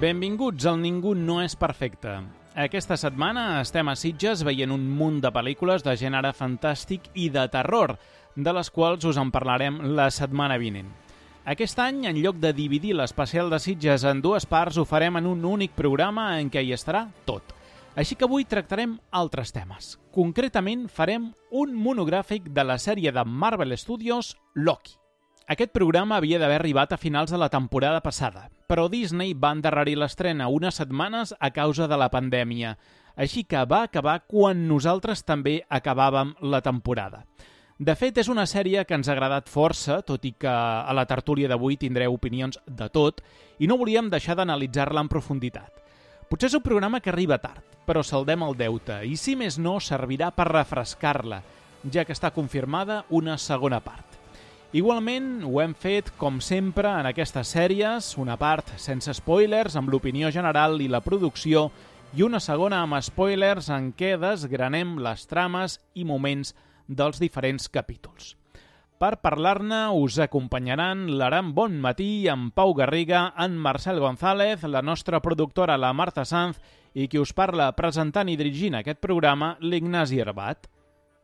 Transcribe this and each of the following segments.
Benvinguts al Ningú no és perfecte. Aquesta setmana estem a Sitges veient un munt de pel·lícules de gènere fantàstic i de terror, de les quals us en parlarem la setmana vinent. Aquest any, en lloc de dividir l'especial de Sitges en dues parts, ho farem en un únic programa en què hi estarà tot. Així que avui tractarem altres temes. Concretament, farem un monogràfic de la sèrie de Marvel Studios, Loki. Aquest programa havia d'haver arribat a finals de la temporada passada, però Disney va endarrerir l'estrena unes setmanes a causa de la pandèmia, així que va acabar quan nosaltres també acabàvem la temporada. De fet, és una sèrie que ens ha agradat força, tot i que a la tertúlia d'avui tindreu opinions de tot, i no volíem deixar d'analitzar-la en profunditat. Potser és un programa que arriba tard, però saldem el deute, i si més no, servirà per refrescar-la, ja que està confirmada una segona part. Igualment, ho hem fet, com sempre, en aquestes sèries, una part sense spoilers, amb l'opinió general i la producció, i una segona amb spoilers en què desgranem les trames i moments dels diferents capítols. Per parlar-ne us acompanyaran l'Aram Bonmatí, en Pau Garriga, en Marcel González, la nostra productora, la Marta Sanz, i qui us parla presentant i dirigint aquest programa, l'Ignasi Herbat.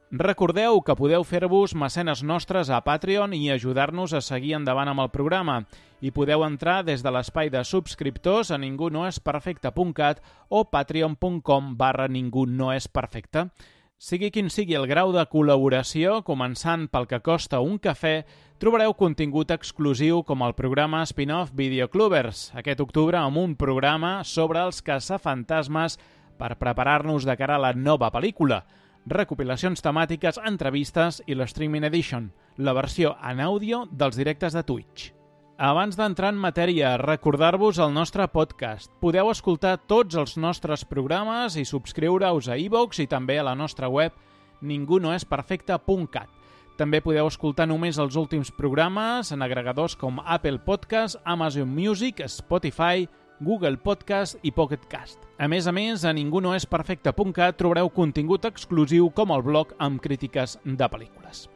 Recordeu que podeu fer-vos mecenes nostres a Patreon i ajudar-nos a seguir endavant amb el programa. I podeu entrar des de l'espai de subscriptors a ningunoesperfecte.cat o patreon.com/ningunoesperfecte. Sigui quin sigui el grau de col·laboració, començant pel que costa un cafè, trobareu contingut exclusiu com el programa spin-off Videoclubbers, aquest octubre amb un programa sobre els caçafantasmes per preparar-nos de cara a la nova pel·lícula, recopilacions temàtiques, entrevistes i l'Streaming Edition, la versió en àudio dels directes de Twitch. Abans d'entrar en matèria, recordar-vos el nostre podcast. Podeu escoltar tots els nostres programes i subscriure-us a iVoox i també a la nostra web ningunoesperfecte.cat. També podeu escoltar només els últims programes en agregadors com Apple Podcast, Amazon Music, Spotify, Google Podcast i Pocket Cast. A més, a ningunoesperfecte.cat trobareu contingut exclusiu com el blog amb crítiques de pel·lícules.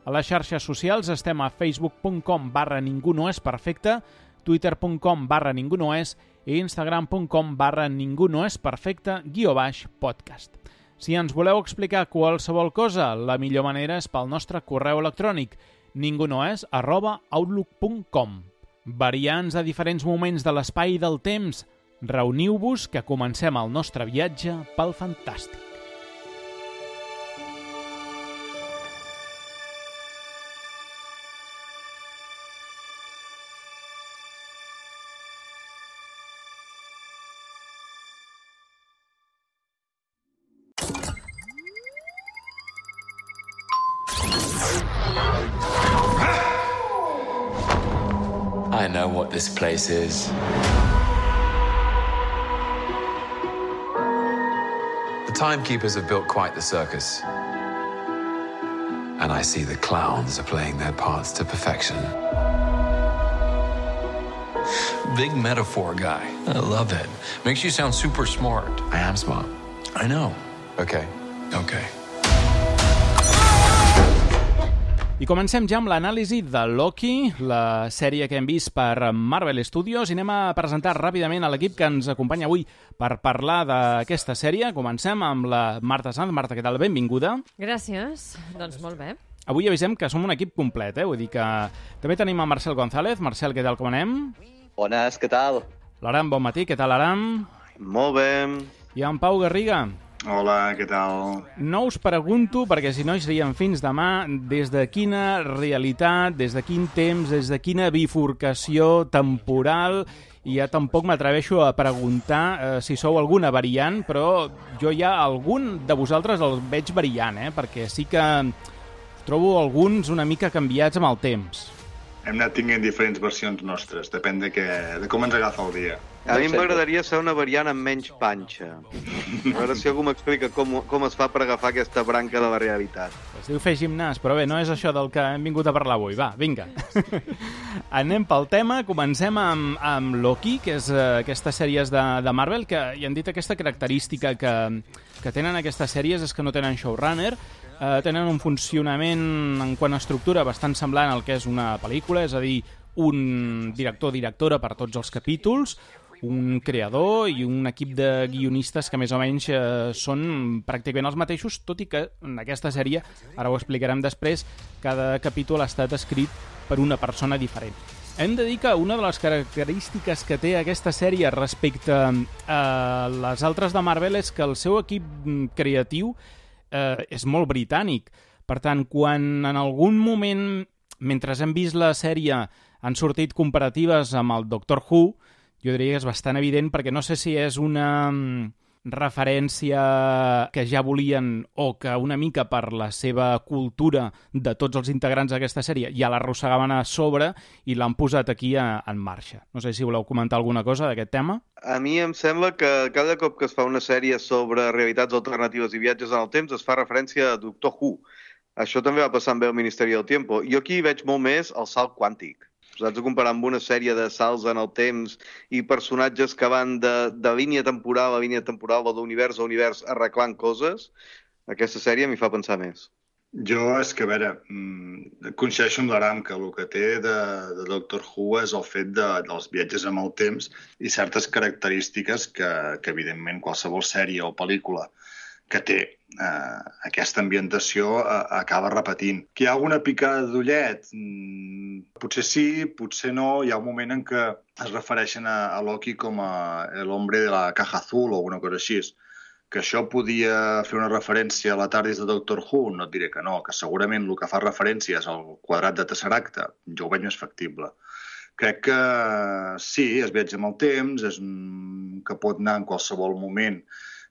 A les xarxes socials estem a facebook.com/ningunoesperfecte, twitter.com/ningunoes i instagram.com/ningunoesperfecte_podcast. Si ens voleu explicar qualsevol cosa, la millor manera és pel nostre correu electrònic ningunoes@outlook.com. Variants a diferents moments de l'espai i del temps, reuniu-vos que comencem el nostre viatge pel fantàstic. I know what this place is. The timekeepers have built quite the circus. And I see the clowns are playing their parts to perfection. Big metaphor guy. I love it. Makes you sound super smart. I am smart. I know. Okay. Okay. I comencem ja amb l'anàlisi de Loki, la sèrie que hem vist per Marvel Studios, i anem a presentar ràpidament a l'equip que ens acompanya avui per parlar d'aquesta sèrie. Comencem amb la Marta Sanz. Marta, què tal? Benvinguda. Gràcies. Doncs molt bé. Avui avisem que som un equip complet, vull dir que també tenim a Marcel González. Marcel, què tal, com anem? Bones, què tal? L'Aram Bonmatí, què tal, Aram? Molt bé. I en Pau Garriga. Hola, què tal? No us pregunto, perquè si no hi seríem fins demà, des de quina realitat, des de quin temps, des de quina bifurcació temporal, i ja tampoc m'atreveixo a preguntar si sou alguna variant, però jo ja algun de vosaltres el veig variant, perquè sí que trobo alguns una mica canviats amb el temps. Hem anat tinguent diferents versions nostres, depèn de com ens agafa el dia. A mi m'agradaria ser una variant amb menys panxa. A veure si algú m'explica com es fa per agafar aquesta branca de la realitat. Es diu fer gimnàs, però bé, no és això del que hem vingut a parlar avui. Va, vinga. Anem pel tema. Comencem amb Loki, que és aquestes sèries de Marvel, que hi han dit aquesta característica que tenen aquestes sèries és que no tenen showrunner, tenen un funcionament en quant a estructura bastant semblant al que és una pel·lícula, és a dir, un director o directora per tots els capítols, un creador i un equip de guionistes que més o menys són pràcticament els mateixos, tot i que en aquesta sèrie, ara ho explicarem després, cada capítol ha estat escrit per una persona diferent. Hem de dir que una de les característiques que té aquesta sèrie respecte a les altres de Marvel és que el seu equip creatiu és molt britànic. Per tant, quan en algun moment, mentre hem vist la sèrie, han sortit comparatives amb el Doctor Who, jo diria que és bastant evident, perquè no sé si és una referència que ja volien o que una mica per la seva cultura de tots els integrants d'aquesta sèrie ja l'arrossegaven a sobre i l'han posat aquí en marxa. No sé si voleu comentar alguna cosa d'aquest tema. A mi em sembla que cada cop que es fa una sèrie sobre realitats alternatives i viatges en el temps es fa referència a Doctor Who. Això també va passar amb el Ministeri del Tiempo. Jo aquí veig molt més el salt quàntic. Saps, a comparar amb una sèrie de salts en el temps i personatges que van de línia temporal a línia temporal o d'univers a univers arreglant coses, aquesta sèrie m'hi fa pensar més. Jo, és que, a veure, coincideixo amb l'Aram que el que té de Doctor Who és el fet dels viatges amb el temps i certes característiques que evidentment, qualsevol sèrie o pel·lícula que té aquesta ambientació acaba repetint. Que hi ha alguna picada d'ullet? Potser sí, potser no. Hi ha un moment en què es refereixen a Loki com el hombre de la caja azul o alguna cosa així. Que això podia fer una referència a la TARDIS de Doctor Who? No et diré que no, que segurament el que fa referència és al quadrat de Tesseracte. Jo ho veig més factible. Crec que sí, es viatja amb el temps, és que pot anar en qualsevol moment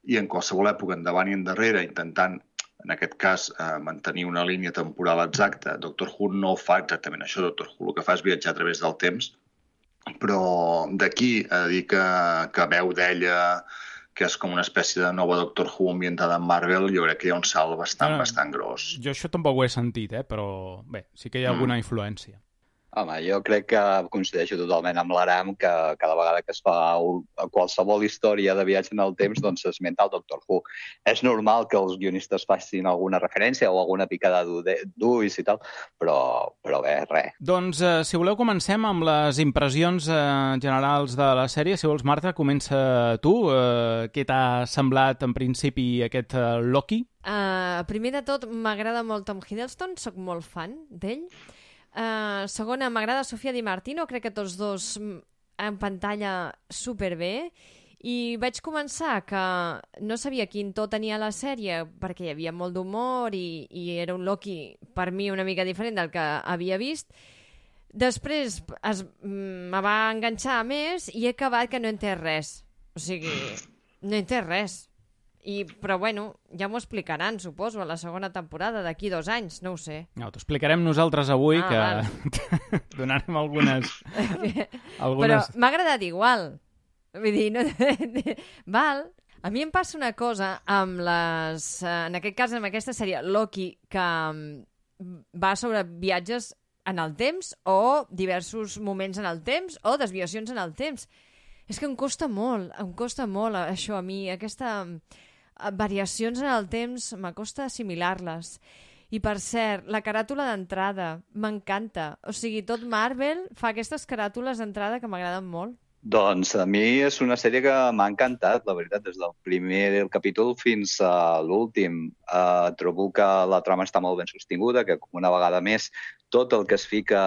i en qualsevol època endavant i endarrere, intentant, en aquest cas, mantenir una línia temporal exacta. Doctor Who no fa exactament això. Doctor Who el que fa és viatjar a través del temps, però d'aquí a dir que veu d'ella, que és com una espècie de nova Doctor Who ambientada en Marvel, jo crec que hi ha un salt bastant gros. Jo això tampoc ho he sentit, però bé, sí que hi ha alguna influència. Home, jo crec que coincideixo totalment amb l'Aram que cada vegada que es fa qualsevol història de viatge en el temps doncs s'esmenta el Doctor Who. És normal que els guionistes facin alguna referència o alguna picada d'ulls i tal, però bé, res. Doncs, si voleu, comencem amb les impressions generals de la sèrie. Si vols, Marta, comença tu. Què t'ha semblat en principi aquest Loki? Primer de tot, m'agrada molt Tom Hiddleston, sóc molt fan d'ell. Segona, m'agrada Sofia Di Martino, crec que tots dos en pantalla superbé, i vaig començar que no sabia quin to tenia la sèrie perquè hi havia molt d'humor i era un Loki per mi una mica diferent del que havia vist. Després me va enganxar més i he acabat que no he entès res, o sigui, no he entès res. Però bueno, ja m'ho explicaran, suposo, a la segona temporada, d'aquí 2 anys, no ho sé. No, t'ho explicarem nosaltres avui, que donarem algunes... Però m'ha agradat igual. Vull dir, no... Val. A mi em passa una cosa amb les... En aquest cas, amb aquesta sèrie, Loki, que va sobre viatges en el temps o diversos moments en el temps o desviacions en el temps. És que em costa molt això a mi, aquesta... variacions en el temps m'acosta assimilar-les. I per cert, la caràtula d'entrada m'encanta. O sigui, tot Marvel fa aquestes caràtules d'entrada que m'agraden molt. Doncs a mi és una sèrie que m'ha encantat, la veritat, des del primer capítol fins a l'últim. Trobo que la trama està molt ben sostinguda, que una vegada més tot el que es fica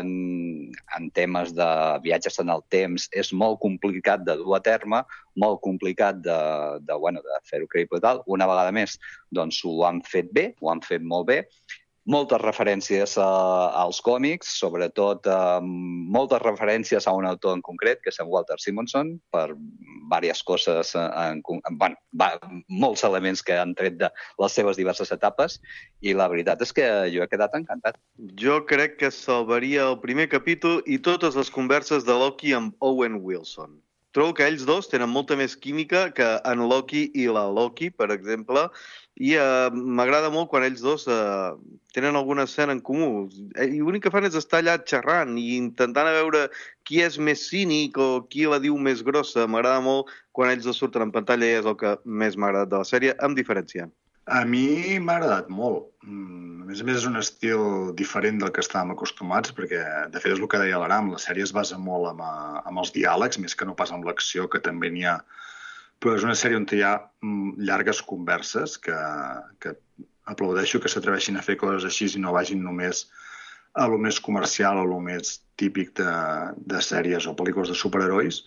en temes de viatges en el temps és molt complicat de dur a terme, molt complicat de fer-ho creïble i tal. Una vegada més, doncs ho han fet bé, ho han fet molt bé. Moltes referències als còmics, sobretot moltes referències a un autor en concret, que és en Walter Simonson, per diverses coses, molts elements que han tret de les seves diverses etapes, i la veritat és que jo he quedat encantat. Jo crec que salvaria el primer capítol i totes les converses de Loki amb Owen Wilson. Trobo que ells dos tenen molta més química que en Loki i la Loki, per exemple, i m'agrada molt quan ells dos tenen alguna escena en comú. I l'únic que fan és estar allà xerrant i intentant a veure qui és més cínic o qui la diu més grossa. M'agrada molt quan ells dos surten en pantalla i és el que més m'ha agradat de la sèrie, amb diferència. A mi m'ha agradat molt. A més, és un estil diferent del que estàvem acostumats, perquè, de fet, és el que deia l'Aram, la sèrie es basa molt amb els diàlegs, més que no pas amb l'acció, que també n'hi ha. Però és una sèrie on hi ha llargues converses, que aplaudeixo que s'atreveixin a fer coses així i no vagin només a lo més comercial o lo més típic de sèries o pel·lícules de superherois.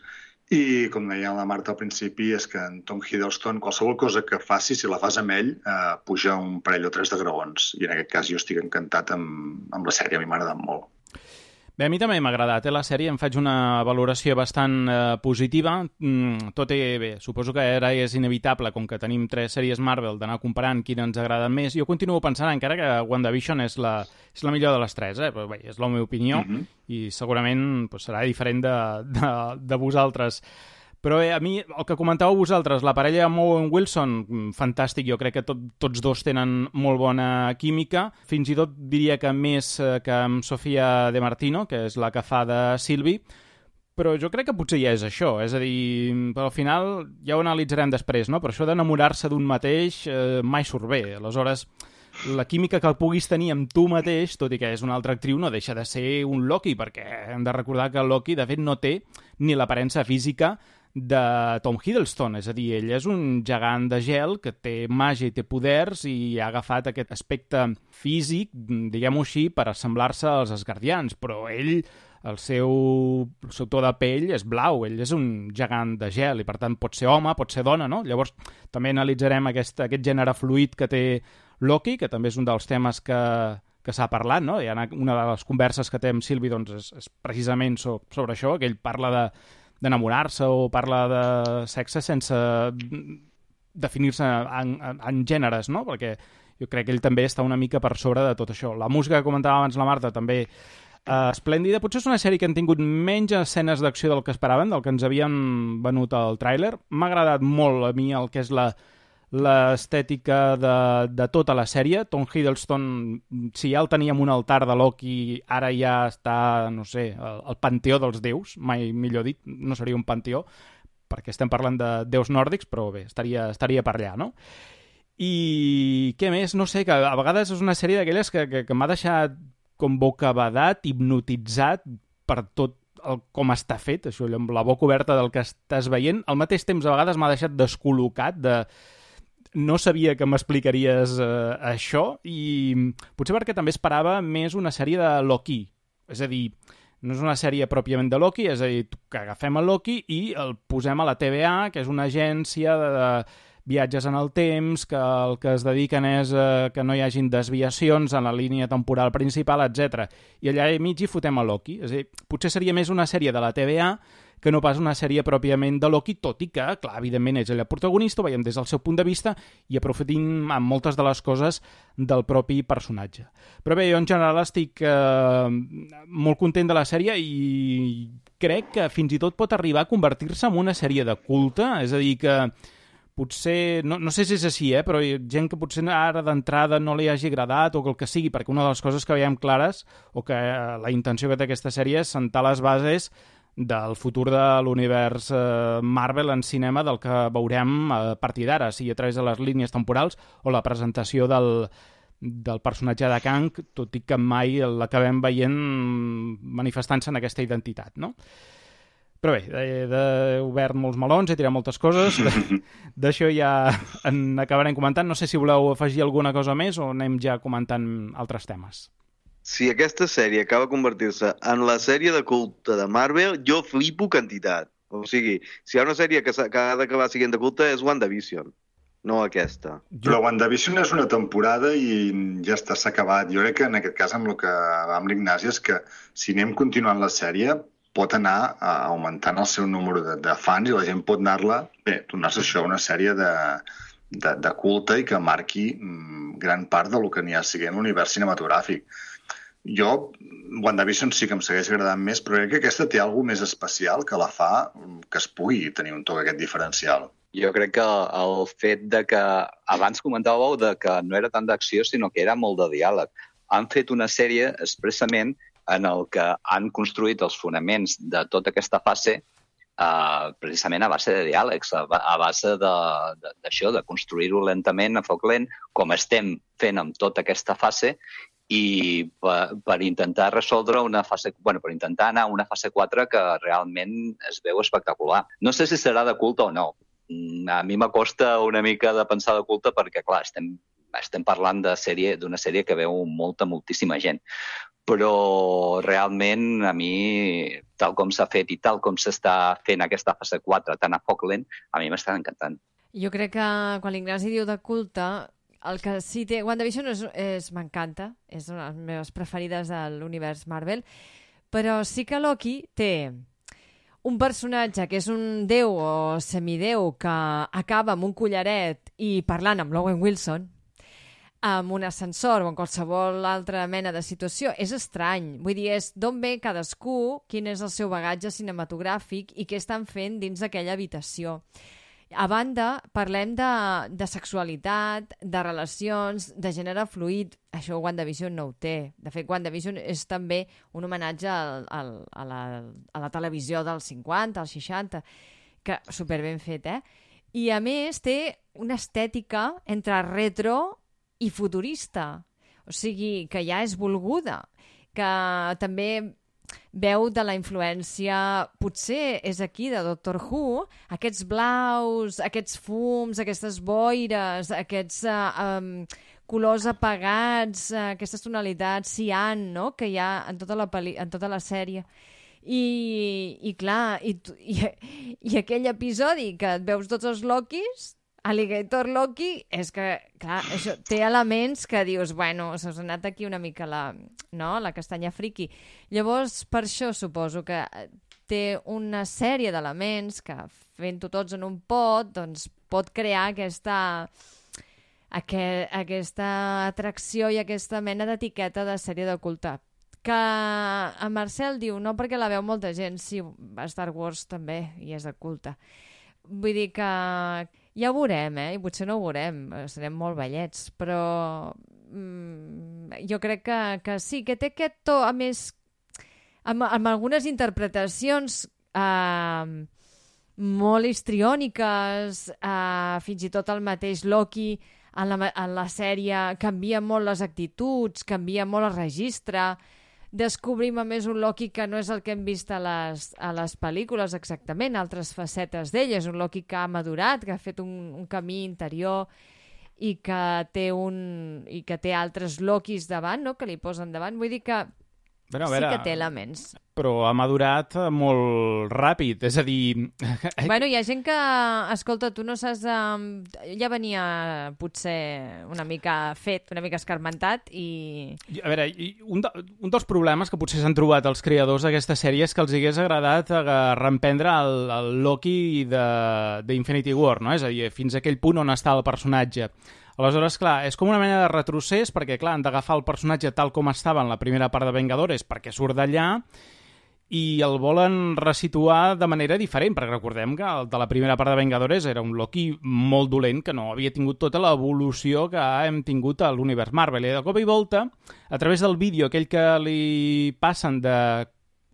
I, com deia la Marta al principi, és que en Tom Hiddleston, qualsevol cosa que faci, si la fas amb ell, puja un parell o tres de graons. I en aquest cas jo estic encantat amb la sèrie, a mi m'ha agradat molt. Bé, a mi també m'ha agradat, la sèrie, em faig una valoració bastant positiva. Tot bé, suposo que ara és inevitable, com que tenim 3 sèries Marvel, d'anar comparant quina ens agrada més. Jo continuo pensant encara que WandaVision és la millor de les 3, però bé, és la meva opinió, i segurament serà diferent de vosaltres. Però bé, a mi, el que comentàveu vosaltres, la parella amb Owen Wilson, fantàstic, jo crec que tots dos tenen molt bona química, fins i tot diria que més que amb Sofia De Martino, que és la que fa de Sylvie, però jo crec que potser ja és això, és a dir, al final ja ho analitzarem després, no? Però això d'enamorar-se d'un mateix mai surt bé, aleshores la química que puguis tenir amb tu mateix, tot i que és una altra actriu, no deixa de ser un Loki, perquè hem de recordar que Loki, de fet, no té ni l'aparença física de Tom Hiddleston, és a dir, ell és un gegant de gel que té màgia i té poders i ha agafat aquest aspecte físic, diguem-ho així, per assemblar-se als Asgardians, però ell, el seu to de pell és blau, ell és un gegant de gel i per tant pot ser home, pot ser dona, no? Llavors també analitzarem aquest gènere fluid que té Loki, que també és un dels temes que s'ha parlat, no? Una de les converses que té amb Sylvie doncs, és precisament sobre això, que ell parla d'enamorar-se o parla de sexe sense definir-se en gèneres, no? Perquè jo crec que ell també està una mica per sobre de tot això. La música que comentava abans la Marta també esplèndida. Potser és una sèrie que han tingut menys escenes d'acció del que esperaven, del que ens havien venut al tràiler. M'ha agradat molt a mi el que és l'estètica de tota la sèrie. Tom Hiddleston, si ja el teníem un altar de Loki, ara ja està, no sé, el panteó dels déus, mai millor dit, no seria un panteó, perquè estem parlant de déus nòrdics, però bé, estaria per allà, no? I què més? No sé, que a vegades és una sèrie d'aquelles que m'ha deixat com bocabadat, hipnotitzat per tot com està fet, això, amb la boca oberta del que estàs veient. Al mateix temps, a vegades m'ha deixat descol·locat no sabia que m'explicaries això, i potser perquè també esperava més una sèrie de Loki. És a dir, no és una sèrie pròpiament de Loki, és a dir, que agafem a Loki i el posem a la TVA, que és una agència de viatges en el temps, que el que es dediquen és que no hi hagin desviacions en la línia temporal principal, etc. I allà al mig hi fotem a Loki. És a dir, potser seria més una sèrie de la TVA que no pas una sèrie pròpiament de Loki, tot i que, clar, evidentment és ell el protagonista, ho veiem des del seu punt de vista i aprofitim amb moltes de les coses del propi personatge. Però bé, jo en general estic molt content de la sèrie i crec que fins i tot pot arribar a convertir-se en una sèrie de culte, és a dir, que potser, no sé si és així, però hi ha gent que potser ara d'entrada no li hagi agradat o el que sigui, perquè una de les coses que veiem clares o que la intenció que té aquesta sèrie és sentar les bases del futur de l'univers Marvel en cinema, del que veurem a partir d'ara, sigui a través de les línies temporals o la presentació del personatge de Kang, tot i que mai l'acabem veient manifestant-se en aquesta identitat, no? Però bé, he obert molts melons, he tirat moltes coses, d'això ja en acabarem comentant. No sé si voleu afegir alguna cosa més o anem ja comentant altres temes. Si aquesta sèrie acaba de convertir-se en la sèrie de culte de Marvel, jo flipo quantitat. O sigui, si hi ha una sèrie que ha d'acabar sent de culte és WandaVision, no aquesta. Però WandaVision és una temporada i ja està, s'ha acabat. Jo crec que en aquest cas amb el que va amb l'Ignasi és que si anem continuant la sèrie pot anar augmentant el seu número de fans i la gent pot tornar-se això una sèrie de culte i que marqui gran part del que n'hi ha siguent l'univers cinematogràfic. Jo, WandaVision sí que em segueix agradant més, però crec que aquesta té alguna més especial que la fa que es pugui tenir un toc aquest diferencial. Jo crec que el fet de que abans comentàveu de que no era tant d'acció, sinó que era molt de diàleg. Han fet una sèrie expressament en el que han construït els fonaments de tota aquesta fase precisament a base de diàlegs, a base d'això, de construir-ho lentament, a foc lent, com estem fent amb tota aquesta fase, i per intentar resoldre per intentar anar a una fase 4 que realment es veu espectacular. No sé si serà de culte o no. A mi m'acosta una mica de pensar de culte perquè, clar, estem parlant d'una sèrie que veu moltíssima gent. Però realment a mi, tal com s'ha fet i tal com s'està fent aquesta fase 4 tan a foc lent, a mi m'està encantant. Jo crec que quan l'Ignasi diu de culte, el que sí té... WandaVision m'encanta, és una de les meves preferides de l'univers Marvel, però sí que Loki té un personatge que és un déu o semidéu que acaba amb un collaret i parlant amb l'Owen Wilson, amb un ascensor o en qualsevol altra mena de situació. És estrany. Vull dir, és d'on ve cadascú, quin és el seu bagatge cinematogràfic i què estan fent dins d'aquella habitació. A banda, parlem de sexualitat, de relacions, de gènere fluid. Això WandaVision no ho té. De fet, WandaVision és també un homenatge a la televisió dels 50, als 60, que superben fet, I a més té una estètica entre retro i futurista, o sigui, que ja és volguda, que també veu de la influència, potser és aquí, de Doctor Who, aquests blaus, aquests fums, aquestes boires, aquests colors apagats, aquestes tonalitats cian, no?, que hi ha en tota la sèrie. I clar, i aquell episodi que et veus tots els Lokis, Alligator Loki, és que, clar, això té elements que dius, bueno, s'ha anat aquí una mica la castanya friki. Llavors, per això suposo que té una sèrie d'elements que, fent-ho tots en un pot, doncs pot crear aquesta atracció i aquesta mena d'etiqueta de sèrie de culte. Que en Marcel diu, no perquè la veu molta gent, sí, a Star Wars també, i és de culte. Vull dir que ja ho veurem, i potser no ho veurem, serem molt vellets, però jo crec que sí, que té aquest to, a més, amb algunes interpretacions molt histriòniques, fins i tot el mateix Loki en la sèrie canvia molt les actituds, canvia molt el registre, descobrim a més un Loki que no és el que hem vist a les pel·lícules exactament, altres facetes d'ell, és un Loki que ha madurat, que ha fet un camí interior i que té altres Lokis davant, no?, que li posen davant. Vull dir que sí que té elements. Però ha madurat molt ràpid, és a dir... Bueno, hi ha gent que, escolta, tu no saps... ja venia potser una mica fet, una mica escarmentat i... A veure, un dels problemes que potser s'han trobat els creadors d'aquesta sèrie és que els hagués agradat reemprendre el Loki d'Infinity War, no? És a dir, fins a aquell punt on està el personatge. Aleshores, clar, és com una mena de retrocés perquè, clar, han d'agafar el personatge tal com estava en la primera part de Vengadores perquè surt d'allà i el volen resituar de manera diferent, perquè recordem que el de la primera part de Vengadores era un Loki molt dolent que no havia tingut tota l'evolució que hem tingut a l'univers Marvel. I de cop i volta, a través del vídeo aquell que li passen de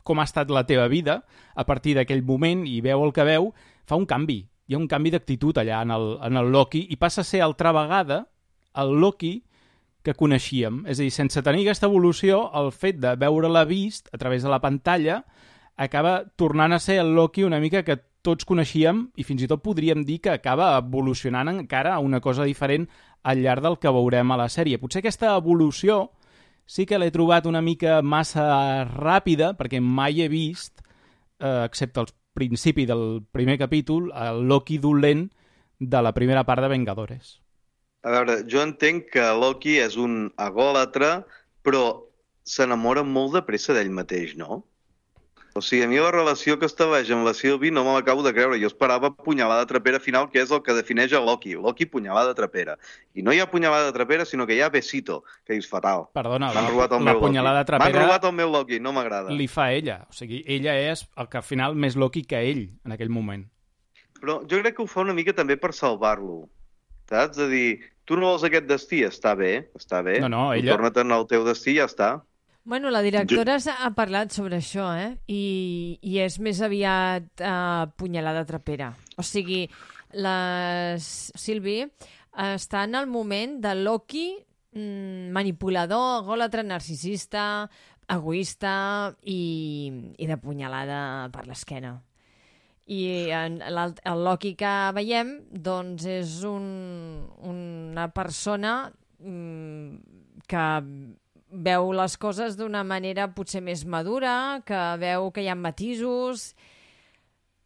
com ha estat la teva vida a partir d'aquell moment i veu el que veu, fa un canvi. Hi ha un canvi d'actitud allà en el Loki i passa a ser altra vegada el Loki que coneixíem. És a dir, sense tenir aquesta evolució, el fet de veure-la vist a través de la pantalla acaba tornant a ser el Loki una mica que tots coneixíem i fins i tot podríem dir que acaba evolucionant encara a una cosa diferent al llarg del que veurem a la sèrie. Potser aquesta evolució sí que l'he trobat una mica massa ràpida perquè mai he vist, excepte els principi del primer capítol, el Loki dolent de la primera part de Vengadores. A veure, jo entenc que Loki és un egòlatre, però s'enamora molt de pressa d'ell mateix, no? O sigui, a mi la relació que estableix amb la Sylvie no me l'acabo de creure. Jo esperava punyalada trapera final, que és el que defineix a Loki. Loki, punyalada trapera. I no hi ha punyalada trapera, sinó que hi ha besito, que és fatal. Perdona, la punyalada trapera... M'han robat el meu Loki, no m'agrada. Li fa ella. O sigui, ella és el que al final més Loki que ell, en aquell moment. Però jo crec que ho fa una mica també per salvar-lo. Saps? És a dir, tu no vols aquest destí, està bé. No, ella... Torna-te'n al teu destí i ja està. Bueno, la directora ha parlat sobre això, I és més aviat punyalada trapera. O sigui, la Sylvie està en el moment de Loki manipulador, egòlatra, narcisista, egoista i de punyalada per l'esquena. I el Loki que veiem doncs és una persona que veu les coses d'una manera potser més madura, que veu que hi ha matisos.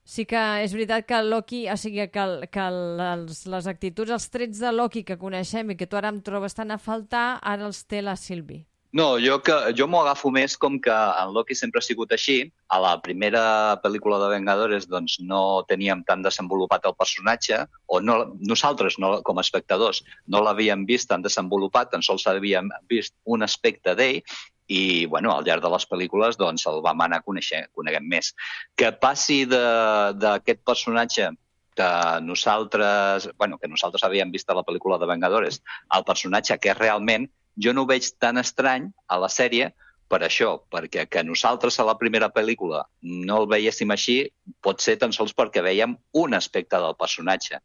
Sí que és veritat que el Loki, o sigui, que les actituds, els trets de Loki que coneixem i que tu ara em trobes tant a faltar, ara els té la Sylvie. No, jo m'ho agafo més com que en Loki sempre ha sigut així. A la primera pel·lícula de Vengadores doncs, no teníem tan desenvolupat el personatge, o no, nosaltres, com a espectadors, no l'havíem vist tan desenvolupat, tan sols havíem vist un aspecte d'ell, i bueno, al llarg de les pel·lícules doncs, el vam anar coneguem més. Que passi d'aquest personatge que nosaltres havíem vist a la pel·lícula de Vengadores, al personatge que realment jo no ho veig tan estrany a la sèrie per això, perquè que nosaltres a la primera pel·lícula no el veiéssim així pot ser tan sols perquè veiem un aspecte del personatge.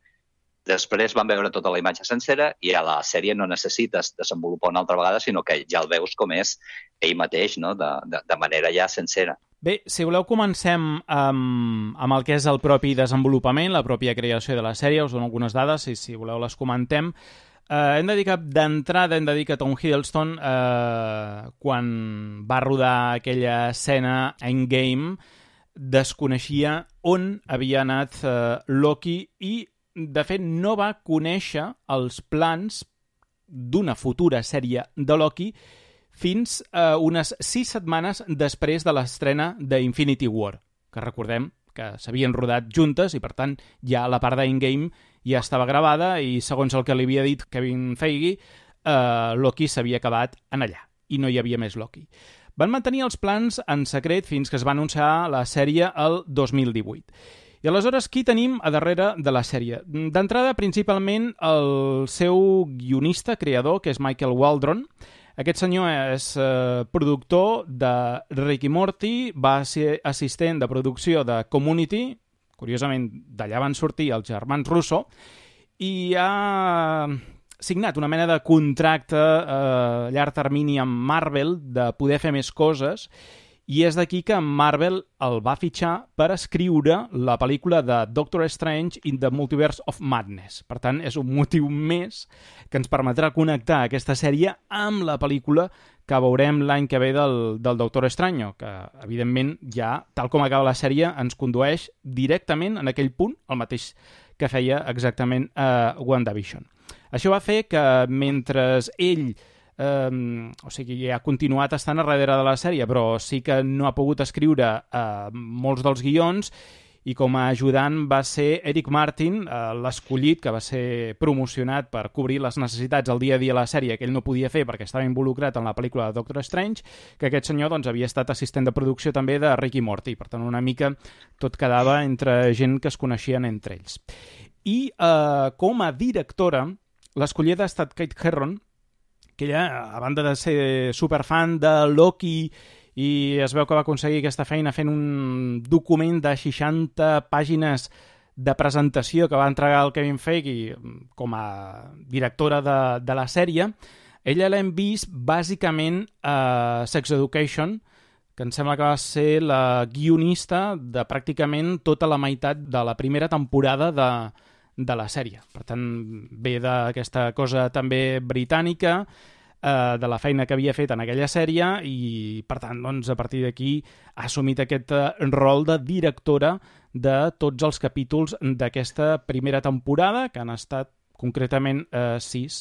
Després vam veure tota la imatge sencera i a la sèrie no necessites desenvolupar una altra vegada, sinó que ja el veus com és ell mateix, no? de manera ja sencera. Bé, si voleu comencem amb el que és el propi desenvolupament, la pròpia creació de la sèrie. Us dono algunes dades i si voleu les comentem. Hem de dir que Tom Hiddleston, quan va rodar aquella escena Endgame, desconeixia on havia anat Loki i, de fet, no va conèixer els plans d'una futura sèrie de Loki fins unes 6 setmanes després de l'estrena d'Infinity War, que recordem que s'havien rodat juntes i, per tant, ja la part d'Endgame ja estava gravada i, segons el que li havia dit Kevin Feige, Loki s'havia acabat en allà i no hi havia més Loki. Van mantenir els plans en secret fins que es va anunciar la sèrie el 2018. I aleshores, qui tenim a darrere de la sèrie? D'entrada, principalment, el seu guionista, creador, que és Michael Waldron. Aquest senyor és productor de Rick i Morty, va ser assistent de producció de Community, curiosament, d'allà van sortir els germans Russo, i ha signat una mena de contracte a llarg termini amb Marvel de poder fer més coses, i és d'aquí que Marvel el va fitxar per escriure la pel·lícula de Doctor Strange in the Multiverse of Madness. Per tant, és un motiu més que ens permetrà connectar aquesta sèrie amb la pel·lícula que veurem l'any que ve del Doctor Strange, que, evidentment, ja, tal com acaba la sèrie, ens condueix directament en aquell punt, el mateix que feia exactament WandaVision. Això va fer que, mentre ell o sigui, ha continuat estant a darrere de la sèrie, però sí que no ha pogut escriure molts dels guions, i com a ajudant va ser Eric Martin, l'escollit, que va ser promocionat per cobrir les necessitats al dia a dia de la sèrie que ell no podia fer perquè estava involucrat en la pel·lícula de Doctor Strange, que aquest senyor doncs, havia estat assistent de producció també de Rick i Morty. Per tant, una mica tot quedava entre gent que es coneixien entre ells. I com a directora, l'escollida ha estat Kate Herron, que ella, a banda de ser superfan de Loki, i es veu que va aconseguir aquesta feina fent un document de 60 pàgines de presentació que va entregar el Kevin Feige com a directora de la sèrie. Ella l'hem vist bàsicament a Sex Education, que em sembla que va ser la guionista de pràcticament tota la meitat de la primera temporada de la sèrie. Per tant, ve d'aquesta cosa també britànica, de la feina que havia fet en aquella sèrie i, per tant, doncs, a partir d'aquí ha assumit aquest rol de directora de tots els capítols d'aquesta primera temporada, que han estat concretament 6,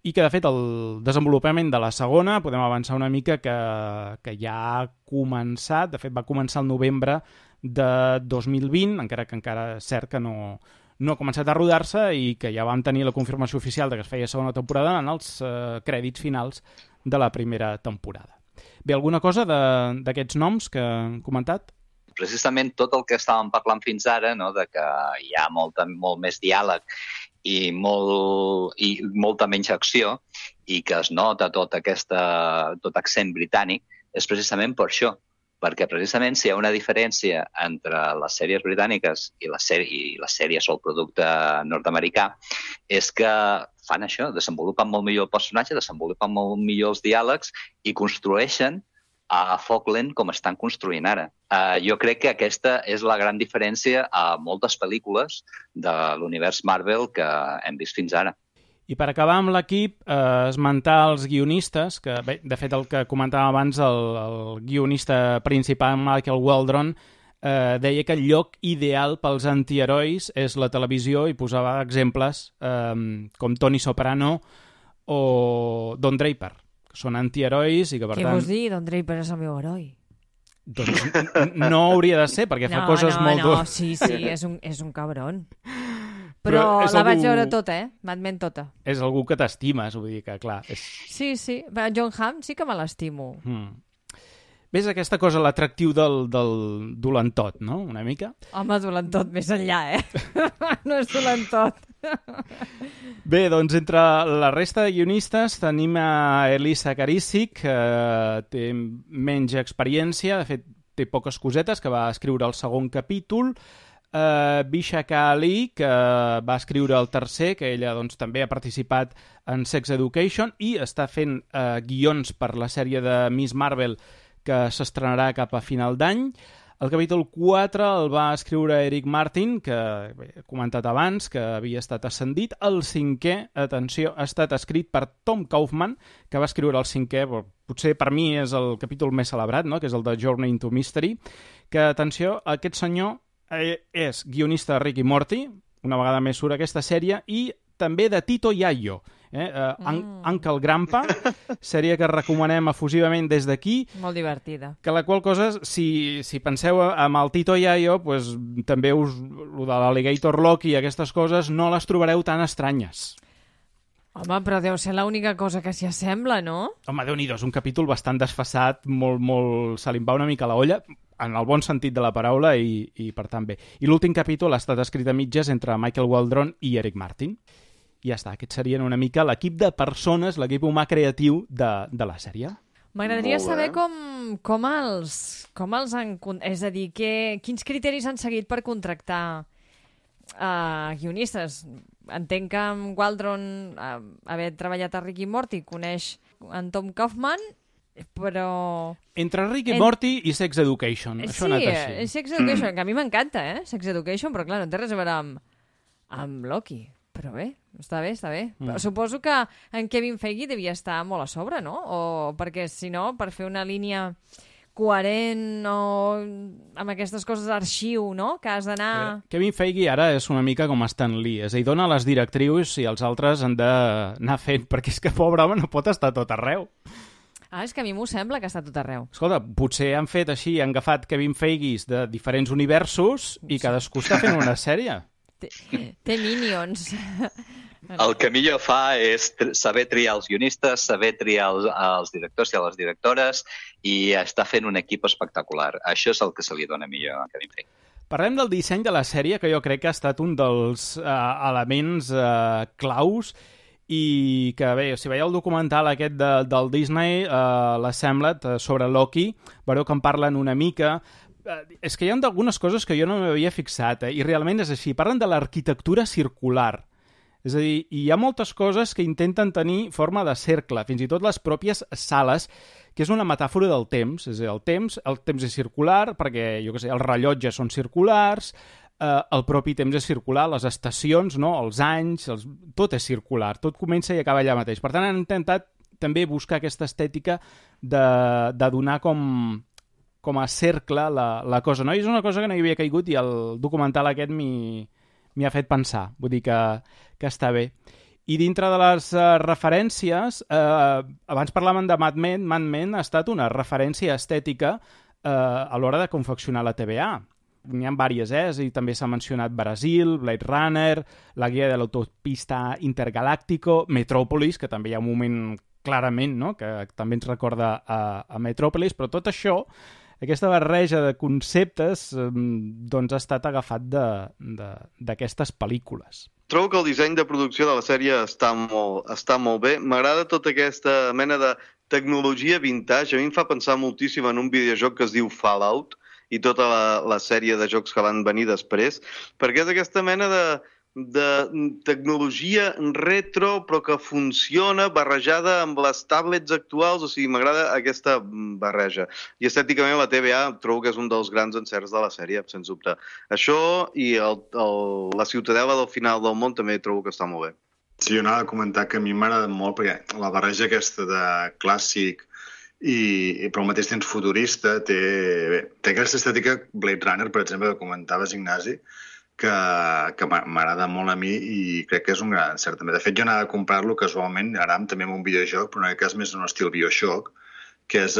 i que, de fet, el desenvolupament de la segona, podem avançar una mica que ja ha començat. De fet, va començar el novembre de 2020, encara és cert que no ha començat a rodar-se i que ja vam tenir la confirmació oficial de que es feia segona temporada en els crèdits finals de la primera temporada. Bé, alguna cosa d'aquests noms que han comentat? Precisament tot el que estàvem parlant fins ara, no, de que hi ha molt més diàleg i molta menys acció i que es nota tot accent britànic, és precisament per això, perquè precisament si hi ha una diferència entre les sèries britàniques i les sèries o el producte nord-americà és que fan això, desenvolupen molt millor el personatge, desenvolupen molt millor els diàlegs i construeixen a foc lent com estan construint ara. Jo crec que aquesta és la gran diferència a moltes pel·lícules de l'univers Marvel que hem vist fins ara. I per acabar amb l'equip, esmentar els guionistes, que bé, de fet el que comentava abans, el guionista principal, Michael Waldron, deia que el lloc ideal pels antiherois és la televisió i posava exemples com Tony Soprano o Don Draper, que són antiherois i que, per tant... Què vols dir? Don Draper és el meu heroi. Doncs no hauria de ser, perquè fa coses molt dures. Sí, és un cabron. Però la vaig veure tota, Mad Men tota. És algú que t'estimes, vull dir que, clar... Sí. John Hamm sí que me l'estimo. Ves aquesta cosa, l'atractiu del dolentot, no?, una mica? Home, dolentot més enllà, No és dolentot. Bé, doncs entre la resta de guionistes tenim a Elisa Karicic, que té menys experiència, de fet té poques cosetes, que va escriure el segon capítol, Vishaka Ali, que va escriure el tercer, que ella doncs, també ha participat en Sex Education i està fent guions per la sèrie de Miss Marvel que s'estrenarà cap a final d'any. El capítol 4 el va escriure Eric Martin, que he comentat abans, que havia estat ascendit. El 5è, atenció, ha estat escrit per Tom Kaufman, que va escriure el 5è, potser per mi és el capítol més celebrat, no?, que és el de Journey into Mystery, que, atenció, aquest senyor és guionista de Rick i Morty, una vegada més surt aquesta sèrie, i també de Tito Yayo, Uncle Grandpa, sèrie que recomanem efusivament des d'aquí. Molt divertida. Que la qual cosa, si penseu amb el Tito Yayo, pues, també lo de l'Alligator Loki i aquestes coses no les trobareu tan estranyes. Home, però deu ser l'única cosa que s'hi assembla, no? Home, Déu-n'hi-do, és un capítol bastant desfasat, molt... se li va una mica la olla, en el bon sentit de la paraula, i per tant bé. I l'últim capítol ha estat escrit a mitges entre Michael Waldron i Eric Martin. I ja està, aquests serien una mica l'equip de persones, l'equip humà creatiu de la sèrie. M'agradaria saber com els han... És a dir, quins criteris han seguit per contractar guionistes. Entenc que amb Waldron, haver treballat a Rick i Morty, coneix en Tom Kaufman, però... Entre Rick i Morty i Sex Education. Això ha anat així. Sí, Sex Education, que a mi m'encanta, Sex Education, però clar, no té res a veure amb Loki. Però bé, està bé. Però suposo que en Kevin Feige devia estar molt a sobre, no? O perquè, si no, per fer una línia coherent o amb aquestes coses d'arxiu, no?, que has d'anar... Kevin Feige ara és una mica com Stan Lee, és a dir, dona les directrius i els altres han d'anar fent, perquè és que, pobre home, no pot estar tot arreu. És que a mi m'ho sembla que està tot arreu. Escolta, potser han fet així, han agafat Kevin Feige de diferents universos i cadascú està fent una sèrie. Té Minions. El que millor fa és saber triar els guionistes, saber triar els directors i les directores i està fent un equip espectacular. Això és el que se li dona millor a Kevin Feige. Parlem del disseny de la sèrie, que jo crec que ha estat un dels elements claus i que, bé, si veieu el documental aquest del Disney, l'Assemblet, sobre Loki, veureu que en parlen una mica. És que hi ha algunes coses que jo no m'havia fixat, i realment és així. Parlen de l'arquitectura circular. És a dir, hi ha moltes coses que intenten tenir forma de cercle, fins i tot les pròpies sales, que és una metàfora del temps. És a dir, el temps és circular, perquè, jo què sé, els rellotges són circulars, el propi temps és circular, les estacions, no? Els anys, tot és circular, tot comença i acaba allà mateix. Per tant, han intentat també buscar aquesta estètica de donar com a cercle la cosa, no? I és una cosa que no hi havia caigut i el documental aquest m'hi ha fet pensar. Vull dir que està bé. I dintre de les referències, abans parlàvem de Mad Men. Mad Men ha estat una referència estètica a l'hora de confeccionar la TVA. N'hi ha diverses, i també s'ha mencionat Brasil, Blade Runner, la guia de l'autopista Intergaláctico, Metropolis, que també hi ha un moment clarament, no?, que també ens recorda a Metropolis, però tot això, aquesta barreja de conceptes, doncs ha estat agafat d'aquestes pel·lícules. Trobo que el disseny de producció de la sèrie està molt bé. M'agrada tota aquesta mena de tecnologia vintage a mi em fa pensar moltíssim en un videojoc que es diu Fallout i tota la sèrie de jocs que van venir després, perquè és aquesta mena de tecnologia retro però que funciona barrejada amb les tablets actuals, o sigui, m'agrada aquesta barreja. I estèticament la TVA trobo que és un dels grans encerts de la sèrie, sens dubte. Això i la ciutadela del final del món també trobo que està molt bé. Sí, jo anava a comentar que a mi m'agrada molt perquè la barreja aquesta de clàssic però al mateix temps futurista té aquesta estètica Blade Runner, per exemple, que comentaves, Ignasi, que m'agrada molt a mi i crec que és un gran encert també. De fet, jo anava a comprar-lo casualment, ara també amb un videojoc, però en aquest cas més en un estil Bioshock, que és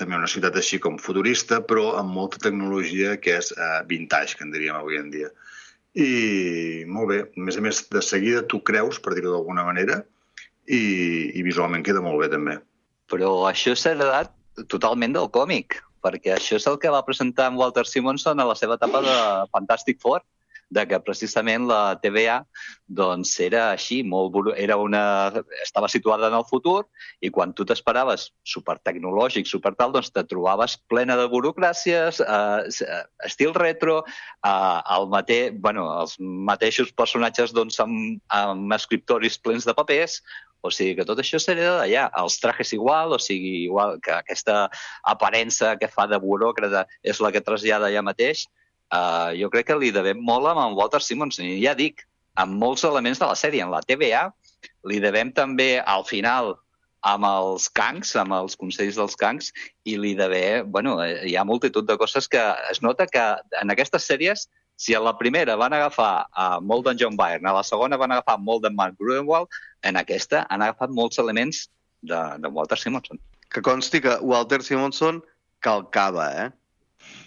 també una ciutat així com futurista, però amb molta tecnologia que és vintage, que en diríem avui en dia. I molt bé, a més, de seguida tu creus, per dir-ho d'alguna manera, i visualment queda molt bé també. Però això s'ha heredat totalment del còmic, perquè això és el que va presentar en Walter Simonson a la seva etapa de Fantastic Four, de que precisament la TVA doncs, era així, estava situada en el futur i quan tu t'esperaves supertecnològic, supertal, doncs te trobaves plena de burocràcies, estil retro, els mateixos personatges doncs, amb escriptoris plens de papers. O sigui que tot això s'hereda d'allà. Els trajes igual, o sigui, igual que aquesta aparença que fa de buròcrata és la que trasllada allà mateix. Jo crec que li devem molt amb en Walter Simonson. I ja dic, amb molts elements de la sèrie. En la TVA li devem també al final amb els Kangs, amb els consells dels Kangs, i li devem... hi ha multitud de coses que es nota que en aquestes sèries, si a la primera van agafar molt d'en John Byrne, a la segona van agafar molt d'en Mark Gruenwald, en aquesta han agafat molts elements de Walter Simonson. Que consti que Walter Simonson calcava,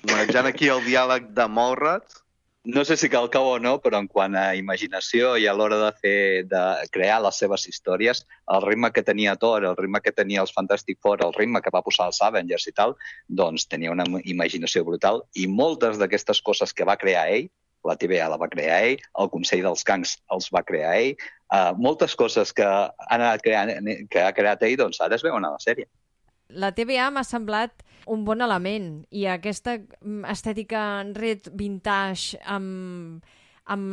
manejant aquí el diàleg de Mallrats. No sé si cal cau o no, però en quant a imaginació i a l'hora de crear les seves històries, el ritme que tenia Thor, el ritme que tenia els Fantastic Four, el ritme que va posar els Avengers i tal, doncs tenia una imaginació brutal i moltes d'aquestes coses que va crear ell, la TVA la va crear ell, el Consell dels Kangs els va crear ell, moltes coses que ha creat ell, doncs ara es veuen a la sèrie. La TVA m'ha semblat un bon element i aquesta estètica ret vintage amb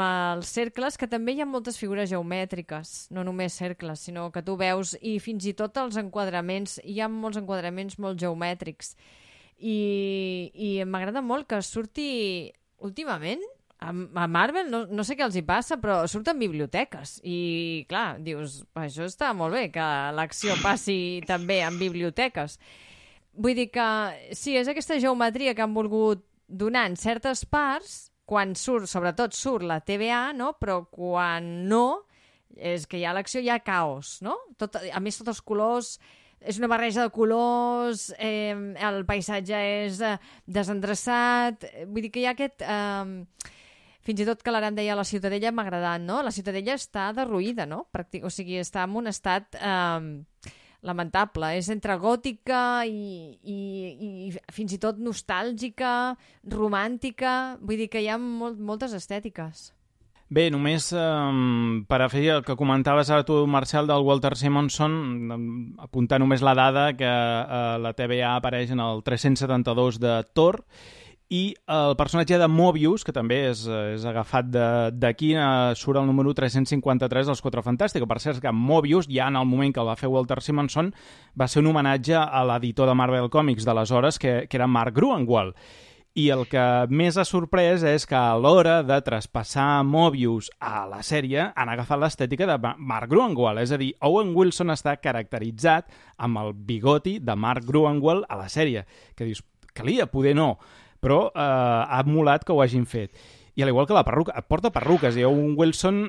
els cercles, que també hi ha moltes figures geomètriques, no només cercles, sinó que tu veus, i fins i tot els enquadraments, hi ha molts enquadraments molt geomètrics. I m'agrada molt que surti últimament a Marvel, no sé què els hi passa, però surten biblioteques i, clar, dius, això està molt bé, que l'acció passi també en biblioteques. Vull dir que, sí, és aquesta geometria que han volgut donar en certes parts, quan sobretot surt la TVA, no? Però quan no, és que hi ha l'acció, hi ha caos, no? A més, tots els colors... És una barreja de colors, el paisatge és desendreçat... Vull dir que hi ha aquest... Fins i tot que l'Aram deia la Ciutadella m'ha agradat, no? La Ciutadella està derruïda, no? O sigui, està en un estat lamentable. És entre gòtica i fins i tot nostàlgica, romàntica... Vull dir que hi ha moltes estètiques. Bé, només per afegir el que comentaves ara tu, Marcel, del Walter Simonson, apuntar només la dada que la TVA apareix en el 372 de Thor, i el personatge de Mobius, que també és agafat d'aquí, surt el número 353 dels Quatre Fantàstics. Per cert, que Mobius, ja en el moment que el va fer Walter Simonson, va ser un homenatge a l'editor de Marvel Comics d'aleshores, que era Mark Gruenwald. I el que més ha sorprès és que a l'hora de traspassar Mobius a la sèrie han agafat l'estètica de Mark Gruenwald. És a dir, Owen Wilson està caracteritzat amb el bigoti de Mark Gruenwald a la sèrie. Que dius, calia, poder no, però ha molat que ho hagin fet. I al igual que la perruca, porta perruques, i Owen Wilson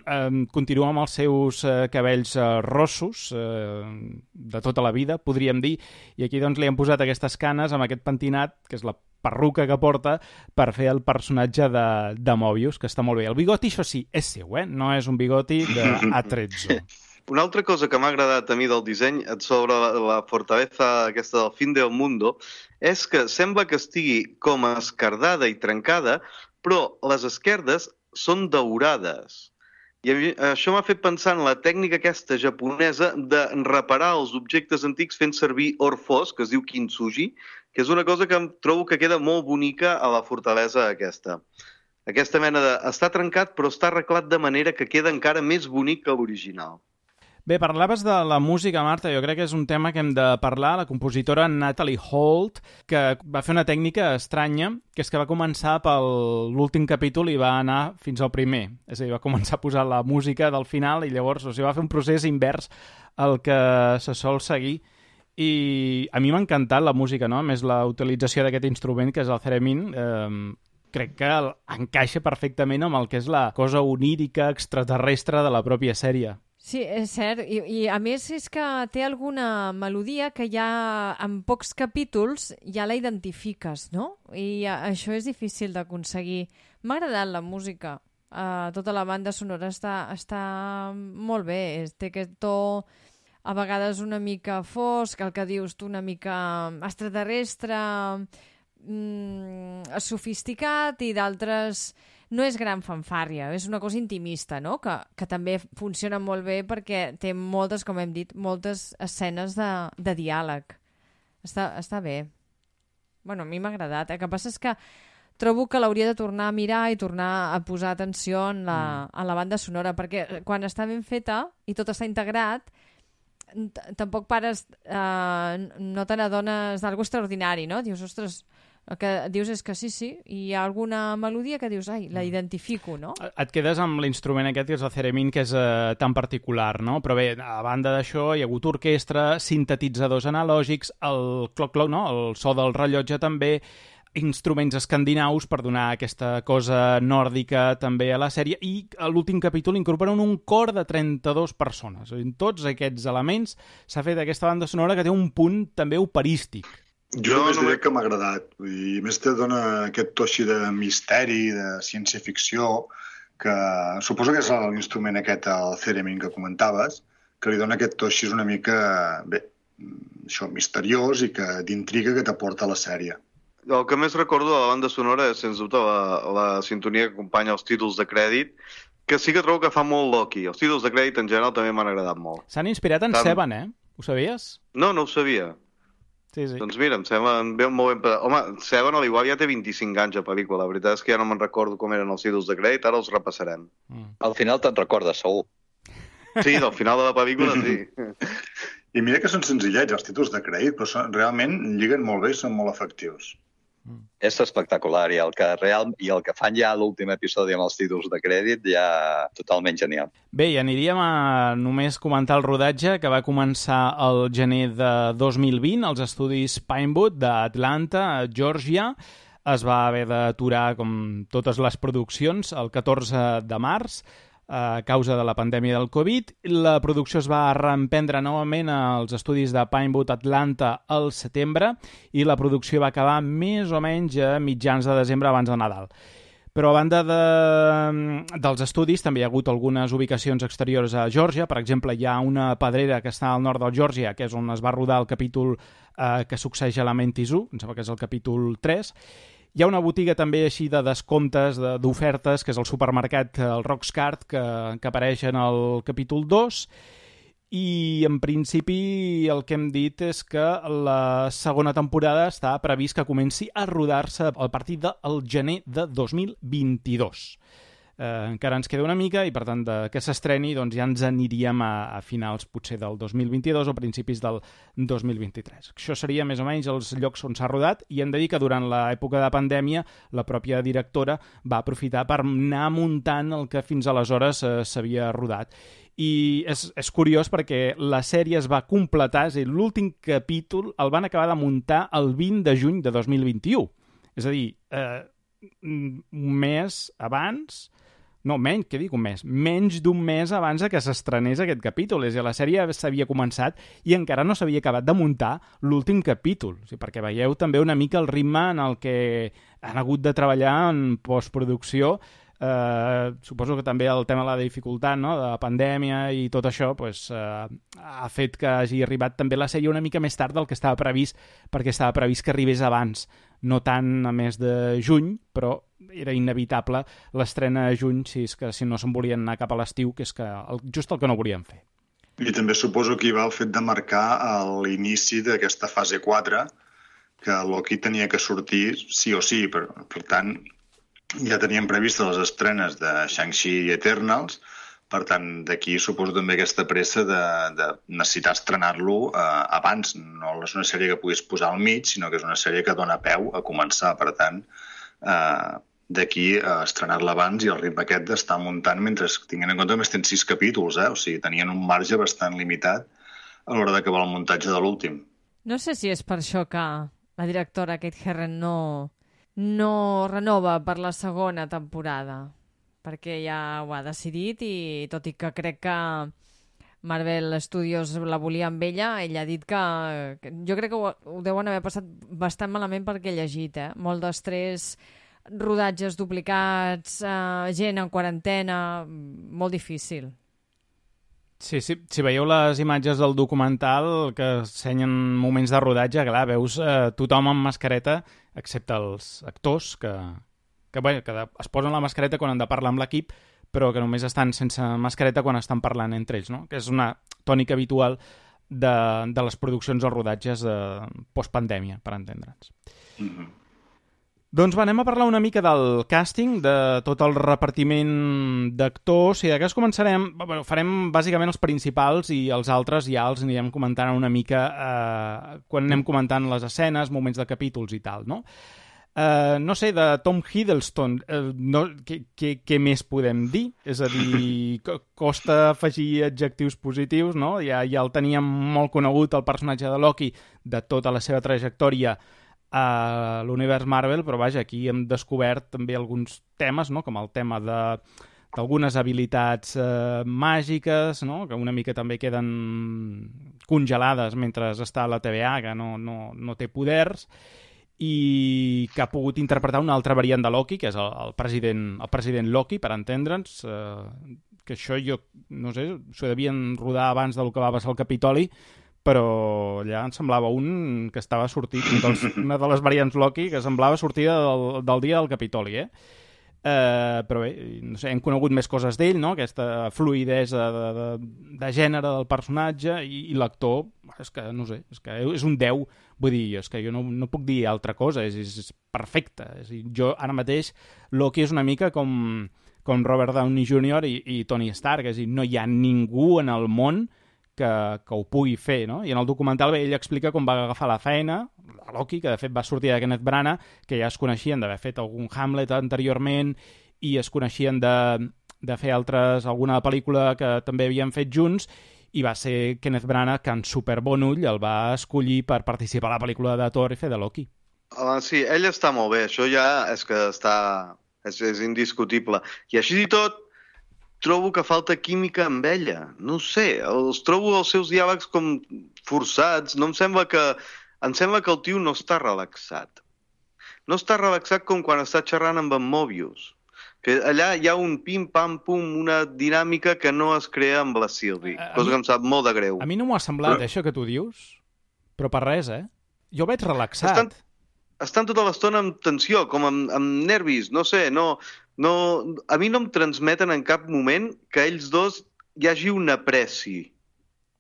continua amb els seus cabells rossos de tota la vida, podríem dir, i aquí doncs li han posat aquestes canes amb aquest pentinat, que és la perruca que porta per fer el personatge de Mobius, que està molt bé. El bigoti, això sí, és seu, no és un bigoti d'Atrezzo. Una altra cosa que m'ha agradat a mi del disseny sobre la fortaleza aquesta del fin del mundo és que sembla que estigui com esquerdada i trencada, però les esquerdes són daurades. I això m'ha fet pensar en la tècnica aquesta japonesa de reparar els objectes antics fent servir or fos, que es diu kintsugi, que és una cosa que em trobo que queda molt bonica a la fortalesa aquesta. Aquesta mena de... Està trencat, però està arreglat de manera que queda encara més bonic que l'original. Bé, parlaves de la música, Marta. Jo crec que és un tema que hem de parlar. La compositora Natalie Holt, que va fer una tècnica estranya, que és que va començar per l'últim capítol i va anar fins al primer. És a dir, va començar a posar la música del final i llavors va fer un procés invers al que se sol seguir. I a mi m'ha encantat la música, no? A més, la utilització d'aquest instrument, que és el theremin, crec que encaixa perfectament amb el que és la cosa onírica, extraterrestre de la pròpia sèrie. Sí, és cert. I a més és que té alguna melodia que ja en pocs capítols ja la identifiques, no? I això és difícil d'aconseguir. M'ha agradat la música. Tota la banda sonora està molt bé. Té aquest to a vegades una mica fosc, el que dius tu, una mica extraterrestre, sofisticat, i d'altres... No és gran fanfàrria, és una cosa intimista, no? Que també funciona molt bé perquè té moltes, com hem dit, moltes escenes de diàleg. Està bé. Bueno, a mi m'ha agradat. El que passa és que trobo que l'hauria de tornar a mirar i tornar a posar atenció en la banda sonora, perquè quan està ben feta i tot està integrat, tampoc pares, no te n'adones d'algú extraordinari, no? Dius, ostres... El que dius és que sí, i hi ha alguna melodia que dius, ai, la identifico, no? Et quedes amb l'instrument aquest, que és el theremin, que és tan particular, no? Però bé, a banda d'això, hi ha hagut orquestra, sintetitzadors analògics, el cloc-cloc, no? El so del rellotge també, instruments escandinaus per donar aquesta cosa nòrdica també a la sèrie, i a l'últim capítol incorporen un cor de 32 persones. En tots aquests elements s'ha fet aquesta banda sonora que té un punt també operístic. Jo només diré que m'ha agradat. I més te dona aquest to així de misteri, de ciència-ficció, que suposo que és l'instrument aquest, el theremin que comentaves, que li dona aquest to així una mica, bé, això, misteriós i que d'intriga que t'aporta la sèrie. El que més recordo de la banda sonora és, sens dubte, la sintonia que acompanya els títols de crèdit, que sí que trobo que fa molt Loki. Els títols de crèdit en general també m'han agradat molt. S'han inspirat en Seven, Ho sabies? No ho sabia. Sí. Doncs mira, em sembla molt ben... Home, Seven, a l'igual, ja té 25 anys de pel·lícula. La veritat és que ja no me'n recordo com eren els títols de crèdit, ara els repassarem. Al final te'n recordes, segur. Sí, del final de la pel·lícula, sí. I mira que són senzillets els títols de crèdit, però realment lliguen molt bé i són molt efectius. És espectacular, i el que fan ja a l'últim episodi amb els títols de crèdit ja totalment genial. Bé, i aniríem a només comentar el rodatge, que va començar el gener de 2020 als estudis Pinewood d'Atlanta, Georgia. Es va haver d'aturar, com totes les produccions, el 14 de març, a causa de la pandèmia del Covid. La producció es va reemprendre novament als estudis de Pinewood Atlanta al setembre i la producció va acabar més o menys a mitjans de desembre, abans de Nadal. Però a banda dels estudis també hi ha hagut algunes ubicacions exteriors a Geòrgia. Per exemple, hi ha una pedrera que està al nord de Geòrgia, que és on es va rodar el capítol que succeeix a Lamentis 1, em sembla que és el capítol 3. Hi ha una botiga també així de descomptes, d'ofertes, que és el supermercat, el Roxcart, que apareix en el capítol 2. I, en principi, el que hem dit és que la segona temporada està previst que comenci a rodar-se a partir del gener de 2022. Encara ens queda una mica i, per tant, que s'estreni doncs ja ens aniríem a finals, potser, del 2022 o principis del 2023. Això seria més o menys els llocs on s'ha rodat, i hem de dir que durant l'època de pandèmia la pròpia directora va aprofitar per anar muntant el que fins aleshores s'havia rodat. I és curiós perquè la sèrie es va completar, és a dir, l'últim capítol el van acabar de muntar el 20 de juny de 2021. És a dir, un mes abans... No, menys, què dic un mes? Menys d'un mes abans que s'estrenés aquest capítol. És a dir, la sèrie s'havia començat i encara no s'havia acabat de muntar l'últim capítol. O sigui, perquè veieu també una mica el ritme en el que han hagut de treballar en postproducció Suposo que també el tema de la dificultat, no?, de la pandèmia i tot això, pues, ha fet que hagi arribat també la sèrie una mica més tard del que estava previst, perquè estava previst que arribés abans, no tant a mes de juny, però era inevitable l'estrena a juny si no se'n volien anar cap a l'estiu, que és just el que no volien fer. I també suposo que hi va el fet de marcar l'inici d'aquesta fase 4, que Loki tenia que sortir sí o sí. Per tant, ja teníem previstes les estrenes de Shang-Chi i Eternals, per tant, d'aquí suposo també aquesta pressa de necessitar estrenar-lo abans. No és una sèrie que puguis posar al mig, sinó que és una sèrie que dona peu a començar. Per tant, d'aquí estrenar-la abans i el ritme aquest d'estar muntant mentre tinguin en compte que més tenen 6 capítols, O sigui, tenien un marge bastant limitat a l'hora d'acabar el muntatge de l'últim. No sé si és per això que la directora Kate Herron no renova per la segona temporada, perquè ja ho ha decidit i tot i que crec que Marvel Studios la volia amb ella ha dit que jo crec que ho deuen haver passat bastant malament perquè he llegit, molt d'estrès, rodatges duplicats, gent en quarantena, molt difícil. Sí, si veieu les imatges del documental que ensenyen moments de rodatge, clar, veus tothom amb mascareta, excepte els actors, que es posen la mascareta quan han de parlar amb l'equip, però que només estan sense mascareta quan estan parlant entre ells, no? Que és una tònica habitual de les produccions o rodatges postpandèmia, per entendre'ns. Mm-hmm. Doncs anem a parlar una mica del càsting, de tot el repartiment d'actors, i d'aquest començarem, farem bàsicament els principals i els altres ja els anirem comentant una mica quan anem comentant les escenes, moments de capítols i tal, no? No sé, de Tom Hiddleston, què més podem dir? És a dir, costa afegir adjectius positius, no? Ja el teníem molt conegut, el personatge de Loki, de tota la seva trajectòria a l'univers Marvel, però vaja, aquí hem descobert també alguns temes, no?, com el tema d'algunes habilitats màgiques, no?, que una mica també queden congelades mentre està a la TVA, que no té poders, i que ha pogut interpretar una altra variant de Loki, que és el president Loki, per entendre'ns, que això jo, no sé, s'ho devien rodar abans del que va passar al Capitoli, però allà em semblava un que estava sortit, una de les variants Loki que semblava sortida del dia del Capitoli, però bé, no sé, hem conegut més coses d'ell, no?, aquesta fluïdesa de gènere del personatge, i l'actor, és que, no sé, és un 10, vull dir, és que jo no puc dir altra cosa, és perfecte. És dir, jo ara mateix Loki és una mica com Robert Downey Jr. i Tony Stark, és a dir, no hi ha ningú en el món que ho pugui fer, no? I en el documental ell explica com va agafar la feina, a Loki, que de fet va sortir de Kenneth Branagh, que ja es coneixien d'haver fet algun Hamlet anteriorment i es coneixien de fer alguna pel·lícula que també havien fet junts, i va ser Kenneth Branagh que en superbon ull el va escollir per participar a la pel·lícula de Thor i fer de Loki. Sí, ell està molt bé, això ja és que és indiscutible. I així i tot, trobo que falta química amb ella. No sé, trobo els seus diàlegs com forçats. Em sembla que el tio no està relaxat. No està relaxat com quan està xerrant amb en Mobius. Que allà hi ha un pim-pam-pum, una dinàmica que no es crea amb la Sylvie, cosa que em sap molt de greu. A mi no m'ho ha semblat, això que tu dius, però per res, Jo veig relaxat. Estan tota l'estona amb tensió, com amb nervis, no sé, a mi no em transmeten en cap moment que ells dos hi hagi una pressi,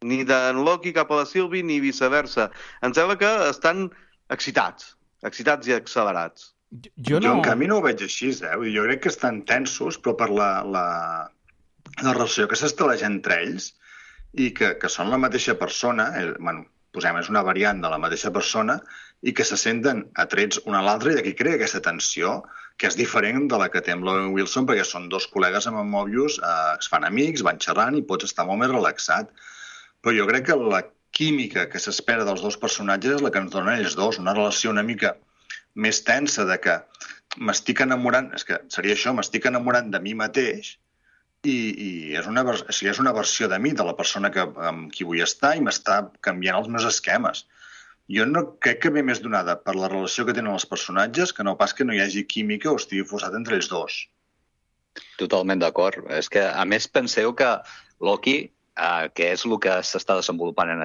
ni d'en Loki cap a la Sylvie, ni viceversa. Em sembla que estan excitats i accelerats. Jo en canvi no ho veig així, Jo crec que estan tensos, però per la relació que s'estableix entre ells i que són la mateixa persona, és una variant de la mateixa persona, i que se senten atrets un a l'altre, i d'aquí crea aquesta tensió, que és diferent de la que té amb l'Owen Wilson, perquè són dos col·legues amb en Mobius, es fan amics, van xerrant i pots estar molt més relaxat. Però jo crec que la química que s'espera dels dos personatges és la que ens donen ells dos, una relació una mica més tensa de que m'estic enamorant, és que seria això, m'estic enamorant de mi mateix i és una versió de mi, de la persona amb qui vull estar, i m'està canviant els meus esquemes. Jo no crec que ve més donada per la relació que tenen els personatges que no pas que no hi hagi química o estigui forçat entre ells dos. Totalment d'acord. És que, a més, penseu que Loki, que és el que s'està desenvolupant en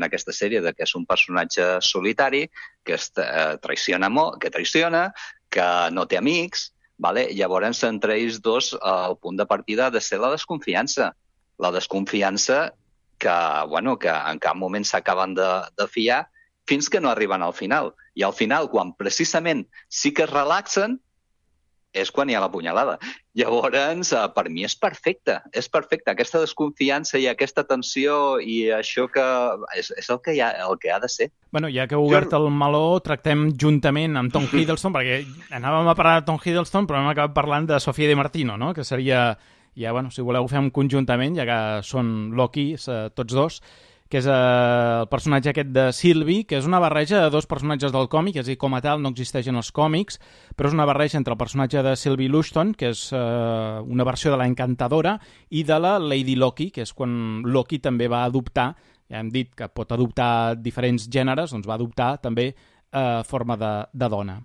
aquesta sèrie, que és un personatge solitari, que traiciona, que no té amics, vale? Llavors, entre ells dos, el punt de partida ha de ser la desconfiança. La desconfiança que en cap moment s'acaben de fiar fins que no arriben al final. I al final, quan precisament sí que es relaxen, és quan hi ha la punyalada. Llavors, per mi és perfecte. És perfecte. Aquesta desconfiança i aquesta tensió i això que és el que ha de ser. Bueno, ja que heu obert el meló, tractem juntament amb Tom Hiddleston, perquè anàvem a parlar de Tom Hiddleston, però hem acabat parlant de Sofia Di Martino, no? Que seria, ja, bueno, si voleu fem conjuntament, ja que són Loki, tots dos, que és el personatge aquest de Sylvie, que és una barreja de dos personatges del còmic, és a dir, com a tal no existeix en els còmics, però és una barreja entre el personatge de Sylvie Lushton, que és una versió de la Encantadora, i de la Lady Loki, que és quan Loki també va adoptar, ja hem dit que pot adoptar diferents gèneres, doncs va adoptar també forma de dona.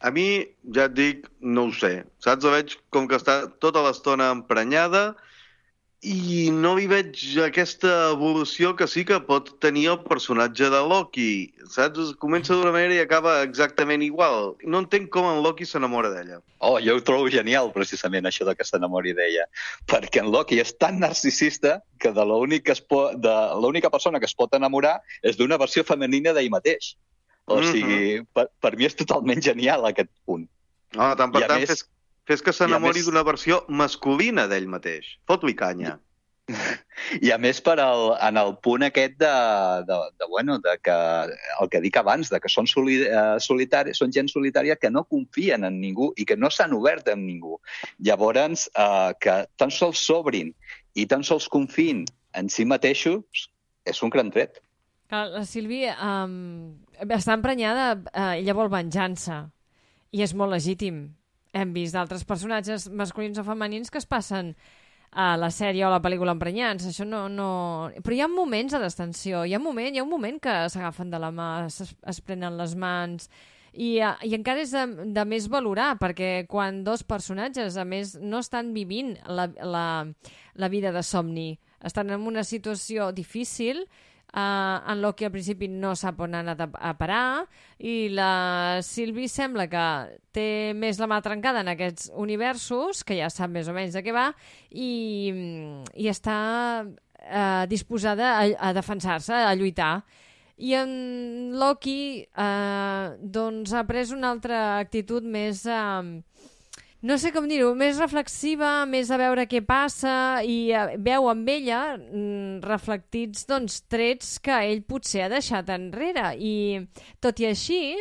A mi, ja et dic, no ho sé. Saps? La veig com que està tota l'estona emprenyada i no li veig aquesta evolució que sí que pot tenir el personatge de Loki. Saps? Comença d'una manera i acaba exactament igual. No entenc com en Loki s'enamora d'ella. Oh, jo ho trobo genial, precisament, això de que s'enamori d'ella. Perquè en Loki és tan narcisista que de l'única persona que es pot enamorar és d'una versió femenina d'ell mateix. O sigui, per mi és totalment genial aquest punt. Tant per tant, fes que s'enamori d'una versió masculina d'ell mateix. Fot-li canya. I a més, en el punt aquest de que el que dic abans, de que són solitaris, són gent solitària que no confien en ningú i que no s'han obert amb ningú. Llavors, que tan sols s'obrin i tan sols confiïn en si mateixos és un gran tret. La Sylvie està emprenyada, ella vol venjança i és molt legítim. Hem vist d'altres personatges masculins o femenins que es passen a la sèrie o a la pel·lícula emprenyats. Això no... Però hi ha moments de destensió, hi ha un moment que s'agafen de la mà, es prenen les mans i encara és de més valorar, perquè quan dos personatges, a més, no estan vivint la vida de somni, estan en una situació difícil, en Loki al principi no sap on ha anat a parar i la Sylvie sembla que té més la mà trencada en aquests universos, que ja sap més o menys de què va, i està disposada a defensar-se, a lluitar. I en Loki doncs ha pres una altra actitud més... no sé com dir-ho, més reflexiva, més a veure què passa i veu amb ella reflectits doncs, trets que ell potser ha deixat enrere i tot i així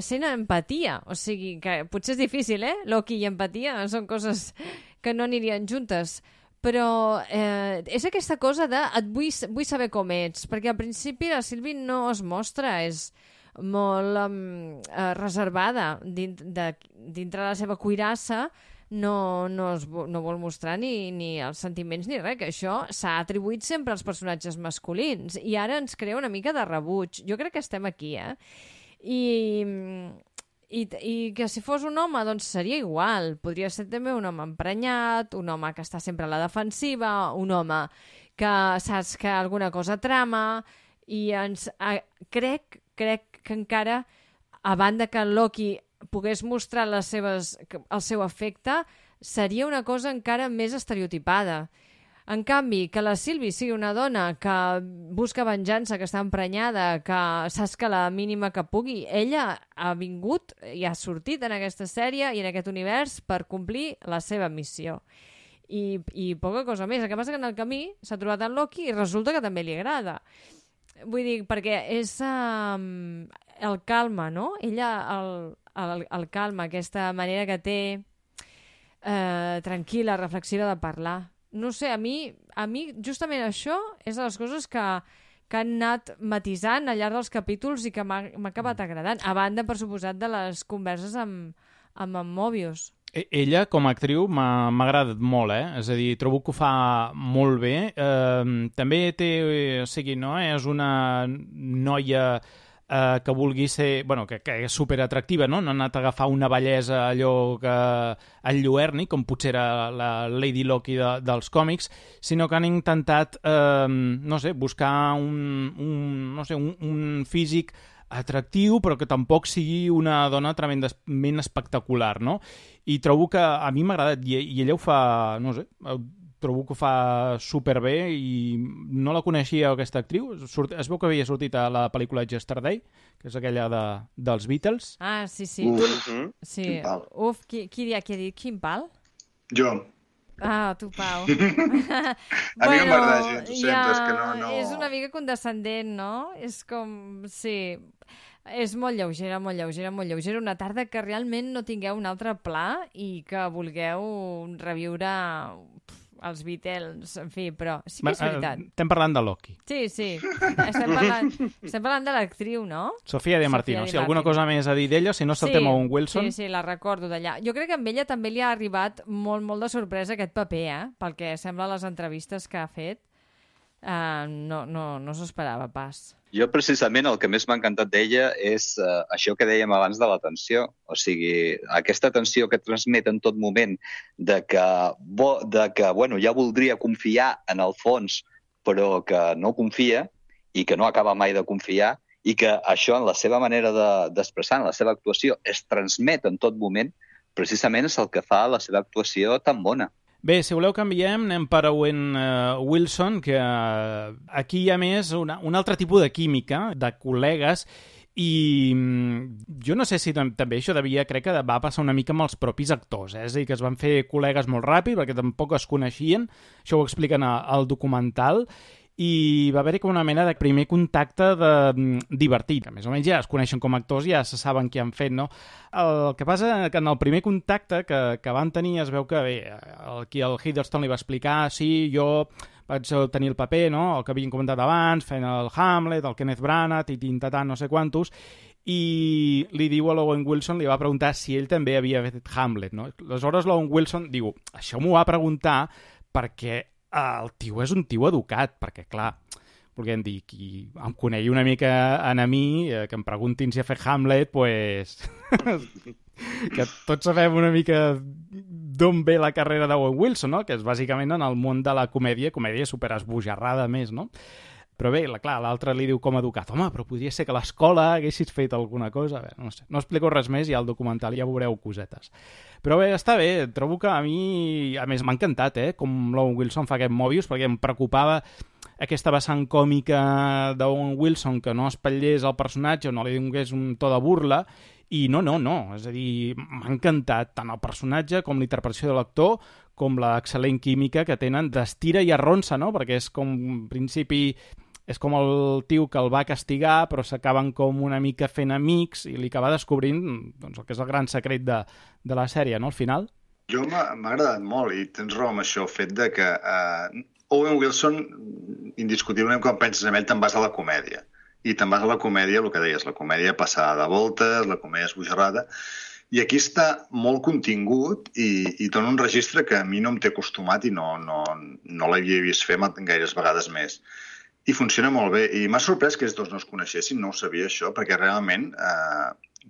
sent empatia, o sigui que potser és difícil, Loki i empatia són coses que no anirien juntes, però és aquesta cosa de vull saber com ets, perquè al principi la Sylvie no es mostra, és molt reservada dintre de la seva cuirassa, no vol mostrar ni els sentiments ni res, que això s'ha atribuït sempre als personatges masculins i ara ens crea una mica de rebuig. Jo crec que estem aquí, i que si fos un home doncs seria igual, podria ser també un home emprenyat, un home que està sempre a la defensiva, un home que saps que alguna cosa trama i crec que encara, a banda que en Loki pogués mostrar el seu afecte, seria una cosa encara més estereotipada. En canvi, que la Sylvie sigui una dona que busca venjança, que està emprenyada, que saps que la mínima que pugui, ella ha vingut i ha sortit en aquesta sèrie i en aquest univers per complir la seva missió. I poca cosa més. El que passa que en el camí s'ha trobat en Loki i resulta que també li agrada. Vull dir, perquè és el calma, no? Ella el calma, aquesta manera que té tranquil·la, reflexiva de parlar. No sé, a mi justament això és de les coses que han anat matisant al llarg dels capítols i que m'ha acabat agradant. A banda, per suposat, de les converses amb Mobius. Ella, com a actriu, m'ha agradat molt, És a dir, trobo que ho fa molt bé. També té... O sigui, no? És una noia que vulgui ser... Bueno, que és superatractiva, no? No han anat a agafar una bellesa allò que enlluerni, com potser era la Lady Loki dels còmics, sinó que han intentat, no sé, buscar un físic atractiu, però que tampoc sigui una dona tremendament espectacular, no? I trobo que a mi m'ha agradat, i ella ho fa, no sé, trobo que ho fa superbé i no la coneixia, aquesta actriu. Es veu que havia sortit a la pel·lícula Yesterday, que és aquella dels Beatles. Ah, sí. Sí. Quin pal. Qui ha dit quin pal? Jo. Ah, tu, Pau. A mi no m'agrada gens, ho sento, és que no... És una mica condescendent, no? És com... Sí, és molt lleugera. Una tarda que realment no tingueu un altre pla i que vulgueu reviure els Beatles, en fi, però sí que és veritat. Estem parlant de Loki. Sí. Estem parlant de l'actriu, no? Sofia Di Martino. Si alguna cosa més a dir d'ella, si no saltem a Owen Wilson. Sí, la recordo d'allà. Jo crec que amb ella també li ha arribat molt de sorpresa aquest paper, pel que sembla a les entrevistes que ha fet. No s'ho esperava pas. Jo, precisament, el que més m'ha encantat d'ella és això que dèiem abans de la tensió. O sigui, aquesta tensió que transmet en tot moment de que bueno, ja voldria confiar en el fons, però que no confia i que no acaba mai de confiar, i que això, en la seva manera d'expressar, en la seva actuació, es transmet en tot moment, precisament és el que fa la seva actuació tan bona. Bé, si voleu canviem, anem per Owen Wilson, que aquí hi ha més un altre tipus de química, de col·legues, i jo no sé si també això crec que va passar una mica amb els propis actors, és a dir, que es van fer col·legues molt ràpid, perquè tampoc es coneixien, això ho expliquen al documental, i va haver-hi com una mena de primer contacte divertit, que més o menys ja es coneixen com a actors, ja se saben què han fet, no? El que passa que en el primer contacte que van tenir es veu que bé, el Hiddleston li va explicar, sí, jo vaig tenir el paper, no?, el que havien comentat abans, fent el Hamlet, el Kenneth Branagh, no sé quantos, i li diu a l'Owen Wilson, li va preguntar si ell també havia fet Hamlet, no? Aleshores l'Owen Wilson diu, això m'ho va preguntar perquè el tio és un tio educat, perquè, clar, volguem dir, qui em conegui una mica a mi, que em preguntin si ha fet Hamlet, pues... que tots sabem una mica d'on ve la carrera d'Owen Wilson, no?, que és bàsicament en el món de la comèdia superesbojarrada més, no? Però bé, clar, l'altre li diu com educat, home, però podria ser que a l'escola haguessis fet alguna cosa. Bé, no sé, no explico res més, i al documental ja veureu cosetes. Però bé, està bé, trobo que a mi, a més, m'ha encantat, com l'Owen Wilson fa aquest Mobius, perquè em preocupava aquesta vessant còmica d'Owen Wilson, que no espatllés el personatge o no li donés un to de burla, i no, és a dir, m'ha encantat tant el personatge com l'interpretació de l'actor, com l'excel·lent química que tenen d'estira i arronsa, no?, perquè és com, en principi... És com el tio que el va castigar, però s'acaben com una mica fent amics i li acaba descobrint doncs, el que és el gran secret de la sèrie, no?, al final. Jo m'ha agradat molt, i tens raó amb això, el fet de que Owen Wilson, indiscutiblement, quan penses en ell, te'n vas a la comèdia. I te'n vas a la comèdia, el que deies, la comèdia passada de voltes, la comèdia esbojarrada, i aquí està molt contingut i dona un registre que a mi no em té acostumat i no l'havia vist fer gaires vegades més. I funciona molt bé. I m'ha sorprès que ells dos no es coneixessin, no ho sabia això, perquè realment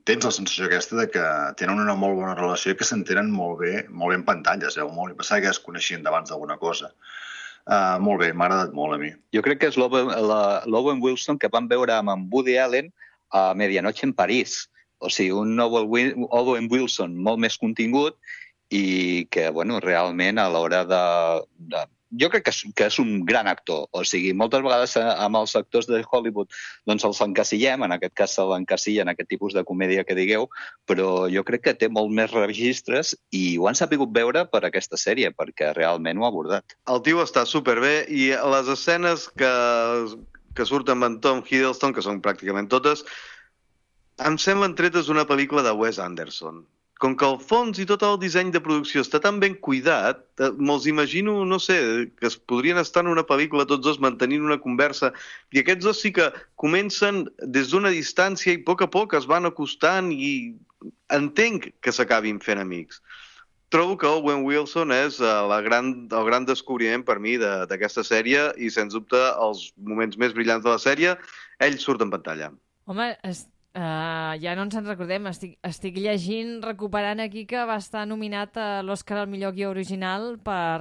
tens la sensació aquesta de que tenen una molt bona relació i que s'entenen molt bé en pantalles. Molt. I pensava que es coneixien d'abans d'alguna cosa. Molt bé, m'ha agradat molt a mi. Jo crec que és l'Owen Wilson que vam veure amb Woody Allen a Medianoche en París. O sigui, un Owen Wilson molt més contingut i que, bueno, realment a l'hora de jo crec que és un gran actor. O sigui, moltes vegades amb els actors de Hollywood doncs els encasillem, en aquest cas se l'encasilla en aquest tipus de comèdia que digueu, però jo crec que té molt més registres i ho han sabut veure per aquesta sèrie, perquè realment ho ha abordat. El tio està superbé i les escenes que surten amb en Tom Hiddleston, que són pràcticament totes, em semblen tretes d'una pel·lícula de Wes Anderson. Com que el fons i tot el disseny de producció està tan ben cuidat, me'ls imagino, no sé, que es podrien estar en una pel·lícula tots dos mantenint una conversa, i aquests dos sí que comencen des d'una distància i a poc es van acostant i entenc que s'acabin fent amics. Trobo que Owen Wilson és el gran descobriment per mi d'aquesta sèrie i, sens dubte, els moments més brillants de la sèrie, ell surt en pantalla. Home, ja no ens en recordem. Estic llegint, recuperant aquí que va estar nominat a l'Oscar al millor guió original per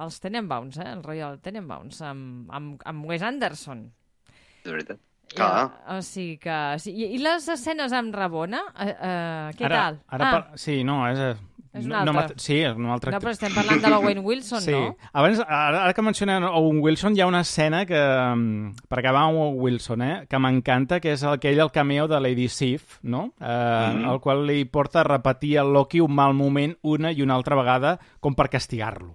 els Tenenbaums, el Royal Tenenbaums, amb Wes Anderson. És veritat. O sigui que... Sí. I les escenes amb Rabona, què tal? Sí, no, és un altre. Sí, és un altre. No, però estem parlant de l'Owen Wilson, sí. no? Abans, ara que mencionem Owen Wilson, hi ha una escena que, per acabar amb Owen Wilson, que m'encanta, que és el cameo de Lady Sif, no? El qual li porta a repetir al Loki un mal moment una i una altra vegada com per castigar-lo.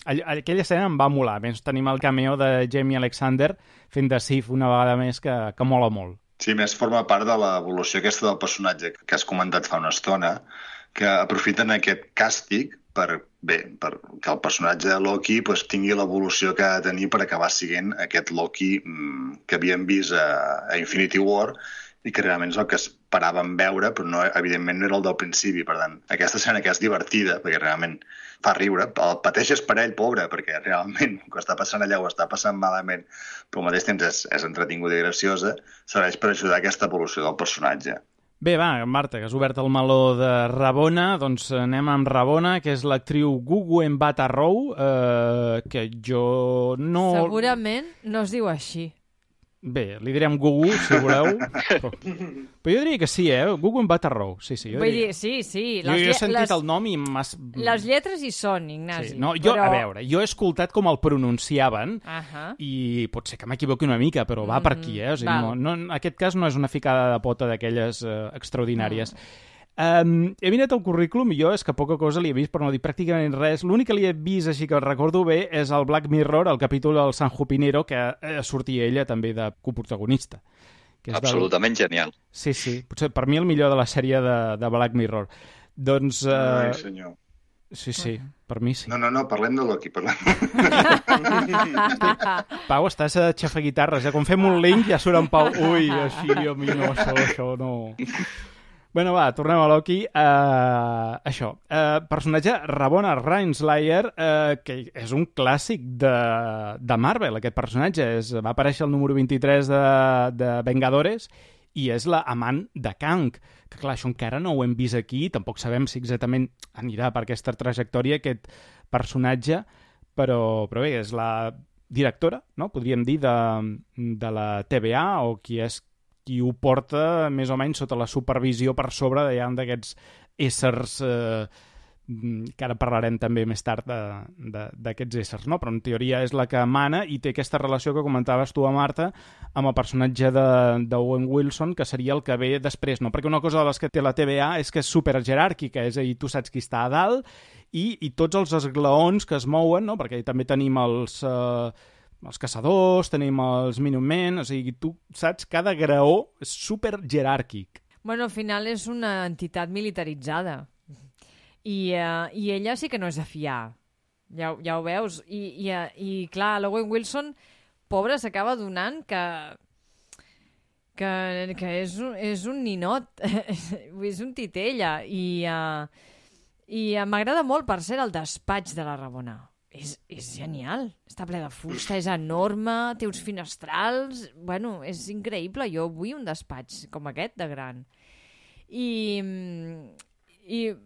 Aquella escena em va molar. A més, tenim el cameo de Jamie Alexander fent de Sif una vegada més que mola molt. Sí, més forma part de l'evolució aquesta del personatge que has comentat fa una estona, que aprofiten aquest càstig per que el personatge de Loki tingui l'evolució que ha de tenir per acabar sent aquest Loki que havíem vist a Infinity War i que realment és el que esperàvem veure, però evidentment no era el del principi. Per tant, aquesta escena que és divertida, perquè realment fa riure, el pateixes per ell, pobre, perquè realment el que està passant allà ho està passant malament, però al mateix temps és entretinguda i graciosa, serveix per ajudar a aquesta evolució del personatge. Bé, va, Marta, que has obert el meló de Rabona, doncs anem amb Rabona, que és l'actriu Gugu Mbatha-Raw, que jo no... Segurament no es diu així. Bé, li direm Gugu, si voleu. Però jo diria que sí, Gugu Mbatha-Raw. Sí. Vull dir, sí. Jo he sentit el nom i m'has... Les lletres hi són, Ignasi. Sí. No, a veure, jo he escoltat com el pronunciaven i pot ser que m'equivoqui una mica, però va per aquí, O sigui, en aquest cas no és una ficada de pota d'aquelles extraordinàries. He mirat el currículum i jo és que poca cosa li he vist, per no dir pràcticament res. L'únic que li he vist, així que el recordo bé, és el Black Mirror, el capítol del San Junipero, que sortia ella també de coprotagonista. Absolutament genial. Sí, potser per mi el millor de la sèrie de Black Mirror. Doncs... Ai, senyor. Sí, per mi sí. No, parlem de Loki, parlem. Pau, estàs a xafaguitarres, quan fem un link ja surt en Pau. Ui, així, a mi no, això no... Bueno, va, tornem a Loki. Això, personatge Rabona Renslayer, que és un clàssic de Marvel, aquest personatge. Va aparèixer el número 23 de Vengadores i és la amant de Kang. Que clar, això encara no ho hem vist aquí, tampoc sabem si exactament anirà per aquesta trajectòria aquest personatge, però bé, és la directora, no? Podríem dir, de la TVA, o qui ho porta més o menys sota la supervisió per sobre d'aquests éssers que ara parlarem també més tard d'aquests éssers, no? Però en teoria és la que mana i té aquesta relació que comentaves tu, Marta, amb el personatge d'Owen Wilson, que seria el que ve després, no? Perquè una cosa de les que té la TVA és que és superjeràrquica, és a dir, tu saps qui està a dalt i tots els esglaons que es mouen, no? Perquè també tenim els caçadors, tenim els Minutemen, o sigui, tu saps, cada graó és super jeràrquic. Bueno, al final és una entitat militaritzada. I ella sí que no és de fiar. Ja ho veus. I clar, l'Owen Wilson, pobre, s'acaba adonant que és un ninot, és un titella. I m'agrada molt, per ser, el despatx de la Rabona. És genial, està ple de fusta, és enorme, té uns finestrals... Bueno, és increïble, jo vull un despatx com aquest de gran. I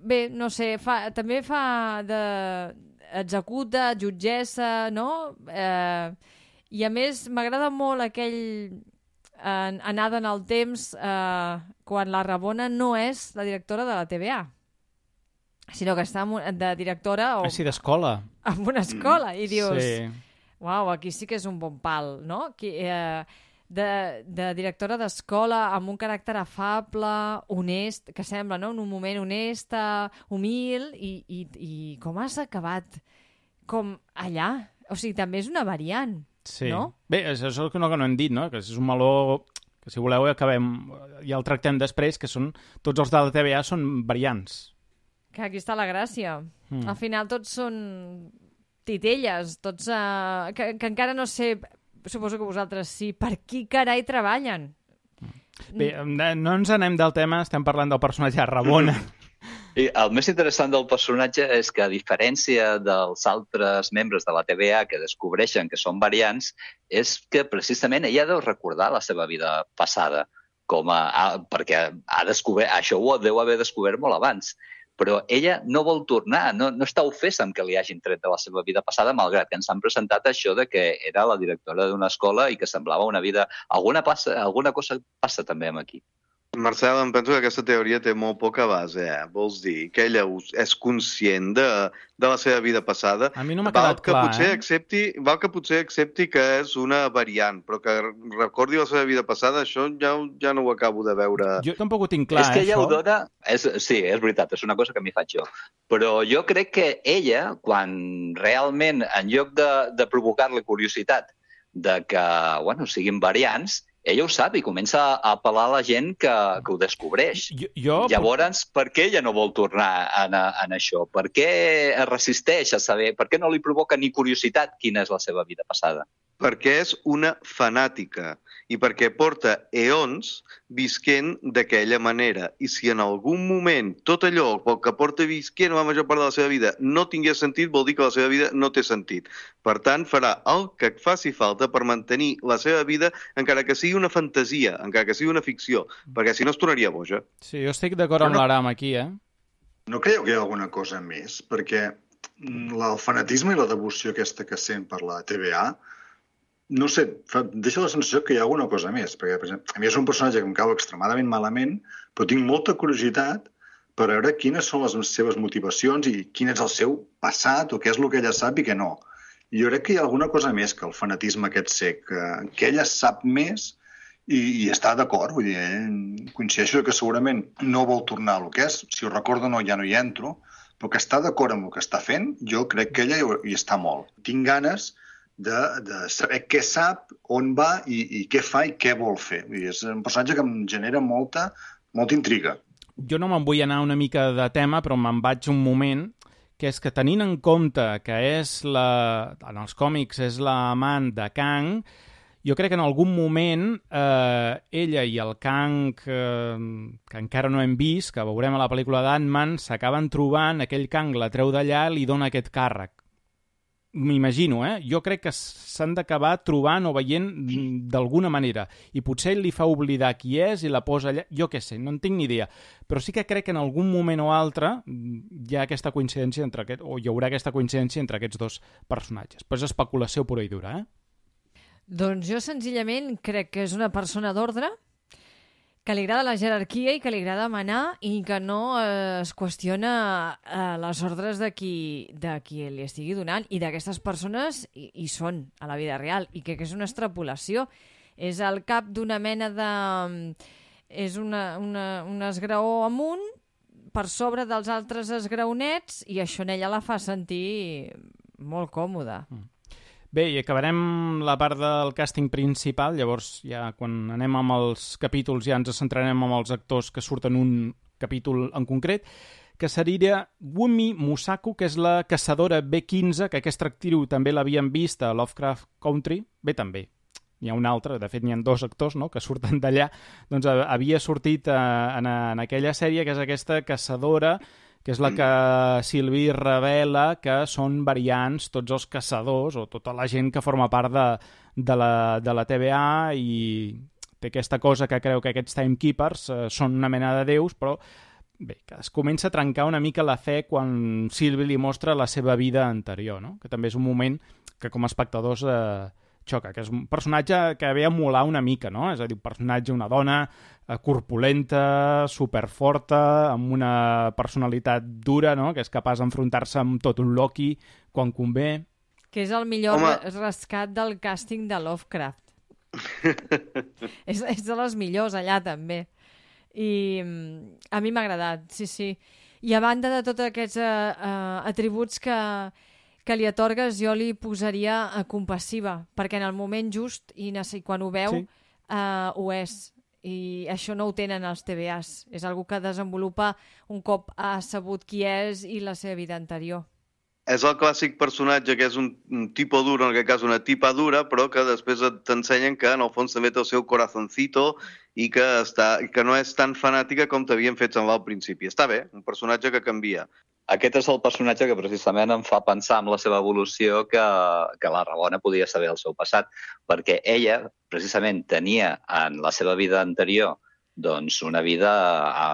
bé, no sé, també fa executa, jutgessa, no? I a més m'agrada molt aquell anada en el temps quan la Rabona no és la directora de la TVA, sinó que està de directora o sí, d'escola. En una escola, i dius, sí. Uau, aquí sí que és un bon pal, no? De directora d'escola, amb un caràcter afable, honest, que sembla, no? En un moment honesta, humil, i com has acabat com allà? O sigui, també és una variant, sí. No? Bé, això és el que no hem dit, no? Que és un meló que, si voleu, ja el tractem després, que tots els de la TVA són variants. Que aquí està la gràcia. Al final tots són titelles, tots que encara no sé, suposo que vosaltres sí, per qui carai treballen. Bé, no ens anem del tema, estem parlant del personatge Rabona. I el més interessant del personatge és que, a diferència dels altres membres de la TVA que descobreixen que són variants, és que precisament ella deu recordar la seva vida passada. perquè això ho deu haver descobert molt abans. Però ella no vol tornar, no està ofesa amb que li hagin tret de la seva vida passada, malgrat que ens han presentat això de que era la directora d'una escola i que semblava una vida... Alguna cosa passa també amb aquí. Marcel, em penso que aquesta teoria té molt poca base. Vols dir que ella és conscient de la seva vida passada? A mi no m'ha quedat clar, Val que potser accepti que és una variant, però que recordi la seva vida passada, això ja no ho acabo de veure. Jo tampoc ho tinc clar, és que ella això. ho dona... Sí, és veritat, és una cosa que m'hi faig jo. Però jo crec que ella, quan realment, en lloc de provocar-li curiositat de que, siguin variants, ella ho sap i comença a apel·lar a la gent que ho descobreix. Llavors, per què ella no vol tornar en això? Per què es resisteix a saber? Per què no li provoca ni curiositat quina és la seva vida passada? Perquè és una fanàtica i perquè porta eons visquent d'aquella manera. I si en algun moment tot allò que porta visquent la major part de la seva vida no tingués sentit, vol dir que la seva vida no té sentit. Per tant, farà el que faci falta per mantenir la seva vida, encara que sigui una fantasia, encara que sigui una ficció, perquè si no es tornaria boja. Sí, jo estic d'acord amb l'Aram aquí, No creieu que hi ha alguna cosa més? Perquè el fanatisme i la devoció aquesta que sent per la TVA, no sé, deixa la sensació que hi ha alguna cosa més, perquè, per exemple, a mi és un personatge que em cau extremadament malament, però tinc molta curiositat per veure quines són les seves motivacions i quin és el seu passat o què és el que ella sap i què no. I jo crec que hi ha alguna cosa més que el fanatisme aquest cec, que ella sap més i està d'acord, vull dir, coincideixo que segurament no vol tornar al que és, si ho recordo ja no hi entro, però que està d'acord amb el que està fent, jo crec que ella hi està molt. Tinc ganes de saber què sap, on va i què fa i què vol fer. És un personatge que em genera molta intriga. Jo no me'n vull anar una mica de tema, però me'n vaig un moment, que és que tenint en compte que en els còmics és l'amant de Kang, jo crec que en algun moment ella i el Kang, que encara no hem vist, que veurem a la pel·lícula d'Ant-Man, s'acaben trobant, aquell Kang la treu d'allà i li dona aquest càrrec. M'imagino, Jo crec que s'han d'acabar trobant o veient d'alguna manera. I potser ell li fa oblidar qui és i la posa allà. Jo què sé, no en tinc ni idea. Però sí que crec que en algun moment o altre hi ha aquesta coincidència o hi haurà aquesta coincidència entre aquests dos personatges. Però és especulació pura i dura, Doncs jo senzillament crec que és una persona d'ordre, que li agrada la jerarquia i que li agrada manar i que no es qüestiona les ordres de qui li estigui donant, i d'aquestes persones hi són a la vida real, i crec que és una extrapolació. És el cap d'una mena de... És un esgraó amunt per sobre dels altres esgraonets, i això en ella la fa sentir molt còmoda. Bé, i acabarem la part del càsting principal, llavors ja quan anem amb els capítols ja ens centrarem amb els actors que surten un capítol en concret, que seria Wunmi Mosaku, que és la caçadora B-15, que aquesta actriu també l'havíem vist a Lovecraft Country, bé també, hi ha un altre, de fet n'hi ha dos actors que surten d'allà, doncs havia sortit en aquella sèrie, que és aquesta caçadora, que és la que Sylvie revela que són variants tots els caçadors o tota la gent que forma part de la TVA, i té aquesta cosa que creu que aquests timekeepers són una mena de déus, però bé, que es comença a trencar una mica la fe quan Sylvie li mostra la seva vida anterior, que també és un moment que com a espectadors xoca, que és un personatge que ve a molar una mica, és a dir, un personatge, una dona corpulenta, superforta, amb una personalitat dura, que és capaç d'enfrontar-se amb tot un Loki quan convé. Que és el millor rescat del càsting de Lovecraft. és de les millors allà, també. I a mi m'ha agradat, sí. I a banda de tots aquests atributs que li atorgues, jo li posaria compassiva, perquè en el moment just i quan ho veu ho és. I això no ho tenen els TVAs. És algú que desenvolupa un cop ha sabut qui és i la seva vida anterior. És el clàssic personatge que és un tipo duro, en aquest cas una tipa dura, però que després t'ensenyen que en el fons també té el seu corazoncito i que no és tan fanàtica com t'havien fet semblar al principi. Està bé, un personatge que canvia. Aquest és el personatge que precisament em fa pensar en la seva evolució que la Ramona podia saber el seu passat, perquè ella precisament tenia en la seva vida anterior doncs, una vida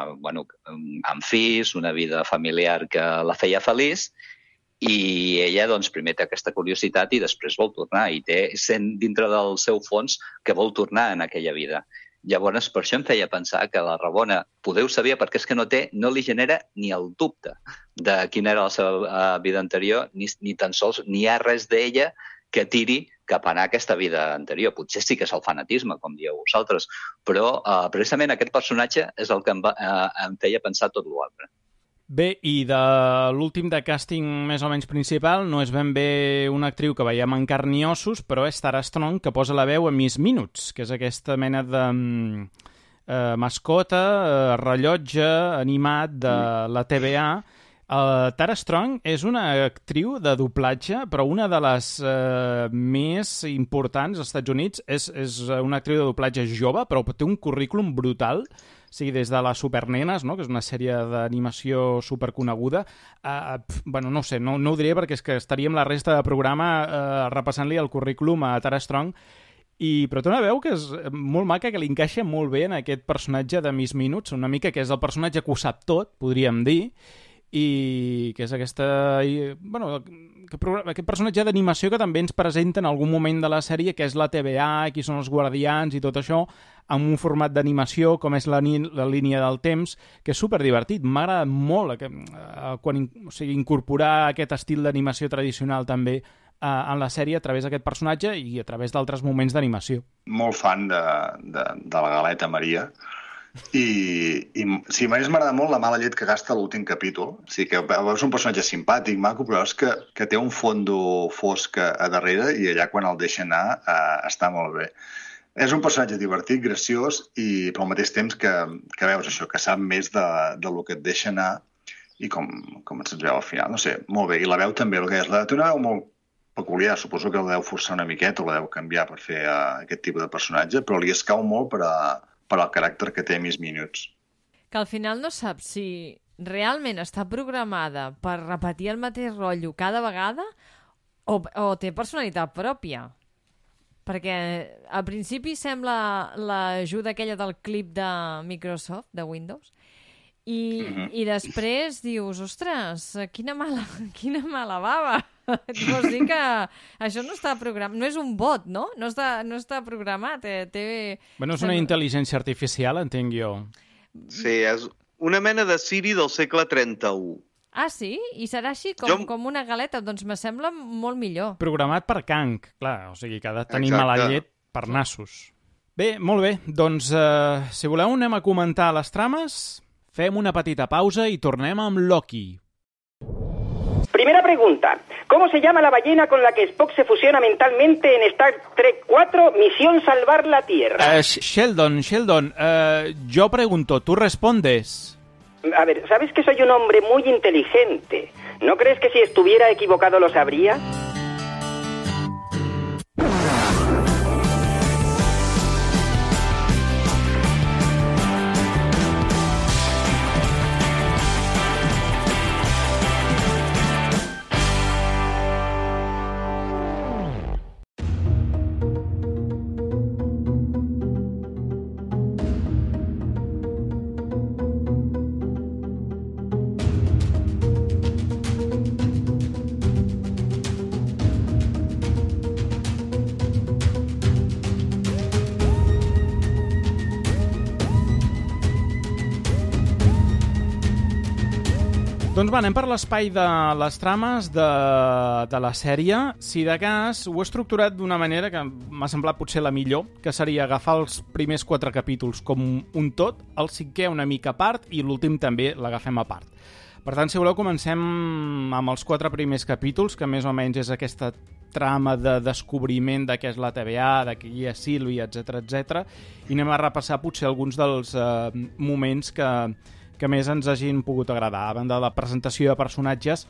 amb fills, una vida familiar que la feia feliç, i ella doncs, primer té aquesta curiositat i després vol tornar, i sent dintre del seu fons que vol tornar en aquella vida. Llavors, per això em feia pensar que la Rabona poder ho sabia, perquè és que no li genera ni el dubte de quina era la seva vida anterior, ni tan sols ni hi ha res d'ella que tiri cap a anar a aquesta vida anterior. Potser sí que és el fanatisme, com dieu vosaltres, però precisament aquest personatge és el que em feia pensar tot l'altre. Bé, i de l'últim de càsting més o menys principal no és ben bé una actriu que veiem en carn i ossos, però és Tara Strong, que posa la veu a Miss Minutes, que és aquesta mena de mascota, rellotge animat de la TVA. Tara Strong és una actriu de doblatge, però una de les més importants als Estats Units. És una actriu de doblatge jove, però té un currículum brutal. Sí, des de les Supernenes, no? Que és una sèrie d'animació superconeguda. Bueno, no ho sé, no ho diré perquè és que estaríem la resta de programa repassant-li el currículum a Tara Strong, però té una veu que és molt maca, que li encaixa molt bé en aquest personatge de Miss Minutes, una mica que és el personatge que ho sap tot, podríem dir, i que és aquest personatge d'animació que també ens presenta en algun moment de la sèrie, que és la TVA, qui són els guardians i tot això, amb un format d'animació com és la línia del temps, que és superdivertit. M'agrada molt incorporar aquest estil d'animació tradicional també en la sèrie a través d'aquest personatge i a través d'altres moments d'animació. Molt fan de la galeta Maria. I sí, a més m'agrada molt la mala llet que gasta l'últim capítol. O sigui, que veus un personatge simpàtic, maco, però és que té un fondo fosc a darrere i allà quan el deixa anar està molt bé. És un personatge divertit, graciós, però al mateix temps que veus això, que sap més del que et deixa anar i com ens veu al final. No sé, molt bé. I la veu també, el que és. Té una veu molt peculiar, suposo que la deu forçar una miqueta o la deu canviar per fer aquest tipus de personatge, però li escau molt per al caràcter que té Miss Minutes. Que al final no saps si realment està programada per repetir el mateix rotllo cada vegada o té personalitat pròpia. Perquè al principi sembla l'ajuda aquella del clip de Microsoft, de Windows, i després dius, ostres, quina mala bava. Vols dir que això no està programat, no és un bot, no? No està programat. Bueno, és una intel·ligència artificial, entenc jo. Sí, és una mena de Siri del segle 31. Ah, sí? I serà així com una galeta? Doncs me sembla molt millor. Programat per Kang, clar, o sigui que ha de tenir mala llet per nassos. Bé, molt bé, doncs si voleu anem a comentar les trames, fem una petita pausa i tornem amb Loki. Primera pregunta. ¿Cómo se llama la ballena con la que Spock se fusiona mentalmente en Star Trek 4, Misión Salvar la Tierra? Sheldon, yo pregunto, ¿tú respondes? A ver, ¿sabes que soy un hombre muy inteligente? ¿No crees que si estuviera equivocado lo sabría? Doncs va, anem per l'espai de les trames de la sèrie. Si de cas ho he estructurat d'una manera que m'ha semblat potser la millor, que seria agafar els primers 4 capítols com un tot, el 5è una mica a part i l'últim també l'agafem a part. Per tant, si voleu, comencem amb els 4 primers capítols, que més o menys és aquesta trama de descobriment de què és la TVA, de qui és Sílvia, etc, i anem a repassar potser alguns dels moments que més ens hagin pogut agradar, a banda de la presentació de personatges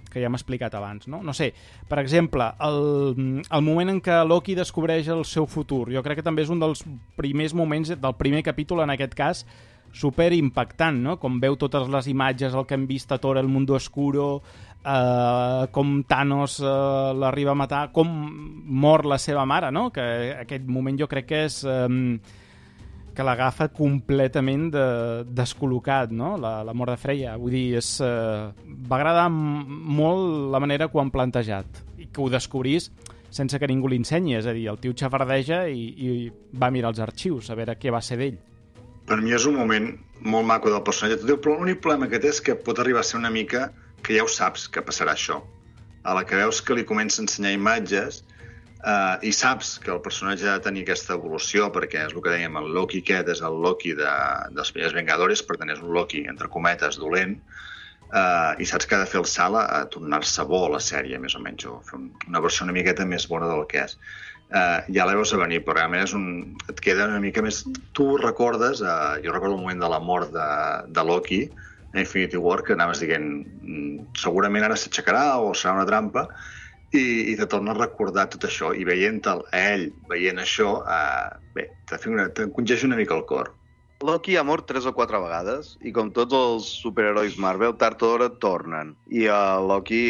que ja hem explicat abans, no? No sé, per exemple, el moment en què Loki descobreix el seu futur, jo crec que també és un dels primers moments del primer capítol, en aquest cas, super impactant, no? Com veu totes les imatges, el que hem vist a Thor, el Mundo Oscuro, com Thanos l'arriba a matar, com mor la seva mare, no? Que aquest moment jo crec que és que l'agafa completament descol·locat, no? L'amor de Freya. Vull dir, va agradar molt la manera que ho han plantejat i que ho descobrís sense que ningú l'ensenyi. És a dir, el tio xafardeja i va mirar els arxius a veure què va ser d'ell. Per mi és un moment molt maco del personatge. Però l'únic problema que té és que pot arribar a ser una mica que ja ho saps que passarà això. A la que veus que li comença a ensenyar imatges i saps que el personatge ha de tenir aquesta evolució, perquè és el que dèiem, el Loki aquest és el Loki dels primers Vengadores, per tant és un Loki, entre cometes, dolent, i saps que ha de fer el salt a tornar-se bo a la sèrie, més o menys, o fer una versió una miqueta més bona del que és. Ja la veus a venir, però realment et queda una mica més... Tu recordes, jo recordo el moment de la mort de Loki, a Infinity War, que anaves dient segurament ara s'aixecarà o serà una trampa, i te torna a recordar tot això, i veient ell veient això, bé, t'encongeix una mica el cor. Loki ha mort 3 o 4 vegades, i com tots els superherois Marvel, tard o d'hora tornen. I Loki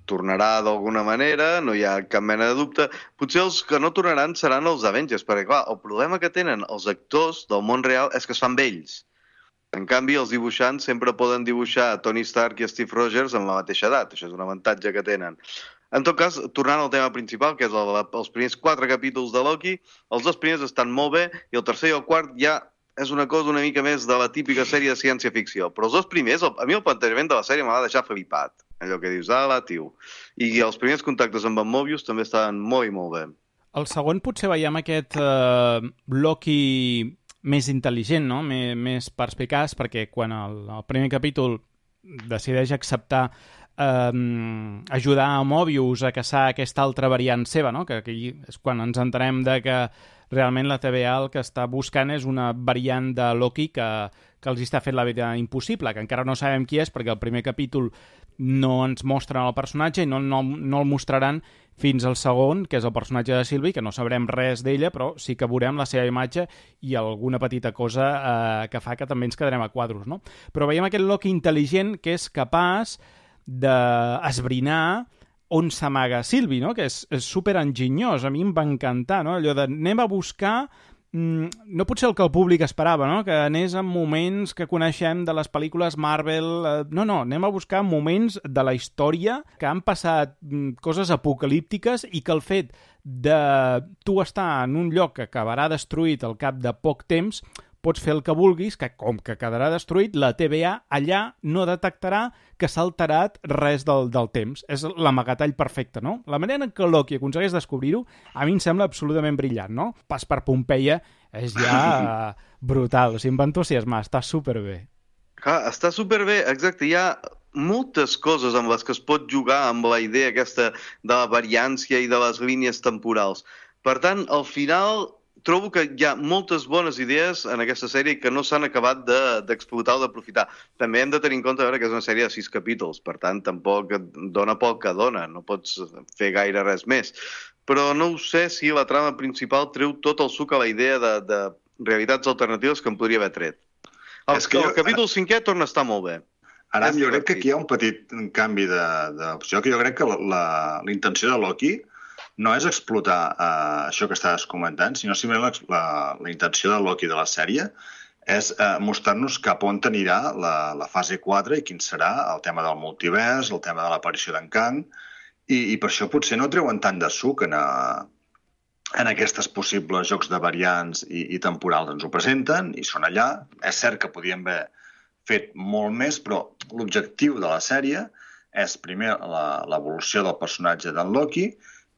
tornarà d'alguna manera, no hi ha cap mena de dubte. Potser els que no tornaran seran els Avengers, perquè clar, el problema que tenen els actors del món real és que es fan vells. En canvi, els dibuixants sempre poden dibuixar Tony Stark i Steve Rogers en la mateixa edat. Això és un avantatge que tenen. En tot cas, tornant al tema principal, que és els primers 4 capítols de Loki, els 2 primers estan molt bé i el tercer i el quart ja és una cosa una mica més de la típica sèrie de ciència-ficció. Però els 2 primers, a mi el plantejament de la sèrie m'ha de deixar flipat. Allò que dius, tio. I els primers contactes amb en Mobius també estaven molt i molt bé. El segon potser veiem aquest Loki més intel·ligent, no? Més perspicaç, perquè quan el primer capítol decideix acceptar ajudar a Mobius a caçar aquesta altra variant seva, no? Que aquí és quan ens entenem de que realment la TVA el que està buscant és una variant de Loki que els està fent la vida impossible, que encara no sabem qui és perquè el primer capítol no ens mostren el personatge i no el mostraran fins al segon, que és el personatge de Sylvie, que no sabrem res d'ella, però sí que veurem la seva imatge i alguna petita cosa que fa que també ens quedarem a quadros, no? Però veiem aquest Loki intel·ligent que és capaç d'esbrinar on s'amaga Sylvie, no? Que és superenginyós, a mi em va encantar, no? Allò de anem a buscar no potser el que el públic esperava, no? Que anés en moments que coneixem de les pel·lícules Marvel. No, anem a buscar moments de la història que han passat coses apocalíptiques i que el fet de tu estar en un lloc que acabarà destruït al cap de poc temps pots fer el que vulguis, que com que quedarà destruït, la TVA allà no detectarà que s'ha alterat res del temps. És l'amagatall perfecte, no? La manera en què Loki aconsegueix descobrir-ho a mi em sembla absolutament brillant, no? Pas per Pompeia és ja brutal. O sigui, em va entusiasmar, està superbé. Està superbé, exacte. Hi ha moltes coses amb les que es pot jugar amb la idea aquesta de la variància i de les línies temporals. Per tant, al final trobo que hi ha moltes bones idees en aquesta sèrie que no s'han acabat d'explotar o d'aprofitar. També hem de tenir en compte que és una sèrie de 6 capítols, per tant, tampoc dona pel que dona, no pots fer gaire res més. Però no ho sé si la trama principal treu tot el suc a la idea de realitats alternatives que em podria haver tret. El capítol 5è torna a estar molt bé. Ara, jo crec que aquí hi ha un petit canvi d'opció, que jo crec que la intenció de Loki no és explotar això que estàs comentant, sinó simplement la intenció de Loki de la sèrie és mostrar-nos cap on anirà la fase 4 i quin serà el tema del multivers, el tema de l'aparició d'en Kang, i per això potser no treuen tant de suc en aquests possibles jocs de variants i temporals. Ens ho presenten i són allà. És cert que podien haver fet molt més, però l'objectiu de la sèrie és primer l'evolució del personatge d'en Loki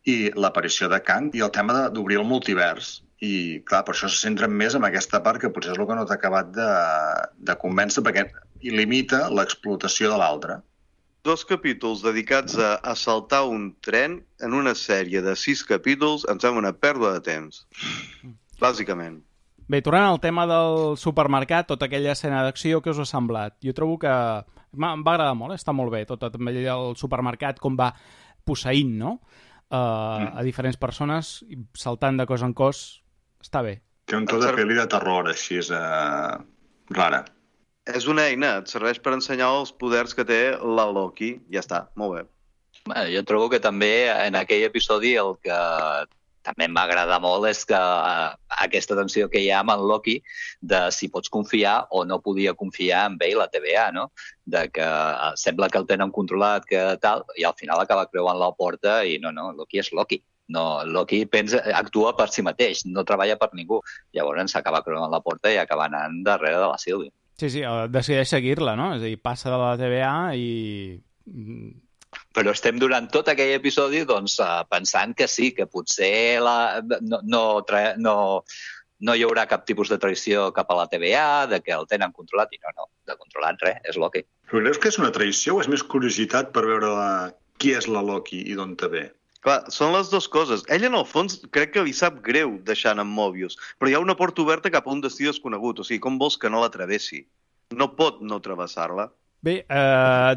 i l'aparició de Kang i el tema d'obrir el multivers. I, clar, per això se centren més en aquesta part que potser és el que no t'ha acabat de convèncer perquè limita l'explotació de l'altre. 2 capítols dedicats a assaltar un tren en una sèrie de 6 capítols em sembla una pèrdua de temps. Bàsicament. Bé, tornant al tema del supermercat, tota aquella escena d'acció, què us ha semblat? Jo trobo que em va agradar molt, està molt bé, tot el supermercat, com va posseint, no? A diferents persones, saltant de cos en cos, està bé. Té un to de pel·li de terror, així és rara. És una eina, et serveix per ensenyar els poders que té la Loki, ja està, molt bé. Bueno, jo trobo que també en aquell episodi el que també m'agrada molt és que aquesta tensió que hi ha amb en Loki de si pots confiar o no podia confiar en ell la TVA, no? De que sembla que el tenen controlat, que tal, i al final acaba creuant la porta i no, Loki és Loki. No, Loki actua per si mateix, no treballa per ningú. Llavors s'acaba creuant la porta i acaba anant darrere de la Sylvie. Sí, decideix seguir-la, no? És a dir, passa de la TVA i... Però estem durant tot aquell episodi doncs, pensant que sí, que potser no hi haurà cap tipus de traïció cap a la TVA, de que el tenen controlat, i no, de controlat res, és Loki. Però creus que és una traïció o és més curiositat per veure qui és la Loki i d'on te ve? Clar, són les dues coses. Ell, en el fons, crec que li sap greu deixant en Mobius, però hi ha una porta oberta cap a un destí desconegut, o sigui, com vols que no la travessi? No pot no travessar-la. Bé,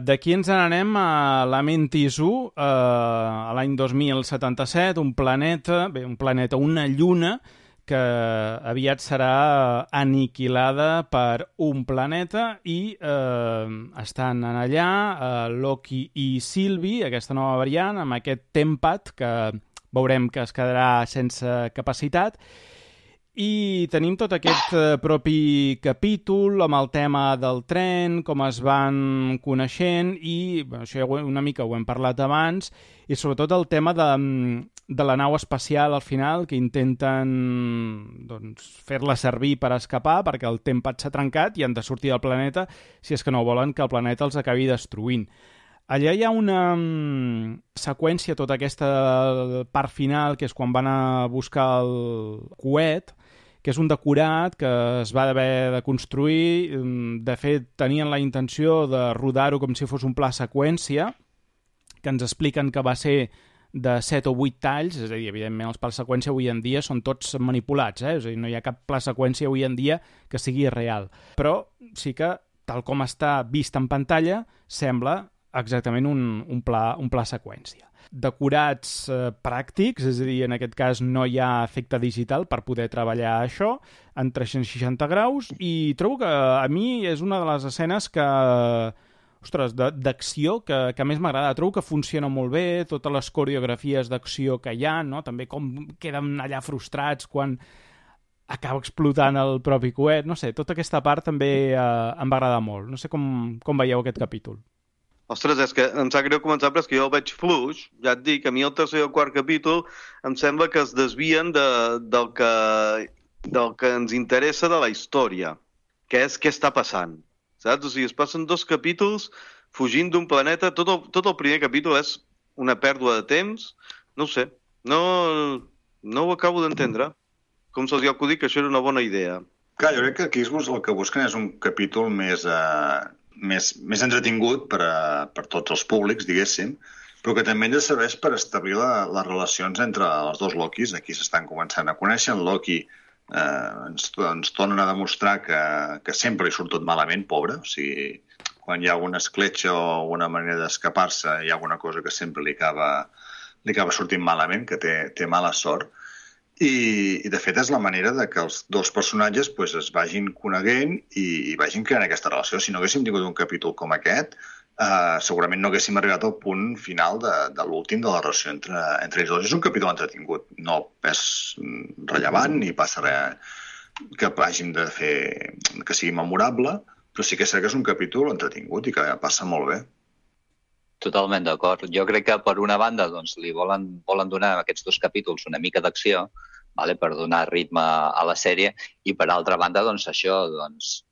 d'aquí ens n'anem a Lamentis 1, a l'any 2077, un planeta, una lluna, que aviat serà aniquilada per un planeta i estan en allà Loki i Sylvie, aquesta nova variant, amb aquest Tempat, que veurem que es quedarà sense capacitat. I tenim tot aquest propi capítol amb el tema del tren, com es van coneixent i això ja una mica ho hem parlat abans, i sobretot el tema de la nau espacial al final, que intenten fer-la servir per escapar perquè el Tempat s'ha trencat i han de sortir del planeta si és que no volen que el planeta els acabi destruint. Allà hi ha una seqüència, tota aquesta part final, que és quan van a buscar el coet, que és un decorat que es va haver de construir. De fet, tenien la intenció de rodar-ho com si fos un pla seqüència, que ens expliquen que va ser de 7 o 8 talls, és a dir, evidentment els plans seqüència avui en dia són tots manipulats, és a dir, no hi ha cap pla seqüència avui en dia que sigui real. Però sí que, tal com està vist en pantalla, sembla exactament un pla seqüència. Decorats pràctics, és a dir, en aquest cas no hi ha efecte digital per poder treballar això en 360 graus i trobo que a mi és una de les escenes que, ostres, d'acció que més m'agrada. Trobo que funciona molt bé, totes les coreografies d'acció que hi ha, no? També com queden allà frustrats quan acaba explotant el propi coet, no sé, tota aquesta part també em va agradar molt. No sé com veieu aquest capítol. Ostres, és que em sap greu començar, però és que jo el veig fluix. Ja et dic, a mi el tercer i el quart capítol em sembla que es desvien del que ens interessa de la història, que és què està passant. Saps? O sigui, es passen 2 capítols fugint d'un planeta. Tot el primer capítol és una pèrdua de temps. No ho sé, no ho acabo d'entendre. Com se'ls ha acudit que això era una bona idea. Clar, jo crec que aquí el que busquen és un capítol més entretingut per tots els públics, diguéssim, però que també ens serveix per establir les relacions entre els dos Lokis. Aquí s'estan començant a conèixer. En Loki ens tornen a demostrar que sempre li surt tot malament, pobre. O sigui, quan hi ha alguna escletxa o alguna manera d'escapar-se, hi ha alguna cosa que sempre li acaba sortint malament, que té mala sort. I de fet és la manera de que els dos personatges es vagin coneguent i vagin creant aquesta relació. Si no haguéssim tingut un capítol com aquest, segurament no haguéssim arribat al punt final de l'últim de la relació entre ells dos. És un capítol entretingut, no és rellevant ni passa res que hàgim de fer que sigui memorable, però sí que és cert que és un capítol entretingut i que passa molt bé. Totalment d'acord. Jo crec que per una banda li volen donar a aquests 2 capítols una mica d'acció, per donar ritme a la sèrie, i per altra banda, això,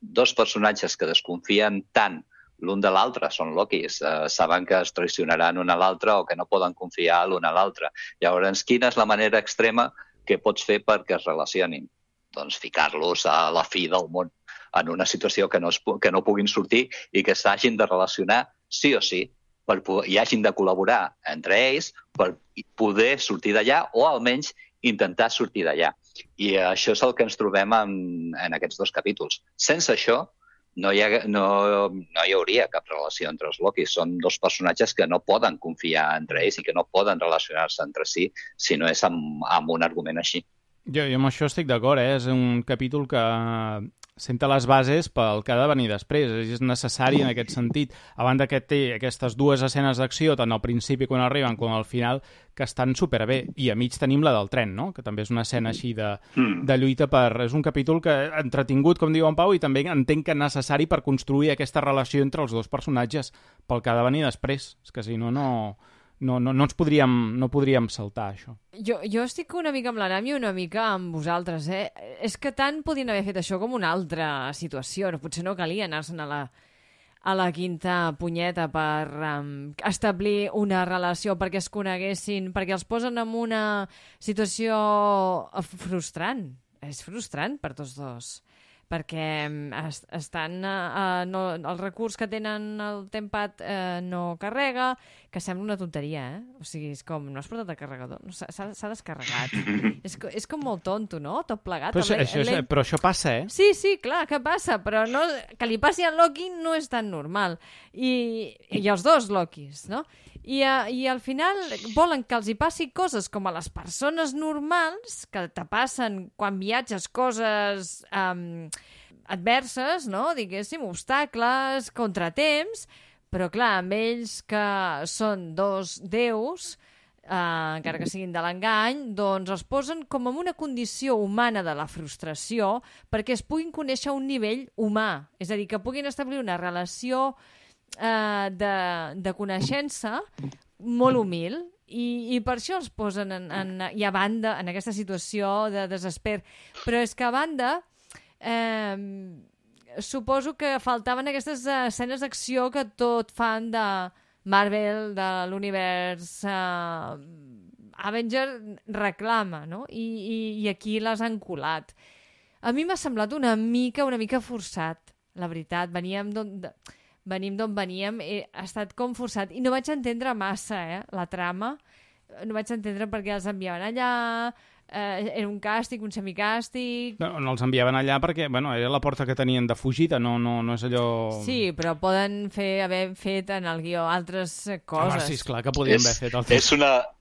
2 personatges que desconfien tant l'un de l'altre, són Lokis, saben que es traicionaran un a l'altre o que no poden confiar l'un a l'altre. Llavors, quina és la manera extrema que pots fer perquè es relacionin? Doncs ficar-los a la fi del món en una situació que no puguin sortir i que s'hagin de relacionar sí o sí, i hagin de col·laborar entre ells per poder sortir d'allà o almenys intentar sortir d'allà. I això és el que ens trobem en aquests 2 capítols. Sense això no hi hauria cap relació entre els Lokis. Són 2 personatges que no poden confiar entre ells i que no poden relacionar-se entre si no és amb un argument així. Jo amb això estic d'acord, És un capítol que senta les bases pel que ha de venir després. És necessari en aquest sentit. A banda que té aquestes dues escenes d'acció, tant al principi quan arriben com al final, que estan superbé. I a mig tenim la del tren, no? Que també és una escena així de lluita per... És un capítol que entretingut, com diu en Pau, i també entenc que necessari per construir aquesta relació entre els dos personatges pel que ha de venir després. És que si no, no ens podríem saltar, això. Jo estic una mica amb l'Aram i una mica amb vosaltres, eh? És que tant podien haver fet això com una altra situació. Potser no calia anar-se'n a la quinta punyeta per establir una relació, perquè es coneguessin, perquè els posen en una situació frustrant. És frustrant per tots dos, perquè estan el recurs que tenen el Tempad no carrega, que sembla una tonteria, o sigui, és com, no has portat el carregador, s'ha descarregat. És com molt tonto, no? Tot plegat. Però això passa, eh? Sí, clar, que passa, però que li passi al Loki no és tan normal. I els dos Lokis, no? I al final volen que els hi passi coses com a les persones normals, que te passen quan viatges coses adverses, no? Diguéssim, obstacles, contratemps, però clar, amb ells que són dos déus, encara que siguin de l'engany, doncs els posen com en una condició humana de la frustració perquè es puguin conèixer a un nivell humà, és a dir, que puguin establir una relació de coneixença molt humil i per això els posen i a banda en aquesta situació de desesper, però és que a banda suposo que faltaven aquestes escenes d'acció que tot fan de Marvel, de l'univers Avenger reclama, no? I aquí les han colat. A mi m'ha semblat una mica forçat, la veritat. Venim d'on veníem, ha estat com forçat. I no vaig entendre massa, la trama. No vaig entendre per què els enviaven allà, era un càstig, un semicàstig... No els enviaven allà perquè, era la porta que tenien de fugida, no és allò... Sí, però poden haver fet en el guió altres coses. Sí, esclar que podien haver fet altres.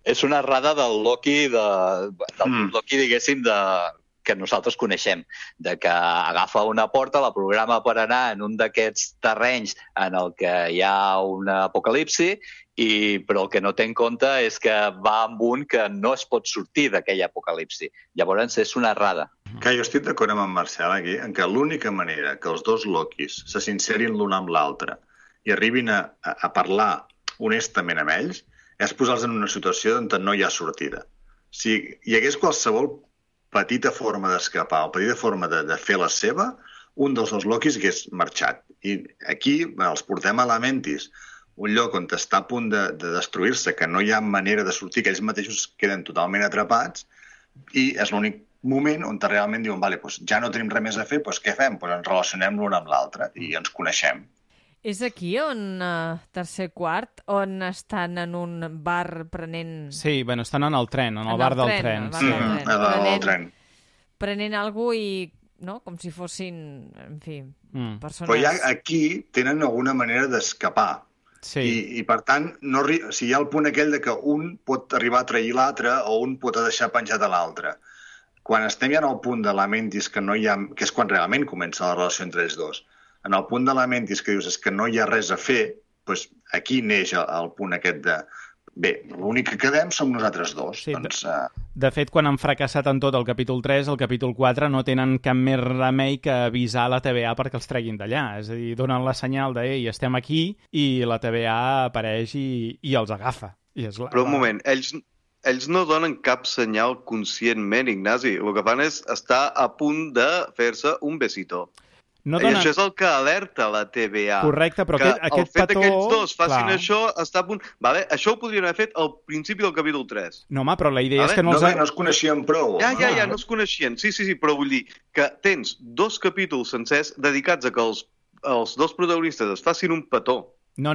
És una errada del Loki, Loki, diguéssim, que nosaltres coneixem, de que agafa una porta, la programa per anar en un d'aquests terrenys en el que hi ha un apocalipsi, però el que no té en compte és que va amb un que no es pot sortir d'aquell apocalipsi. Llavors és una errada. Que jo estic d'acord amb en Marcel aquí, en que l'única manera que els dos Lokis se sincerin l'un amb l'altre i arribin a parlar honestament amb ells és posar-los en una situació on no hi ha sortida. Si hi hagués qualsevol petita forma d'escapar o petita forma de fer la seva, un dels dos Lokis hagués marxat. I aquí els portem a la Mentis, un lloc on està a punt de destruir-se, que no hi ha manera de sortir, que ells mateixos queden totalment atrapats, i és l'únic moment on realment diuen, vale, doncs ja no tenim res més a fer, doncs què fem? Doncs ens relacionem l'un amb l'altre i ens coneixem. És aquí on, tercer quart, on estan en un bar prenent... Sí, estan en el tren, en el bar del tren. El tren. Prenent alguna cosa i, no?, com si fossin, en fi, persones... Però ja aquí tenen alguna manera d'escapar. Sí. I per tant, si hi ha el punt aquell de que un pot arribar a trair l'altre o un pot deixar penjat a l'altre. Quan estem ja en el punt de la Mentis, que és quan realment comença la relació entre ells dos, en el punt de la Mentis que dius és que no hi ha res a fer, doncs aquí neix el punt aquest de bé, l'únic que quedem som nosaltres dos. Sí, de fet, quan han fracassat en tot el capítol 3, el capítol 4 no tenen cap més remei que avisar la TVA perquè els treguin d'allà. És a dir, donen la senyal de ei, estem aquí, i la TVA apareix i els agafa. Però un moment, ells no donen cap senyal conscientment, Ignasi. El que fan és estar a punt de fer-se un besito. No I això és el que alerta la TVA. Correcte, però aquest petó... El fet que aquells dos facin això està a punt... Vale? Això ho podrien haver fet al principi del capítol 3. No, home, però la idea és que no es coneixien prou. Ja, no es coneixien. Sí, però vull dir que tens 2 capítols sencers dedicats a que els dos protagonistes es facin un petó No,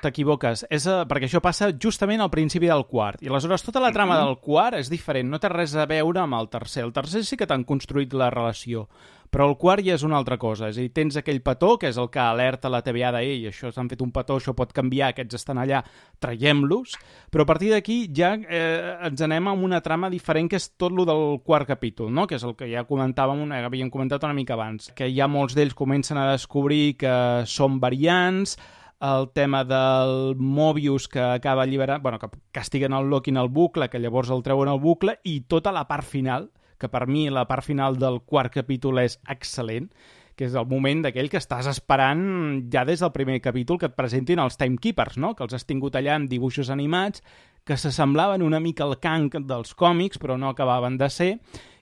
t'equivoques. Perquè això passa justament al principi del quart. I aleshores tota la trama del quart és diferent, no té res a veure amb el tercer. El tercer sí que t'han construït la relació, però el quart ja és una altra cosa. És a dir, tens aquell petó, que és el que alerta la TVA de «Ei, això s'han fet un petó, això pot canviar, aquests estan allà, traiem-los». Però a partir d'aquí ja ens anem a una trama diferent, que és tot lo del quart capítol, no? Que és el que ja havíem comentat una mica abans, que ja molts d'ells comencen a descobrir que són variants, el tema del Mobius que acaba alliberant, que castiguen el Loki en el bucle, que llavors el treuen al bucle, i tota la part final, que per mi la part final del quart capítol és excel·lent, que és el moment d'aquell que estàs esperant ja des del primer capítol que et presentin els Timekeepers, no? Que els has tingut allà amb dibuixos animats, que s'assemblaven una mica al Kang dels còmics, però no acabaven de ser,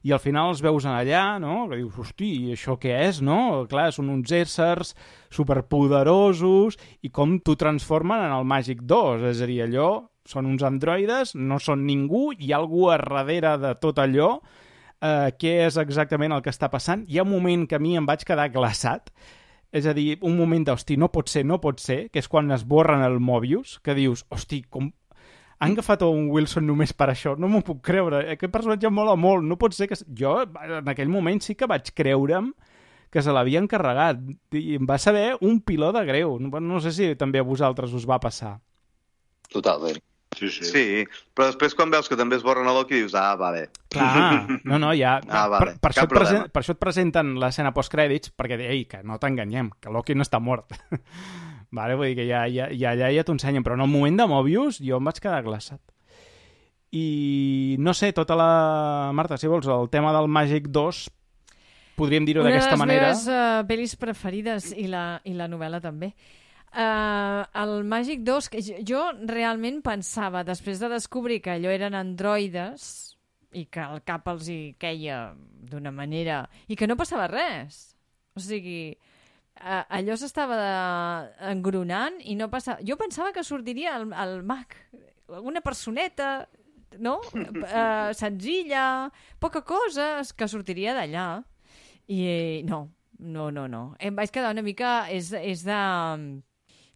i al final els veus allà, no? Que dius, hosti, això què és, no? Clar, són uns éssers superpoderosos i com t'ho transformen en el Màgic 2, és a dir, allò són uns androides, no són ningú, hi ha algú a darrere de tot allò, què és exactament el que està passant. Hi ha un moment que a mi em vaig quedar glaçat, és a dir, un moment d'hosti, no pot ser, que és quan esborren el Mobius, que dius, hosti, com han agafat un Wilson només per això, no m'ho puc creure, aquest personatge mola molt, no pot ser que... Jo en aquell moment sí que vaig creure'm que se l'havien carregat, i em va saber un piló de greu, no sé si també a vosaltres us va passar. Totalment. Sí, però després quan veus que també esborren a Loki dius, vale. Clar, ja... Vale. Per això et presenten l'escena postcrèdits, perquè, que no t'enganyem, que Loki no està mort. Vale, vull dir que ja t'ho ensenyen, però en el moment de Mobius jo em vaig quedar glaçat. I no sé, tota la... Marta, si vols, el tema del Màgic 2, podríem dir-ho d'aquesta manera. Una de les meves pel·lis preferides, i la novel·la també. El Màgic 2, que jo realment pensava, després de descobrir que allò eren androides i que el cap els hi queia d'una manera i que no passava res. O sigui... allò s'estava engronant i no passava... Jo pensava que sortiria el mag, una personeta, no? Senzilla, poca cosa, que sortiria d'allà. I no. Em vaig quedar una mica... És de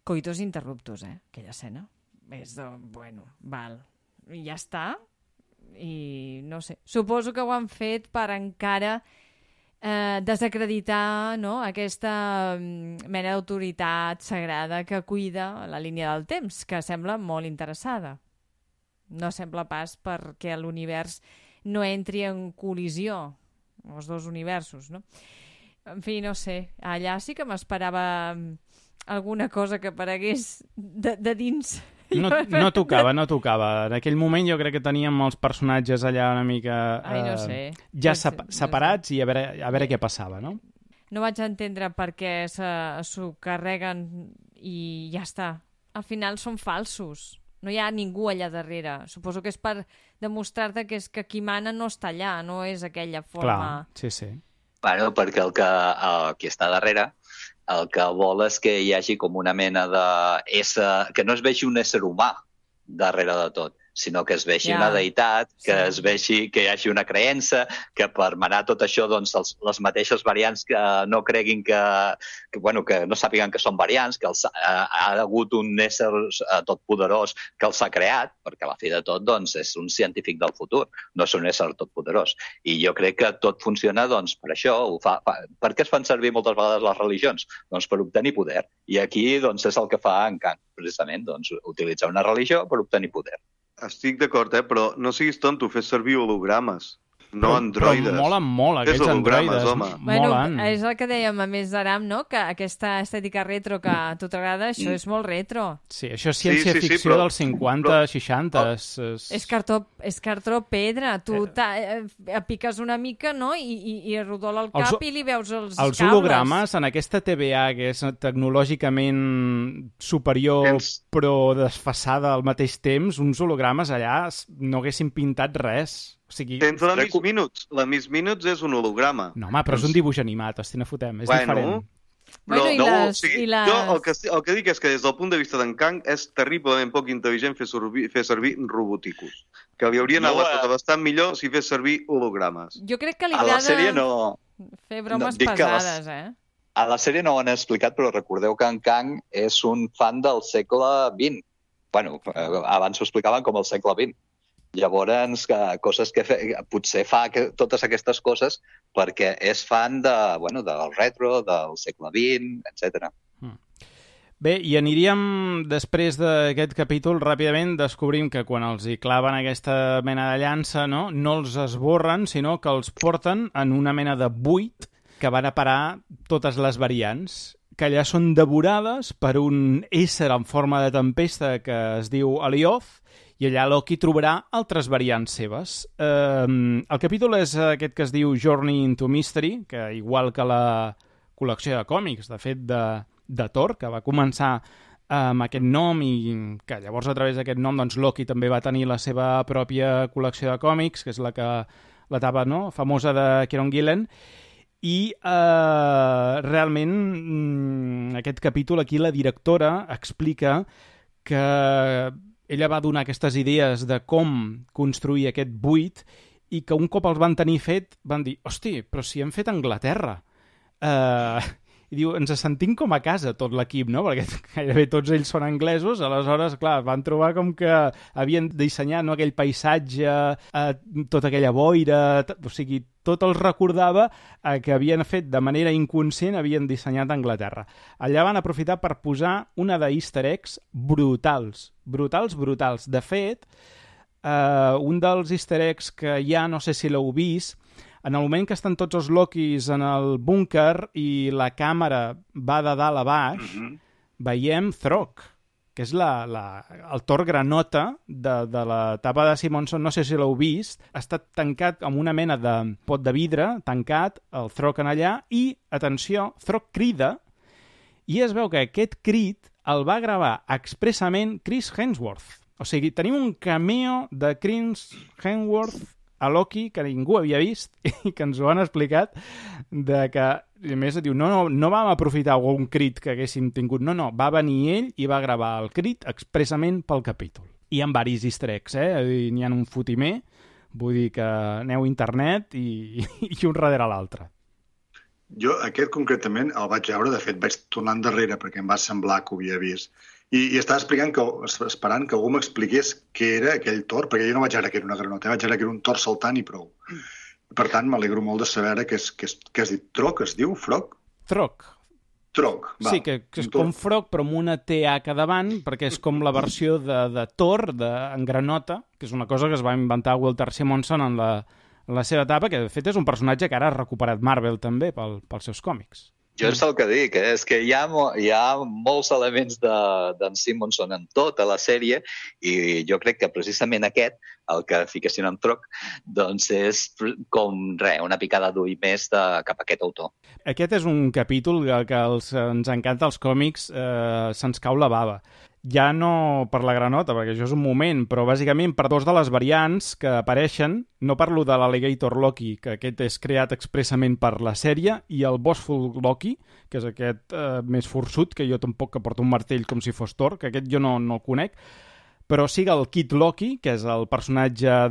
coitus interruptus, aquella escena. És de... Bueno, val. I ja està. I no sé. Suposo que ho han fet per encara... desacreditar, no? Aquesta mena d'autoritat sagrada que cuida la línia del temps, que sembla molt interessada. No sembla pas perquè l'univers no entri en col·lisió, els dos universos, no? En fi, no sé, allà sí que m'esperava alguna cosa que aparegués de dins. No tocava. En aquell moment jo crec que teníem els personatges allà una mica no sé. Ja separats i a veure què passava, no? No vaig entendre per què s'ho carreguen i ja està. Al final són falsos. No hi ha ningú allà darrere. Suposo que és per demostrar-te que és que qui mana no està allà, no és aquella forma... Clar, sí. Bueno, perquè qui està darrere el que vol és que hi hagi com una mena d'ésser... que no es vegi un ésser humà darrere de tot, sinó que es vegi una deïtat, que es vegi que hi hagi una creença, que per manar tot això doncs, les mateixes variants que no creguin que no sàpiguen que són variants, que ha hagut un ésser totpoderós que els ha creat, perquè a la fi de tot doncs, és un científic del futur, no és un ésser totpoderós. I jo crec que tot funciona doncs, per això. Per què es fan servir moltes vegades les religions? Doncs per obtenir poder. I aquí doncs, és el que fa en Kang, precisament, doncs, utilitzar una religió per obtenir poder. Estic d'acord, però no siguis tonto, fes servir hologrames, no androides. Però molen molt aquests androides. Bueno, és el que dèiem a més d'Aram, no? Que aquesta estètica retro que a tu t'agrada, això és molt retro. Sí, això és ciència-ficció dels 50, 60. És cartró pedra. Tu piques una mica, no? I rodola el cap i li veus els cables. Els hologrames en aquesta TVA, que és tecnològicament superior però desfasada al mateix temps, uns hologrames allà no haguessin pintat res. O sigui, tens la Miss Minutes. La Miss Minutes és un holograma. No, home, però és un dibuix animat, no fotem, és diferent. Però, jo el que dic és que des del punt de vista d'en Kang és terriblement poc intel·ligent fer servir roboticus. Que li haurien anat bastant millor si fes servir hologrames. Jo crec que li agrada fer bromes pesades, A la sèrie no ho han explicat, però recordeu que en Kang és un fan del segle XX. Bueno, abans ho explicaven com el segle XX. Llavors, coses que potser fa totes aquestes coses perquè és fan del retro, del segle XX, etc. Bé, i aniríem, després d'aquest capítol, ràpidament descobrim que quan els hi claven aquesta mena de llança, no els esborren, sinó que els porten en una mena de buit que van a parar totes les variants, que allà són devorades per un ésser en forma de tempesta que es diu Alioth, i allà Loki trobarà altres variants seves. El capítol és aquest que es diu Journey into Mystery, que igual que la col·lecció de còmics, de fet, de Thor, que va començar amb aquest nom i que llavors a través d'aquest nom doncs, Loki també va tenir la seva pròpia col·lecció de còmics, que és l'etapa famosa de Kieron Gillen, i realment aquest capítol aquí la directora explica que ella va donar aquestes idees de com construir aquest buit i que un cop els van tenir fet van dir, hosti, però si hem fet a Anglaterra. I diu, ens sentim com a casa tot l'equip, no? Perquè gairebé tots ells són anglesos, aleshores, clar, van trobar com que havien dissenyat aquell paisatge, tota aquella boira, o sigui, tot els recordava que havien fet de manera inconscient, havien dissenyat a Anglaterra. Allà van aprofitar per posar una d'easter eggs brutals. De fet, un dels easter eggs que ja no sé si l'heu vist, en el moment que estan tots els Lokis en el búnquer i la càmera va de dalt a baix, veiem Throg, que és el Thor granota de l'etapa de Simonson, no sé si l'heu vist, ha estat tancat amb una mena de pot de vidre, tancat, el Throg en allà, i, atenció, Throg crida, i es veu que aquest crit el va gravar expressament Chris Hemsworth. O sigui, tenim un cameo de Chris Hemsworth a Loki que ningú havia vist i que ens ho han explicat de que, a més, diu, no vam aprofitar algun crit que haguéssim tingut, no, va venir ell i va gravar el crit expressament pel capítol. I amb varis easter eggs, n'hi ha un fotimer, vull dir que aneu a internet i un darrere l'altre. Jo aquest concretament el vaig veure, de fet vaig tornar endarrere perquè em va semblar que ho havia vist. I estava esperant que algú m'expliqués què era aquell Thor, perquè jo no vaig veure que era una granota, vaig veure que era un Thor saltant i prou. Per tant, m'alegro molt de saber que has dit Throg, es diu? Frog? Throg. Va. Sí, que és com Frog, però amb una TH davant, perquè és com la versió de Thor, en granota, que és una cosa que es va inventar Walter Simonson en la seva etapa, que de fet és un personatge que ara ha recuperat Marvel també pels seus còmics. Jo és el que dic, és que hi ha molts elements d'en Simonson en tota la sèrie i jo crec que precisament aquest, el que fiquessin en Throg, doncs és com una picada d'ull més cap a aquest autor. Aquest és un capítol que ens encanta als còmics, se'ns cau la bava. Ja no per la granota, perquè això és un moment, però bàsicament per dos de les variants que apareixen, no parlo de l'Alligator Loki, que aquest és creat expressament per la sèrie, i el Bossful Loki, que és aquest més forçut, que jo tampoc que porto un martell com si fos Thor, que aquest jo no el conec, però sí el Kid Loki, que és el personatge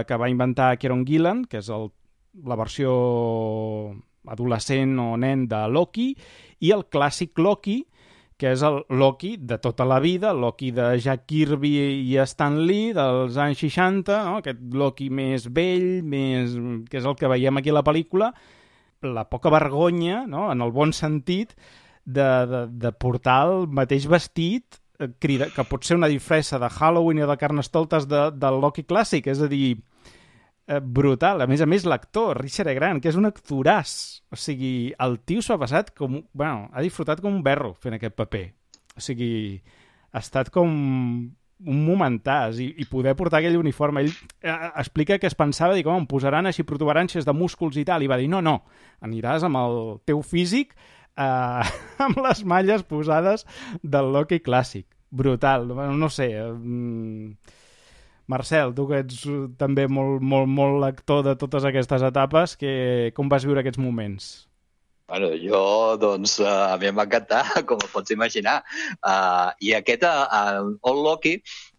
que va inventar Kieron Gillen, que és la versió adolescent o nen de Loki, i el clàssic Loki, que és el Loki de tota la vida, Loki de Jack Kirby i Stan Lee dels anys 60, no? Aquest Loki més vell, que és el que veiem aquí a la pel·lícula, la poca vergonya, no? En el bon sentit, de portar el mateix vestit, que pot ser una disfressa de Halloween o de Carnestoltes del Loki clàssic, és a dir, brutal. A més, l'actor, Richard E. Grant, que és un actoràs. O sigui, el tio s'ho ha passat ha disfrutat com un berro fent aquest paper. O sigui, ha estat com un momentàs i poder portar aquell uniforme. Ell explica que es pensava, dic, em posaran així protuberàncies de músculs i tal, i va dir, no, aniràs amb el teu físic amb les malles posades del Loki clàssic. Brutal. No sé, Marcel, tu que ets també molt lector de totes aquestes etapes, com vas viure aquests moments? Bueno, jo, doncs, a mi em va encantar, com pots imaginar. I aquest, Old Loki,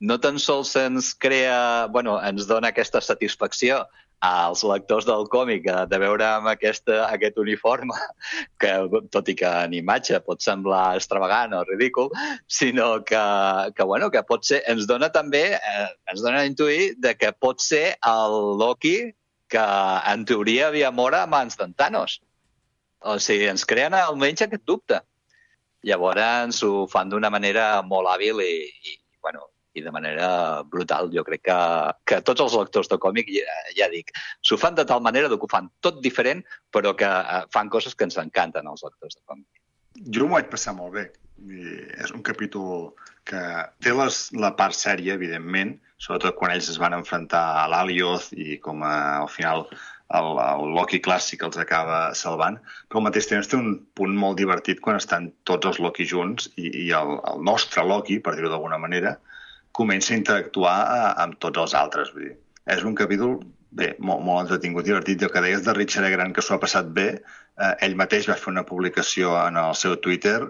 no tan sols ens crea, ens dona aquesta satisfacció als lectors del còmic de veure amb aquest uniforme, que tot i que en imatge pot semblar extravagant o ridícul, sinó que pot ser, ens dona a intuir de que pot ser el Loki que en teoria havia mort a mans d'en Thanos. O sigui, ens creen almenys aquest dubte. Llavors ho fan d'una manera molt hàbil i de manera brutal. Jo crec que tots els lectors de còmic, ja dic, s'ho fan de tal manera que ho fan tot diferent, però que fan coses que ens encanten als lectors de còmic. Jo m'ho vaig passar molt bé. És un capítol que té la part sèria, evidentment, sobretot quan ells es van enfrontar a l'Alioth i com al final el Loki clàssic els acaba salvant, però al mateix temps té un punt molt divertit quan estan tots els Loki junts i el nostre Loki, per dir-ho d'alguna manera, comença a interactuar amb tots els altres. Vull dir, és un capítol molt entretingut, divertit. El que deies de Richard E. Grant, que s'ho ha passat bé, ell mateix va fer una publicació en el seu Twitter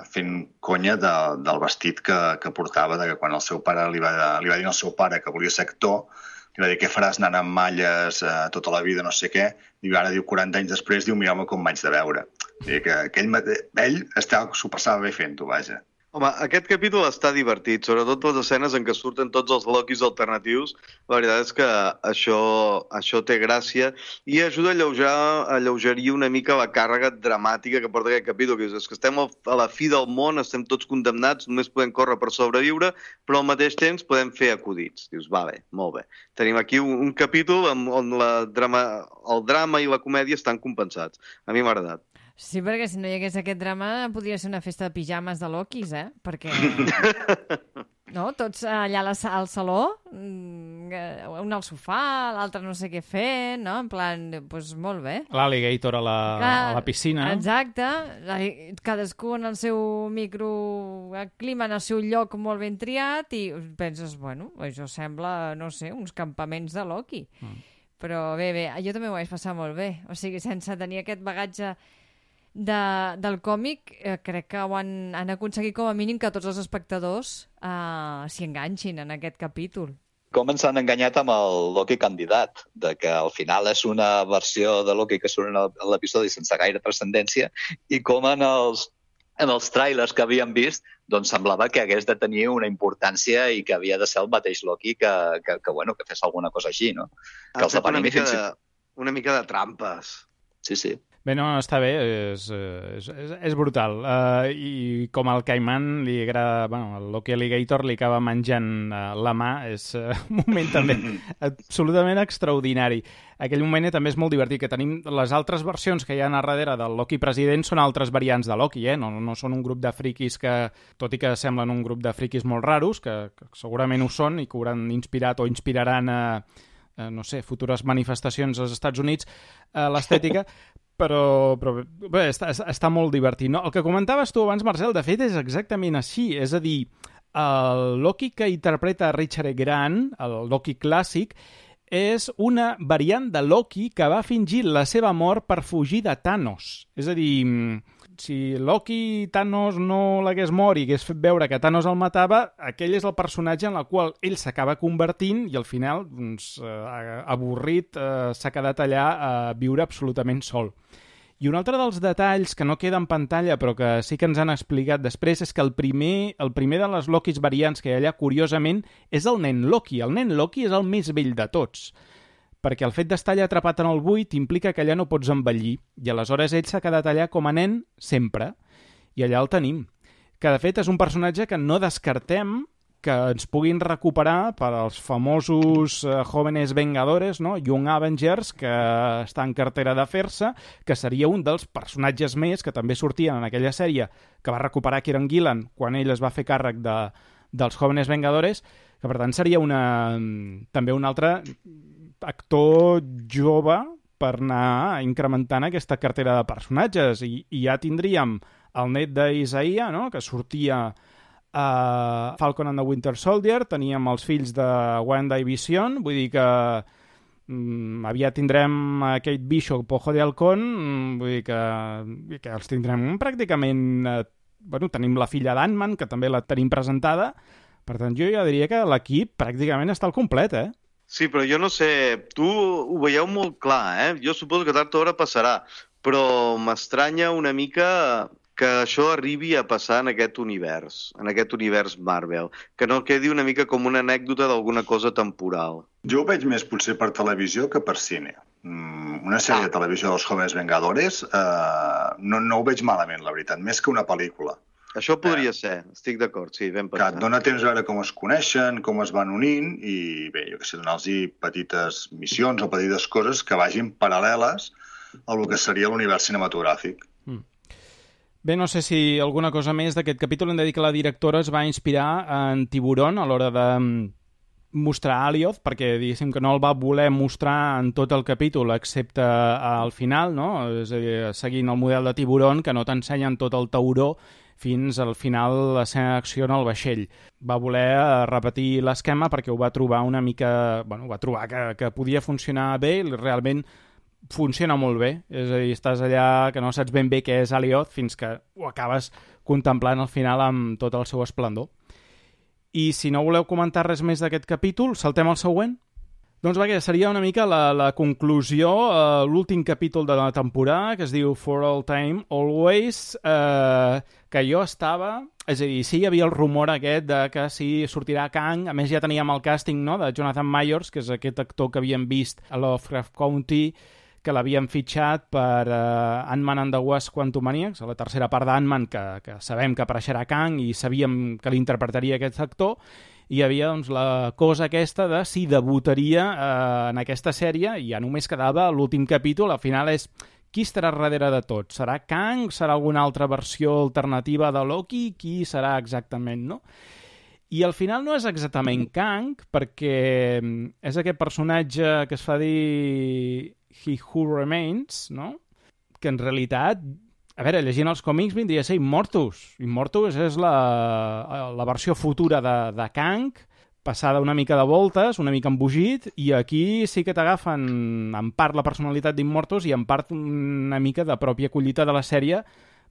fent conya del vestit que portava, que quan el seu pare li va dir al seu pare que volia ser actor, li va dir, què faràs anant amb malles tota la vida, no sé què, i ara diu 40 anys després, diu, mireu-me com m'haig de veure. Que ell s'ho passava bé fent-ho, vaja. Home, aquest capítol està divertit, sobretot les escenes en què surten tots els Lokis alternatius. La veritat és que això té gràcia i ajuda a alleugerir una mica la càrrega dramàtica que porta aquest capítol, que és que estem a la fi del món, estem tots condemnats, només podem córrer per sobreviure, però al mateix temps podem fer acudits. Dius, va bé, molt bé. Tenim aquí un capítol on el drama i la comèdia estan compensats. A mi m'ha agradat. Sí, perquè si no hi hagués aquest drama podria ser una festa de pijames de Lokis, Perquè... No? Tots allà al saló, un al sofà, l'altre no sé què fer, no? En plan, doncs molt bé. L'Alligator a la piscina. Exacte. Cadascú en el seu microclima, en el seu lloc molt ben triat, i penses, bueno, això sembla, no sé, uns campaments de Loki. Però bé, jo també ho vaig passar molt bé. O sigui, sense tenir aquest bagatge del còmic, crec que han aconseguit com a mínim que tots els espectadors s'hi enganxin en aquest capítol. Com ens han enganyat amb el Loki candidat, de que al final és una versió de Loki que surt en l'episodi sense gaire transcendència, i com en els tràilers que havíem vist, doncs semblava que hagués de tenir una importància i que havia de ser el mateix Loki que fes alguna cosa així, no? Que els una mica de trampes. Sí. Bé, no, està bé, és brutal. I com al Caiman li agrada... Bueno, el Loki Alligator li acaba menjant la mà, és un moment també absolutament extraordinari. Aquell moment també és molt divertit, que tenim les altres versions que hi ha a darrere del Loki president són altres variants de Loki, no són un grup de friquis que, tot i que semblen un grup de friquis molt raros, que segurament ho són i que hauran inspirat o inspiraran no sé, futures manifestacions als Estats Units, l'estètica, però bé, està molt divertit. No? El que comentaves tu abans, Marcel, de fet és exactament així, és a dir, el Loki que interpreta Richard E. Grant, el Loki clàssic, és una variant de Loki que va fingir la seva mort per fugir de Thanos. És a dir, si Loki Thanos no l'hagués mort i hagués fet veure que Thanos el matava, aquell és el personatge en el qual ell s'acaba convertint i al final, doncs, avorrit, s'ha quedat allà a viure absolutament sol. I un altre dels detalls que no queda en pantalla però que sí que ens han explicat després és que el primer de les Lokis variants que hi ha allà, curiosament, és el nen Loki. El nen Loki és el més vell de tots, perquè el fet d'estar allà atrapat en el buit implica que allà no pots envellir, i aleshores ell s'ha quedat allà com a nen sempre, i allà el tenim. Que, de fet, és un personatge que no descartem que ens puguin recuperar per als famosos Jóvenes Vengadores, no? Young Avengers, que està en cartera de fer-se, que seria un dels personatges més que també sortien en aquella sèrie que va recuperar Kieran Gillen quan ell es va fer càrrec dels Jóvenes Vengadores, que per tant seria també un altre actor jove per anar incrementant aquesta cartera de personatges. I ja tindríem el net d'Isaiah, no? Que sortia a Falcon and the Winter Soldier, teníem els fills de Wanda i Vision, vull dir que aviat tindrem Kate Bishop o Jodie Halcón, vull dir que els tindrem pràcticament... tenim la filla d'Ant-Man, que també la tenim presentada, per tant jo ja diria que l'equip pràcticament està al complet, Sí, però jo no sé, tu ho veieu molt clar, Jo suposo que tard o d'hora passarà, però m'estranya una mica que això arribi a passar en aquest univers Marvel, que no quedi una mica com una anècdota d'alguna cosa temporal. Jo ho veig més potser per televisió que per cine. Una sèrie de televisió dels Jóvenes Vengadores no ho veig malament, la veritat, més que una pel·lícula. Això podria ser, estic d'acord, sí, ben pensat. Que et dona temps a veure com es coneixen, com es van unint i, bé, jo què sé, donar-los petites missions o petites coses que vagin paral·leles a lo que seria l'univers cinematogràfic. Bé, no sé si alguna cosa més d'aquest capítol. Hem de dir que la directora es va inspirar en Tiburon a l'hora de mostrar Alioth, perquè diguéssim que no el va voler mostrar en tot el capítol, excepte al final, no? És a dir, seguint el model de Tiburon, que no t'ensenyen tot el tauró fins al final l'escena d'acció en el vaixell. Va voler repetir l'esquema perquè ho va trobar una mica... Bueno, va trobar que podia funcionar bé i realment funciona molt bé. És a dir, estàs allà que no saps ben bé què és Alioth fins que ho acabes contemplant al final amb tot el seu esplendor. I si no voleu comentar res més d'aquest capítol, saltem al següent. Doncs va, que seria una mica la conclusió, l'últim capítol de la temporada, que es diu For All Time Always, que jo estava... És a dir, sí hi havia el rumor aquest de que sí sortirà Kang, a més ja teníem el càsting, no?, de Jonathan Majors, que és aquest actor que havíem vist a Lovecraft Country, que l'havien fitxat per Ant-Man and the Wasp Quantumaniacs, a la tercera part d'Ant-Man, que sabem que apareixerà Kang i sabíem que l'interpretaria aquest actor, i hi havia doncs, la cosa aquesta de si debutaria en aquesta sèrie, i ja només quedava l'últim capítol. Al final és qui estarà darrere de tot? Serà Kang? Serà alguna altra versió alternativa de Loki? Qui serà exactament, no? I al final no és exactament Kang, perquè és aquest personatge que es fa dir He Who Remains, no? Que en realitat, a veure, llegint els còmics vindria a ser Immortus. Immortus és la versió futura de Kang, passada una mica de voltes, una mica embogit, i aquí sí que t'agafen en part la personalitat d'Immortus i en part una mica de pròpia collita de la sèrie,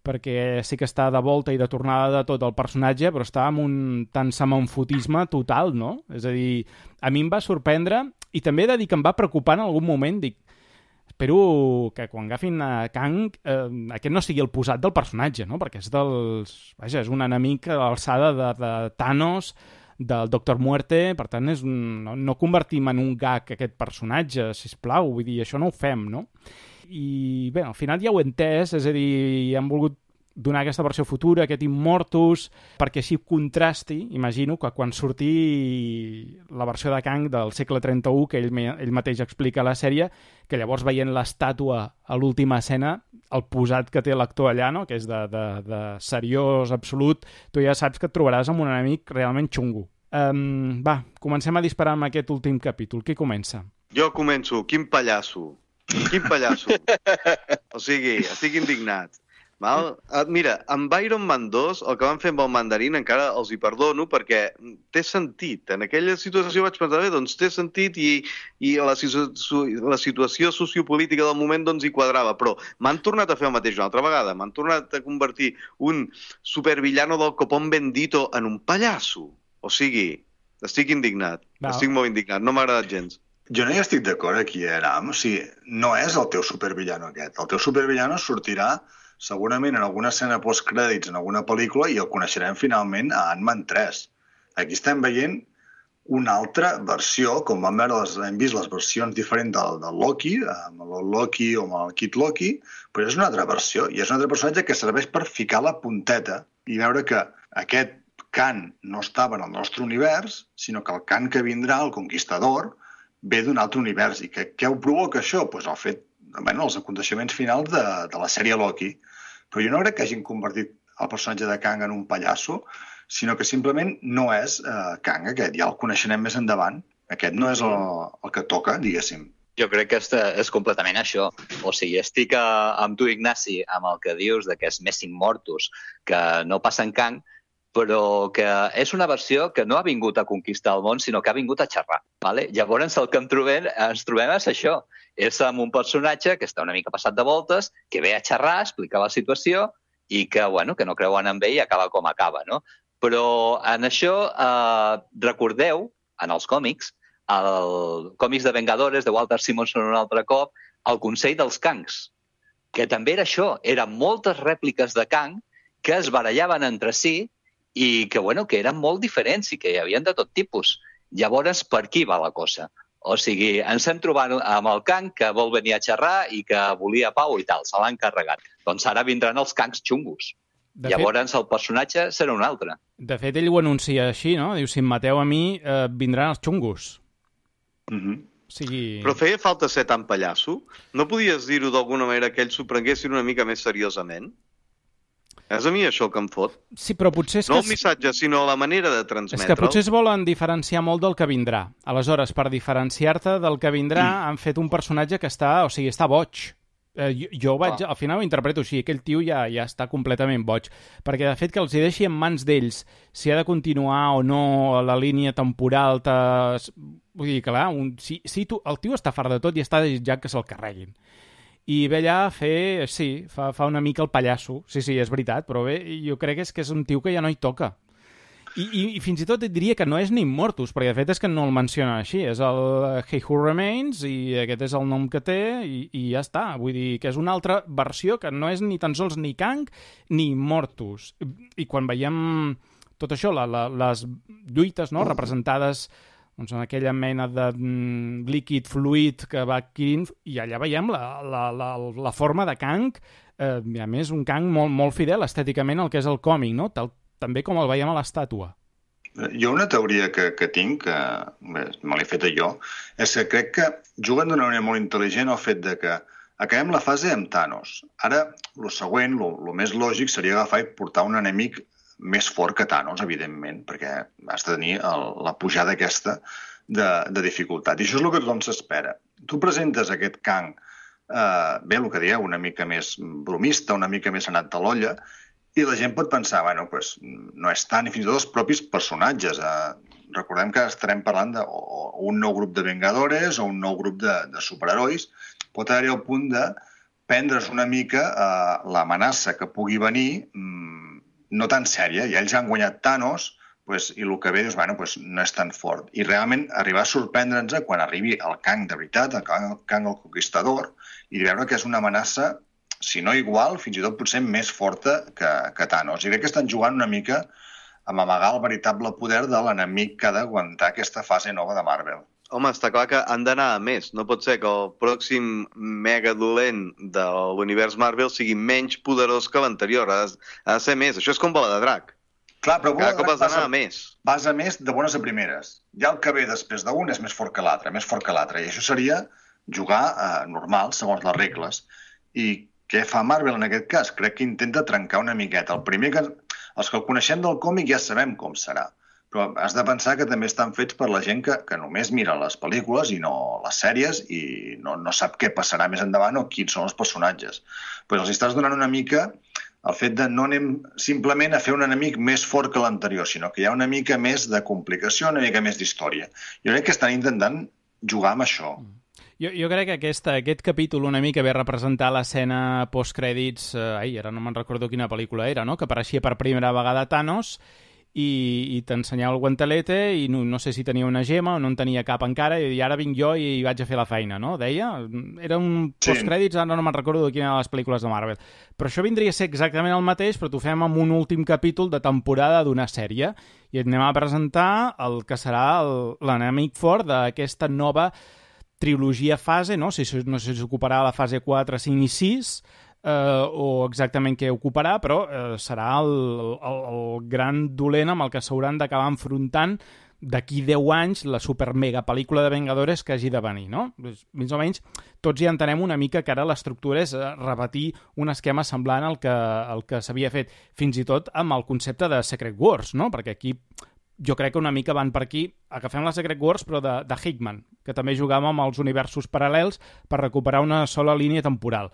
perquè sí que està de volta i de tornada de tot el personatge, però està amb un tant semanfotisme total, no? És a dir, a mi em va sorprendre, i també he de dir que em va preocupar en algun moment, dic, espero que quan agafin a Kang aquest no sigui el posat del personatge, no? Perquè és és un enemic a l'alçada de Thanos, del Doctor Muerte, per tant no convertim en un gag aquest personatge, sisplau, vull dir, això no ho fem, no? I bé, al final ja ho he entès, és a dir, han volgut donar aquesta versió futura, aquest Immortus, perquè així contrasti, imagino, que quan surti la versió de Kang del segle 31, que ell mateix explica a la sèrie, que llavors veient l'estàtua a l'última escena, el posat que té l'actor allà, no?, que és de seriós absolut, tu ja saps que et trobaràs amb un enemic realment xungo. Va, comencem a disparar amb aquest últim capítol. Qui comença? Jo començo. Quin pallasso. Quin pallasso. O sigui, estic indignat. Val? Mira, amb Iron Man 2, el que van fer amb el mandarín encara els hi perdono perquè té sentit. En aquella situació vaig pensar, bé, doncs té sentit i la situació sociopolítica del moment doncs hi quadrava, però m'han tornat a fer el mateix una altra vegada. M'han tornat a convertir un supervillano del copón bendito en un pallasso. O sigui, estic indignat. Estic molt indignat. No m'ha agradat gens. Jo no hi estic d'acord aquí, Aram. O sigui, no és el teu supervillano aquest. El teu supervillano sortirà segurament en alguna escena postcrèdits en alguna pel·lícula i el coneixerem finalment a Ant-Man 3. Aquí estem veient una altra versió, com hem vist les versions diferents del Loki, amb el Loki o amb el Kid Loki, però és una altra versió, i és un altre personatge que serveix per ficar la punteta i veure que aquest Kang no estava en el nostre univers, sinó que el Kang que vindrà, el Conquistador, ve d'un altre univers. I què ho provoca això? Doncs el fet, els aconteixements finals de la sèrie Loki. Però jo no crec que hagin convertit el personatge de Kang en un pallasso, sinó que simplement no és Kang aquest, ja el coneixerem més endavant. Aquest no és el que toca, diguéssim. Jo crec que és completament això. O sigui, estic amb tu, Ignasi, amb el que dius de que és més Immortus, que no passa en Kang, però que és una versió que no ha vingut a conquistar el món, sinó que ha vingut a xerrar. Vale? Llavors el que ens trobem és això. És amb un personatge que està una mica passat de voltes, que ve a xerrar, a explicar la situació i que no creuen en ell i acaba com acaba. No? Però en això, recordeu, en els còmics, al còmics de Vengadores, de Walter Simonson un altre cop, el Consell dels Kangs, que també era això, eren moltes rèpliques de Kang que es barallaven entre si i que, bueno, que eren molt diferents i que hi havia de tot tipus. Llavors, per aquí va la cosa. O sigui, ens hem trobat amb el Kang que vol venir a xerrar i que volia pau i tal, se l'han carregat. Doncs ara vindran els Kangs xungos. Llavors el personatge serà un altre. De fet, ell ho anuncia així, no? Diu, si em mateu a mi, vindran els xungos. O sigui... Però feia falta ser tan pallasso? No podies dir-ho d'alguna manera que ells s'ho prenguessin una mica més seriosament? És a mi això que em fot. Sí, però potser és no que... el missatge, sinó la manera de transmetre'l. És que potser es volen diferenciar molt del que vindrà. Aleshores, per diferenciar-te del que vindrà, han fet un personatge que està boig. Jo vaig, al final ho interpreto així, aquell tio ja està completament boig, perquè de fet que els hi deixi en mans d'ells si ha de continuar o no la línia temporal, vull dir, clar, el tio està fart de tot i està desitjant que se'l carreguin. I ve allà a fer, sí, fa una mica el pallasso, sí, és veritat, però bé, jo crec que és un tio que ja no hi toca. I fins i tot et diria que no és ni Immortus, perquè de fet és que no el mencionen així, és el He Who Remains i aquest és el nom que té i ja està. Vull dir que és una altra versió que no és ni tan sols ni Kang ni Immortus. I quan veiem tot això, les lluites, no?, representades doncs, en aquella mena de líquid fluid que va adquirint, i allà veiem la forma de Kang, i a més un Kang molt, molt fidel estèticament al que és el còmic, no?, també com el veiem a l'estàtua. Jo una teoria que tinc, que me l'he feta jo, és que crec que juguen d'una manera molt intel·ligent el fet de que acabem la fase amb Thanos. Ara, el següent, el més lògic seria agafar i portar un enemic més fort que Thanos, evidentment, perquè has de tenir la pujada aquesta de dificultat. I això és el que tothom s'espera. Tu presentes aquest Kang, bé, el que dieu, una mica més bromista, una mica més anat de l'olla, i la gent pot pensar, bueno, pues, no és tant, i fins i tot els propis personatges. Recordem que estarem parlant d'un nou grup de Vengadores o un nou grup de superherois. Pot haver-hi el punt de prendre's una mica l'amenaça que pugui venir no tan sèria. I ells han guanyat Thanos pues, i el que ve dius, bueno, pues, no és tan fort. I realment arribar a sorprendre'ns quan arribi el Kang de veritat, el Kang el Conquistador, i veure que és una amenaça, si no igual, fins i tot potser més forta que Thanos. I crec que estan jugant una mica amb amagar el veritable poder de l'enemic que ha d'aguantar aquesta fase nova de Marvel. Home, està clar que han d'anar a més. No pot ser que el pròxim mega dolent de l'univers Marvel sigui menys poderós que l'anterior. Ha de ser més. Això és com Bola de Drac. Clar, però cada cop has d'anar a més. Vas a més de bones a primeres. Ja el que ve després d'un és més fort que l'altre, més fort que l'altre. I això seria jugar normal, segons les regles. I què fa Marvel en aquest cas? Crec que intenta trencar una miqueta. Els que el coneixem del còmic ja sabem com serà, però has de pensar que també estan fets per la gent que només mira les pel·lícules i no les sèries i no sap què passarà més endavant o quins són els personatges. Pues els estàs donant una mica el fet de no anem simplement a fer un enemic més fort que l'anterior, sinó que hi ha una mica més de complicació, una mica més d'història. Jo crec que estan intentant jugar amb això. Jo crec que aquest capítol una mica ve a representar l'escena postcrèdits, ara no me'n recordo quina pel·lícula era, no?, que apareixia per primera vegada Thanos i t'ensenyava el guantelete i no sé si tenia una gema o no en tenia cap encara i ara vinc jo i vaig a fer la feina, no?, deia. Era un postcrèdits, ara no me'n recordo de quina de les pel·lícules de Marvel. Però això vindria a ser exactament el mateix, però t'ho fem amb un últim capítol de temporada d'una sèrie i et anem a presentar el que serà l'enemic fort d'aquesta nova trilogia fase, no sé si ocuparà la fase 4, 5 i 6, o exactament què ocuparà, però serà el gran dolent amb el que s'hauran d'acabar enfrontant d'aquí 10 anys la super-mega pel·lícula de Vengadores que hagi de venir, no? Més o menys tots ja entenem una mica que ara l'estructura és repetir un esquema semblant al que s'havia fet, fins i tot amb el concepte de Secret Wars, no? Perquè aquí jo crec que una mica van per aquí, agafem la Secret Wars però de Hickman, que també jugava amb els universos paral·lels per recuperar una sola línia temporal.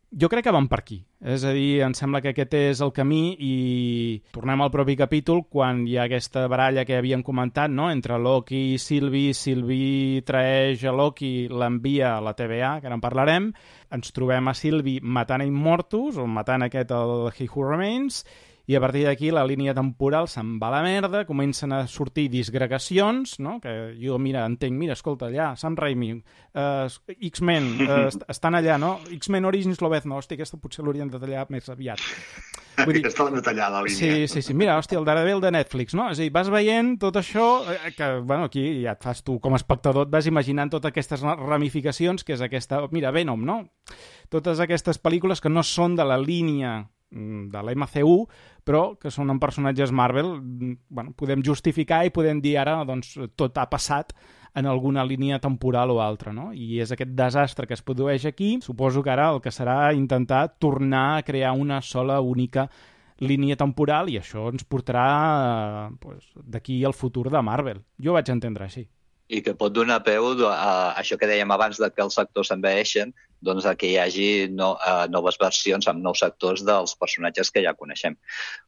Jo crec que van per aquí, és a dir, em sembla que aquest és el camí i tornem al propi capítol quan hi ha aquesta baralla que havíem comentat, no?, entre Loki i Sylvie traeix a Loki, l'envia a la TVA, que ara en parlarem, ens trobem a Sylvie matant a Immortus, o matant el He Who Remains, i a partir d'aquí la línia temporal se'n va a la merda, comencen a sortir disgregacions, no? Que jo, entenc, escolta, allà, Sam Raimi, X-Men, estan allà, no? X-Men Origins Lobezno, hòstia, aquesta potser l'haurien de tallar més aviat. Vull dir, aquesta l'han de tallar, la línia. Sí, mira, hòstia, el Daredevil de Netflix, no? És a dir, vas veient tot això, que, bueno, aquí ja et fas tu com a espectador, et vas imaginant totes aquestes ramificacions, que és aquesta, mira, Venom, no? Totes aquestes pel·lícules que no són de la línia de l'MCU, però que són en personatges Marvel, bueno, podem justificar i podem dir ara, doncs, tot ha passat en alguna línia temporal o altra, no? I és aquest desastre que es produeix aquí. Suposo que ara el que serà intentar tornar a crear una sola, única línia temporal i això ens portarà d'aquí al futur de Marvel. Jo vaig entendre així. I que pot donar peu a això que dèiem abans de que els actors s'enveixen, doncs a que hi hagi noves versions amb nous actors dels personatges que ja coneixem.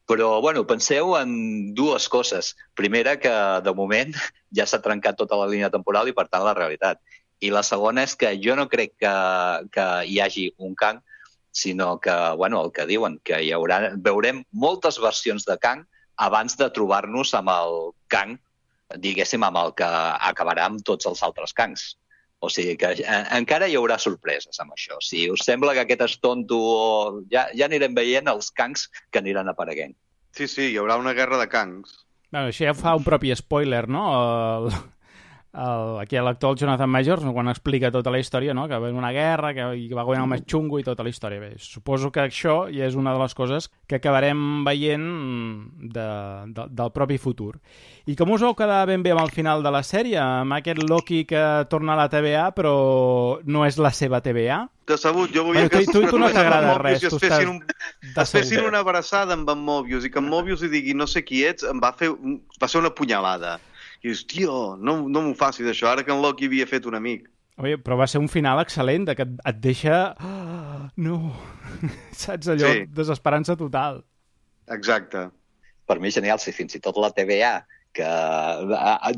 Però, bueno, penseu en dues coses. Primera, que de moment ja s'ha trencat tota la línia temporal i, per tant, la realitat. I la segona és que jo no crec que hi hagi un Kang, sinó que, bueno, el que diuen, que veurem moltes versions de Kang abans de trobar-nos amb el Kang, diguéssim, amb el que acabarà amb tots els altres Kangs. O sigui que encara hi haurà sorpreses amb això. Si us sembla que aquest és tonto, ja anirem veient els Kangs que aniran apareguent. Sí, hi haurà una guerra de Kangs. Bueno, això ja fa un propi spoiler, no? Aquí l'actor Jonathan Majors, quan explica tota la història, no? Que va haver una guerra, que va guanyar el més xungo i tota la història. Bé, suposo que això ja és una de les coses que acabarem veient del propi futur. I com us vau quedar ben bé amb el final de la sèrie? Amb aquest Loki que torna a la TVA, però no és la seva TVA? Decebut, jo volia que tu no t'agrada res, tu es fessin una abraçada amb en Mobius i que en Mobius li digui no sé qui ets, va ser una punyalada. I dius, tio, no m'ho facis això, ara que en Loki havia fet un amic. Oi, però va ser un final excel·lent, que et deixa... Oh, no, saps allò? Sí. Desesperança total. Exacte. Per mi genial, si fins i tot la TVA, que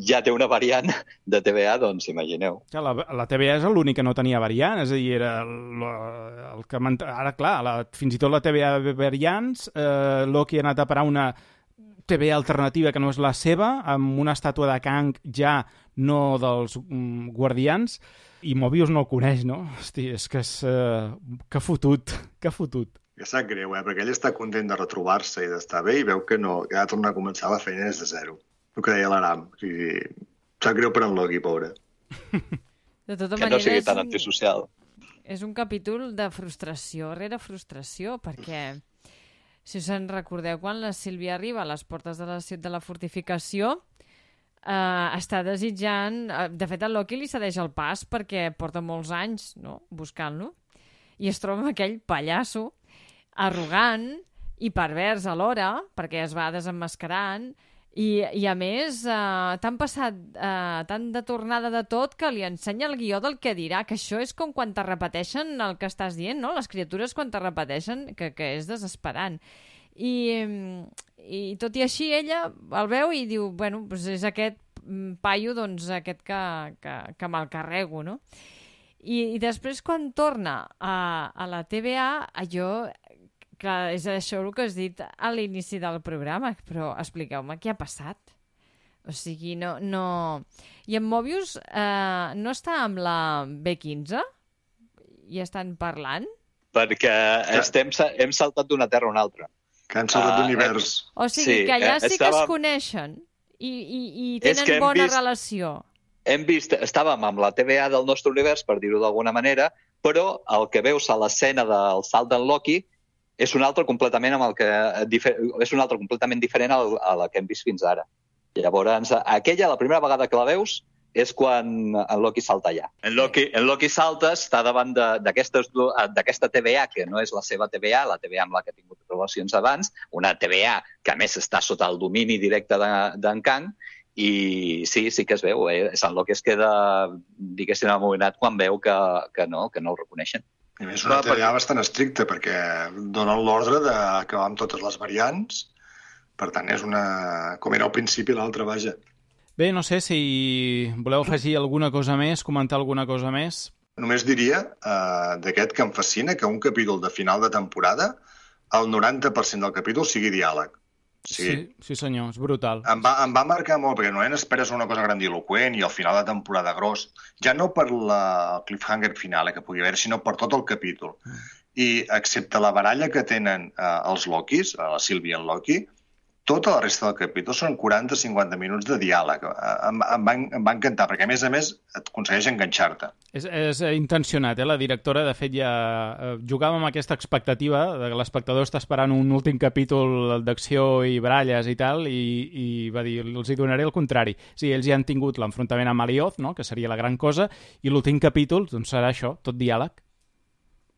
ja té una variant de TVA, doncs imagineu. La TVA és l'únic que no tenia variant, és a dir, era el que... Ara, clar, fins i tot la TVA de variants, Loki ha anat a parar una TVA alternativa que no és la seva, amb una estàtua de Kang ja no dels guardians, i Mobius no el coneix, no? Hosti, és que és... que fotut. Que sap greu, perquè ell està content de retrobar-se i d'estar bé i veu que no, que ha de tornar a començar la feina des de zero. El que deia l'Aram. O sigui, sap greu per en Loki, pobre. De tota manera, que no sigui tan antisocial. És un capítol de frustració rere frustració, perquè... Si us en recordeu, quan la Sílvia arriba a les portes de la fortificació, està desitjant... De fet, el Loki li cedeix el pas perquè porta molts anys, no?, buscant-lo, i es troba amb aquell pallasso arrogant i pervers alhora, perquè es va desemmascarant, i a més, t'han passat tan de tornada de tot que li ensenya el guió del que dirà, que això és com quan te repeteixen el que estàs dient, no? Les criatures quan te repeteixen, que és desesperant. I tot i així ella el veu i diu, bueno, doncs és aquest paio, doncs aquest que me'l carrego, no? I després quan torna a la TVA, allò... Clar, és això el que has dit a l'inici del programa, però expliqueu-me què ha passat. O sigui, no... I en Mobius no està amb la B15? I estan parlant? Perquè hem saltat d'una terra a una altra. Que han saltat d'univers. O sigui, que allà sí que es coneixen i tenen bona relació. Hem vist, estàvem amb la TVA del nostre univers, per dir-ho d'alguna manera, però el que veus a l'escena del salt d'en Loki és un altre completament diferent a la que hem vist fins ara. Llavors, la primera vegada que la veus és quan en Loki salta allà. En Loki salta, està davant d'aquesta TVA, que no és la seva TVA, la TVA amb la que ha tingut relacions abans, una TVA que a més està sota el domini directe d'en Kang, i sí que es veu. En Loki es queda, diguéssim, amoïnat quan veu que no el reconeixen. A més, una TVA bastant estricta, perquè donen l'ordre d'acabar amb totes les variants. Per tant, és com era al principi l'altra, vaja. Bé, no sé si voleu afegir alguna cosa més, comentar alguna cosa més. Només diria d'aquest que em fascina, que un capítol de final de temporada el 90% del capítol sigui diàleg. Sí, senyor, és brutal. Em va marcar molt, perquè normalment esperes una cosa grandiloquent i al final de temporada gros, ja no per el cliffhanger final que pugui haver, sinó per tot el capítol. I excepte la baralla que tenen els Lokis, la Sylvie i el Loki, tota la resta del capítol són 40-50 minuts de diàleg. Em va encantar, perquè a més et aconsegueix enganxar-te. És intencionat, la directora, de fet, ja jugava amb aquesta expectativa de que l'espectador està esperant un últim capítol d'acció i baralles i tal, i va dir, els hi donaré el contrari. Sí, ells ja han tingut l'enfrontament amb Alioth, no?, que seria la gran cosa, i l'últim capítol doncs, serà això, tot diàleg.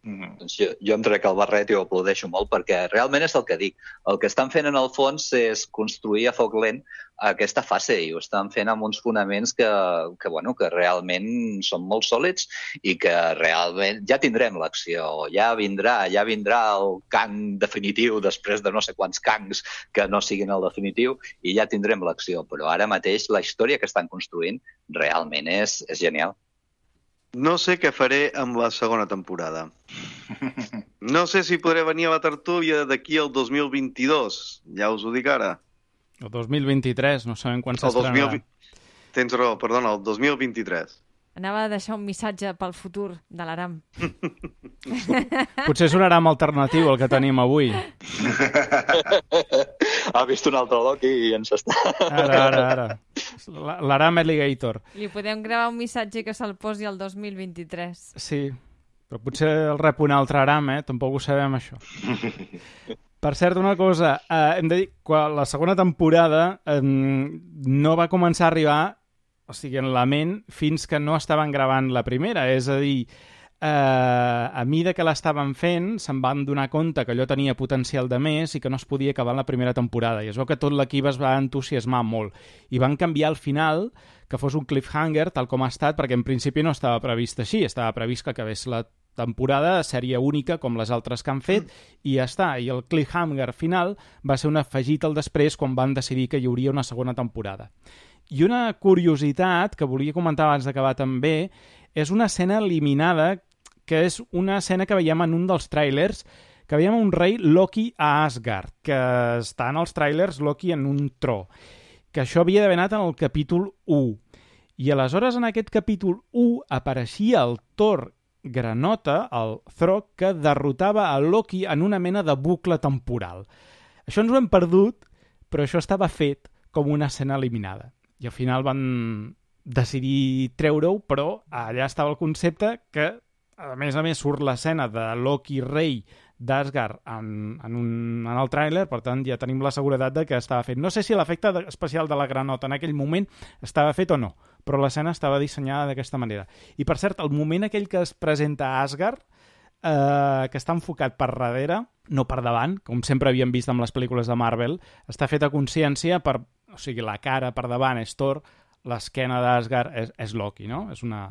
Doncs jo em trec el barret i ho aplaudeixo molt perquè realment és el que dic. El que estan fent en el fons és construir a foc lent aquesta fase i ho estan fent amb uns fonaments que realment són molt sòlids i que realment ja tindrem l'acció, ja vindrà el Kang definitiu després de no sé quants Kangs que no siguin el definitiu i ja tindrem l'acció, però ara mateix la història que estan construint realment és genial. No sé què faré amb la segona temporada. No sé si podré venir a la tertúlia d'aquí al 2022. Ja us ho dic ara. El 2023, no sabem quan s'estrenarà. Tens raó, perdona, el 2023. Anava a deixar un missatge pel futur de l'Aram. Potser és un Aram alternatiu el que tenim avui. Ha vist un altre Loki i ens està... Ara. L'Aram Alligator. Li podem gravar un missatge que se'l posi el 2023. Sí, però potser el rep un altre Aram, Tampoc ho sabem, això. Per cert, una cosa, hem de dir que la segona temporada no va començar a arribar, o sigui, en la ment, fins que no estaven gravant la primera. És a dir, a mida que l'estaven fent, se'n van donar compte que allò tenia potencial de més i que no es podia acabar en la primera temporada. I es veu que tot l'equip es va entusiasmar molt. I van canviar al final que fos un cliffhanger, tal com ha estat, perquè en principi no estava previst així. Estava previst que acabés la temporada de sèrie única, com les altres que han fet, i ja està. I el cliffhanger final va ser un afegit al després quan van decidir que hi hauria una segona temporada. I una curiositat que volia comentar abans d'acabar també és una escena eliminada, que és una escena que veiem en un dels tràilers, que veiem un rei Loki a Asgard, que està en els tràilers Loki en un tro, que això havia d'haver anat en el capítol 1. I aleshores en aquest capítol 1 apareixia el Thor granota, el Throg, que derrotava a Loki en una mena de bucle temporal. Això ens ho hem perdut, però això estava fet com una escena eliminada. I al final van decidir treure-ho, però allà estava el concepte que, a més, surt l'escena de Loki rei d'Asgard en el tràiler, per tant ja tenim la seguretat de que estava fet. No sé si l'efecte especial de la granota en aquell moment estava fet o no, però l'escena estava dissenyada d'aquesta manera. I per cert, el moment aquell que es presenta a Asgard, que està enfocat per darrere, no per davant, com sempre havíem vist amb les pel·lícules de Marvel, està fet a consciència o sigui, la cara per davant és Thor, l'esquena d'Asgard és Loki, no? És una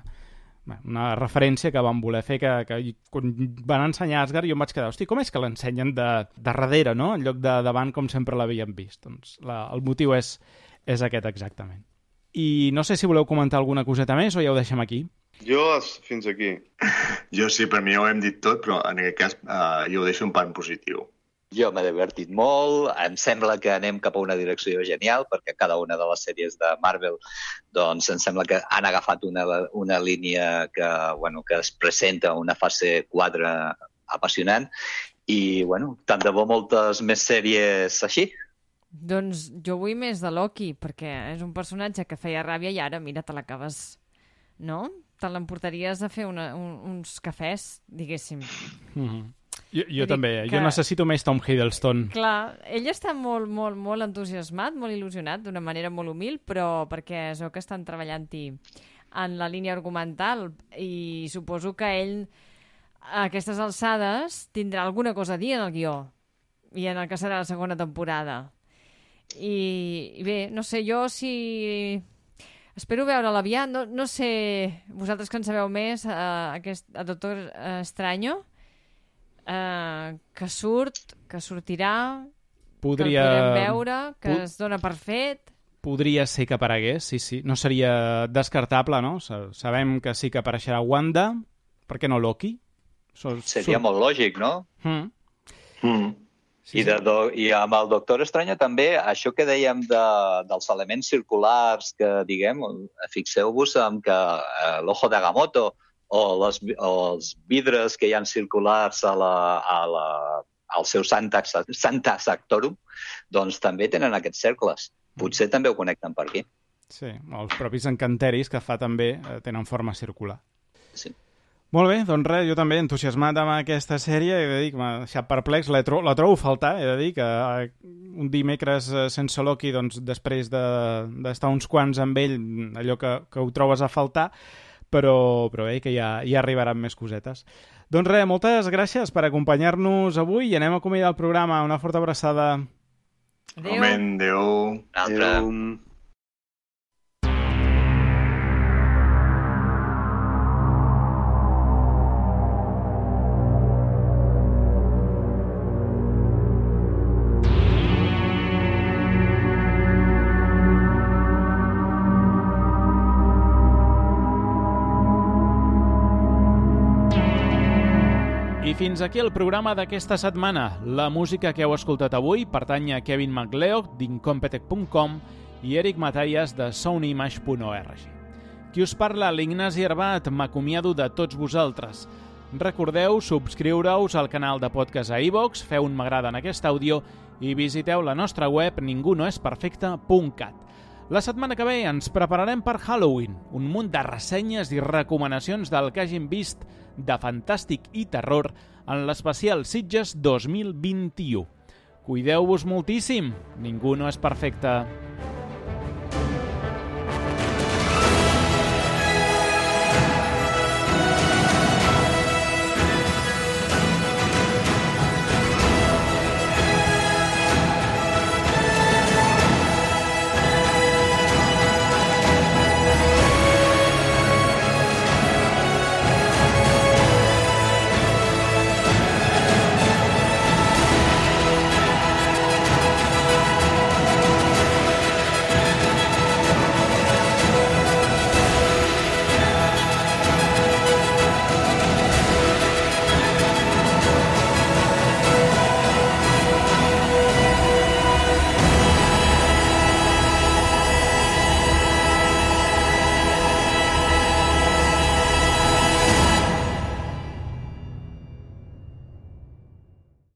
referència que van voler fer, que quan van ensenyar Asgard jo em vaig quedar, hosti, com és que l'ensenyen de darrere, no? En lloc de davant, com sempre l'havíem vist. Doncs el motiu és aquest exactament. I no sé si voleu comentar alguna coseta més o ja ho deixem aquí. Jo fins aquí. Jo sí, per mi ja ho hem dit tot, però en aquest cas jo ho deixo un pan positiu. Jo m'he divertit molt, em sembla que anem cap a una direcció genial, perquè cada una de les sèries de Marvel doncs em sembla que han agafat una línia que es presenta una fase 4 apassionant i, tant de bo moltes més sèries així. Doncs jo vull més de Loki, perquè és un personatge que feia ràbia i ara, mira, te l'acabes, no? Te l'emportaries a fer uns cafès, diguéssim. Jo també, jo necessito més Tom Hiddleston. Clar, ell està molt, molt, molt entusiasmat, molt il·lusionat, d'una manera molt humil, però perquè es veu que estan treballant-hi en la línia argumental i suposo que ell a aquestes alçades tindrà alguna cosa a dir en el guió i en el que serà la segona temporada. I bé, no sé, jo si... Espero veure'l aviat, no sé, vosaltres que en sabeu més, a Doctor Estranyo, que sortirà, que el podrem veure, que es dona per fet. Podria ser que aparegués, sí. No seria descartable, no? Sabem que sí que apareixerà Wanda, per què no Loki? Seria molt lògic, no? I amb el Doctor Estranya també, això que dèiem dels elements circulars que, diguem, fixeu-vos en que l'Ojo de Agamotto o els vidres que hi ha circulars al seu Santa Sectorum, doncs també tenen aquests cercles. Potser també ho connecten per aquí. Sí, els propis encanteris que fa també tenen forma circular. Sí. Molt bé, doncs res, jo també entusiasmat amb aquesta sèrie, he de dir que m'ha deixat perplex, la trobo a faltar, he de dir que un dimecres sense Loki, doncs després d'estar uns quants amb ell, allò que ho trobes a faltar, però que ja arribaran més cosetes. Doncs res, moltes gràcies per acompanyar-nos avui i anem a acomiadar el programa. Una forta abraçada. Adéu. Adéu. Adéu. I fins aquí el programa d'aquesta setmana. La música que heu escoltat avui pertany a Kevin MacLeod d'Incompetech.com i Eric Matallas de soundimage.org. Qui us parla, l'Ignasi Herbat, m'acomiado de tots vosaltres. Recordeu subscriure-us al canal de podcast a iVoox, feu un m'agrada en aquest àudio i visiteu la nostra web ningunoesperfecte.cat. La setmana que ve ens prepararem per Halloween, un munt de ressenyes i recomanacions del que hagin vist de fantàstic i terror en l'especial Sitges 2021. Cuideu-vos moltíssim, ningú no és perfecte.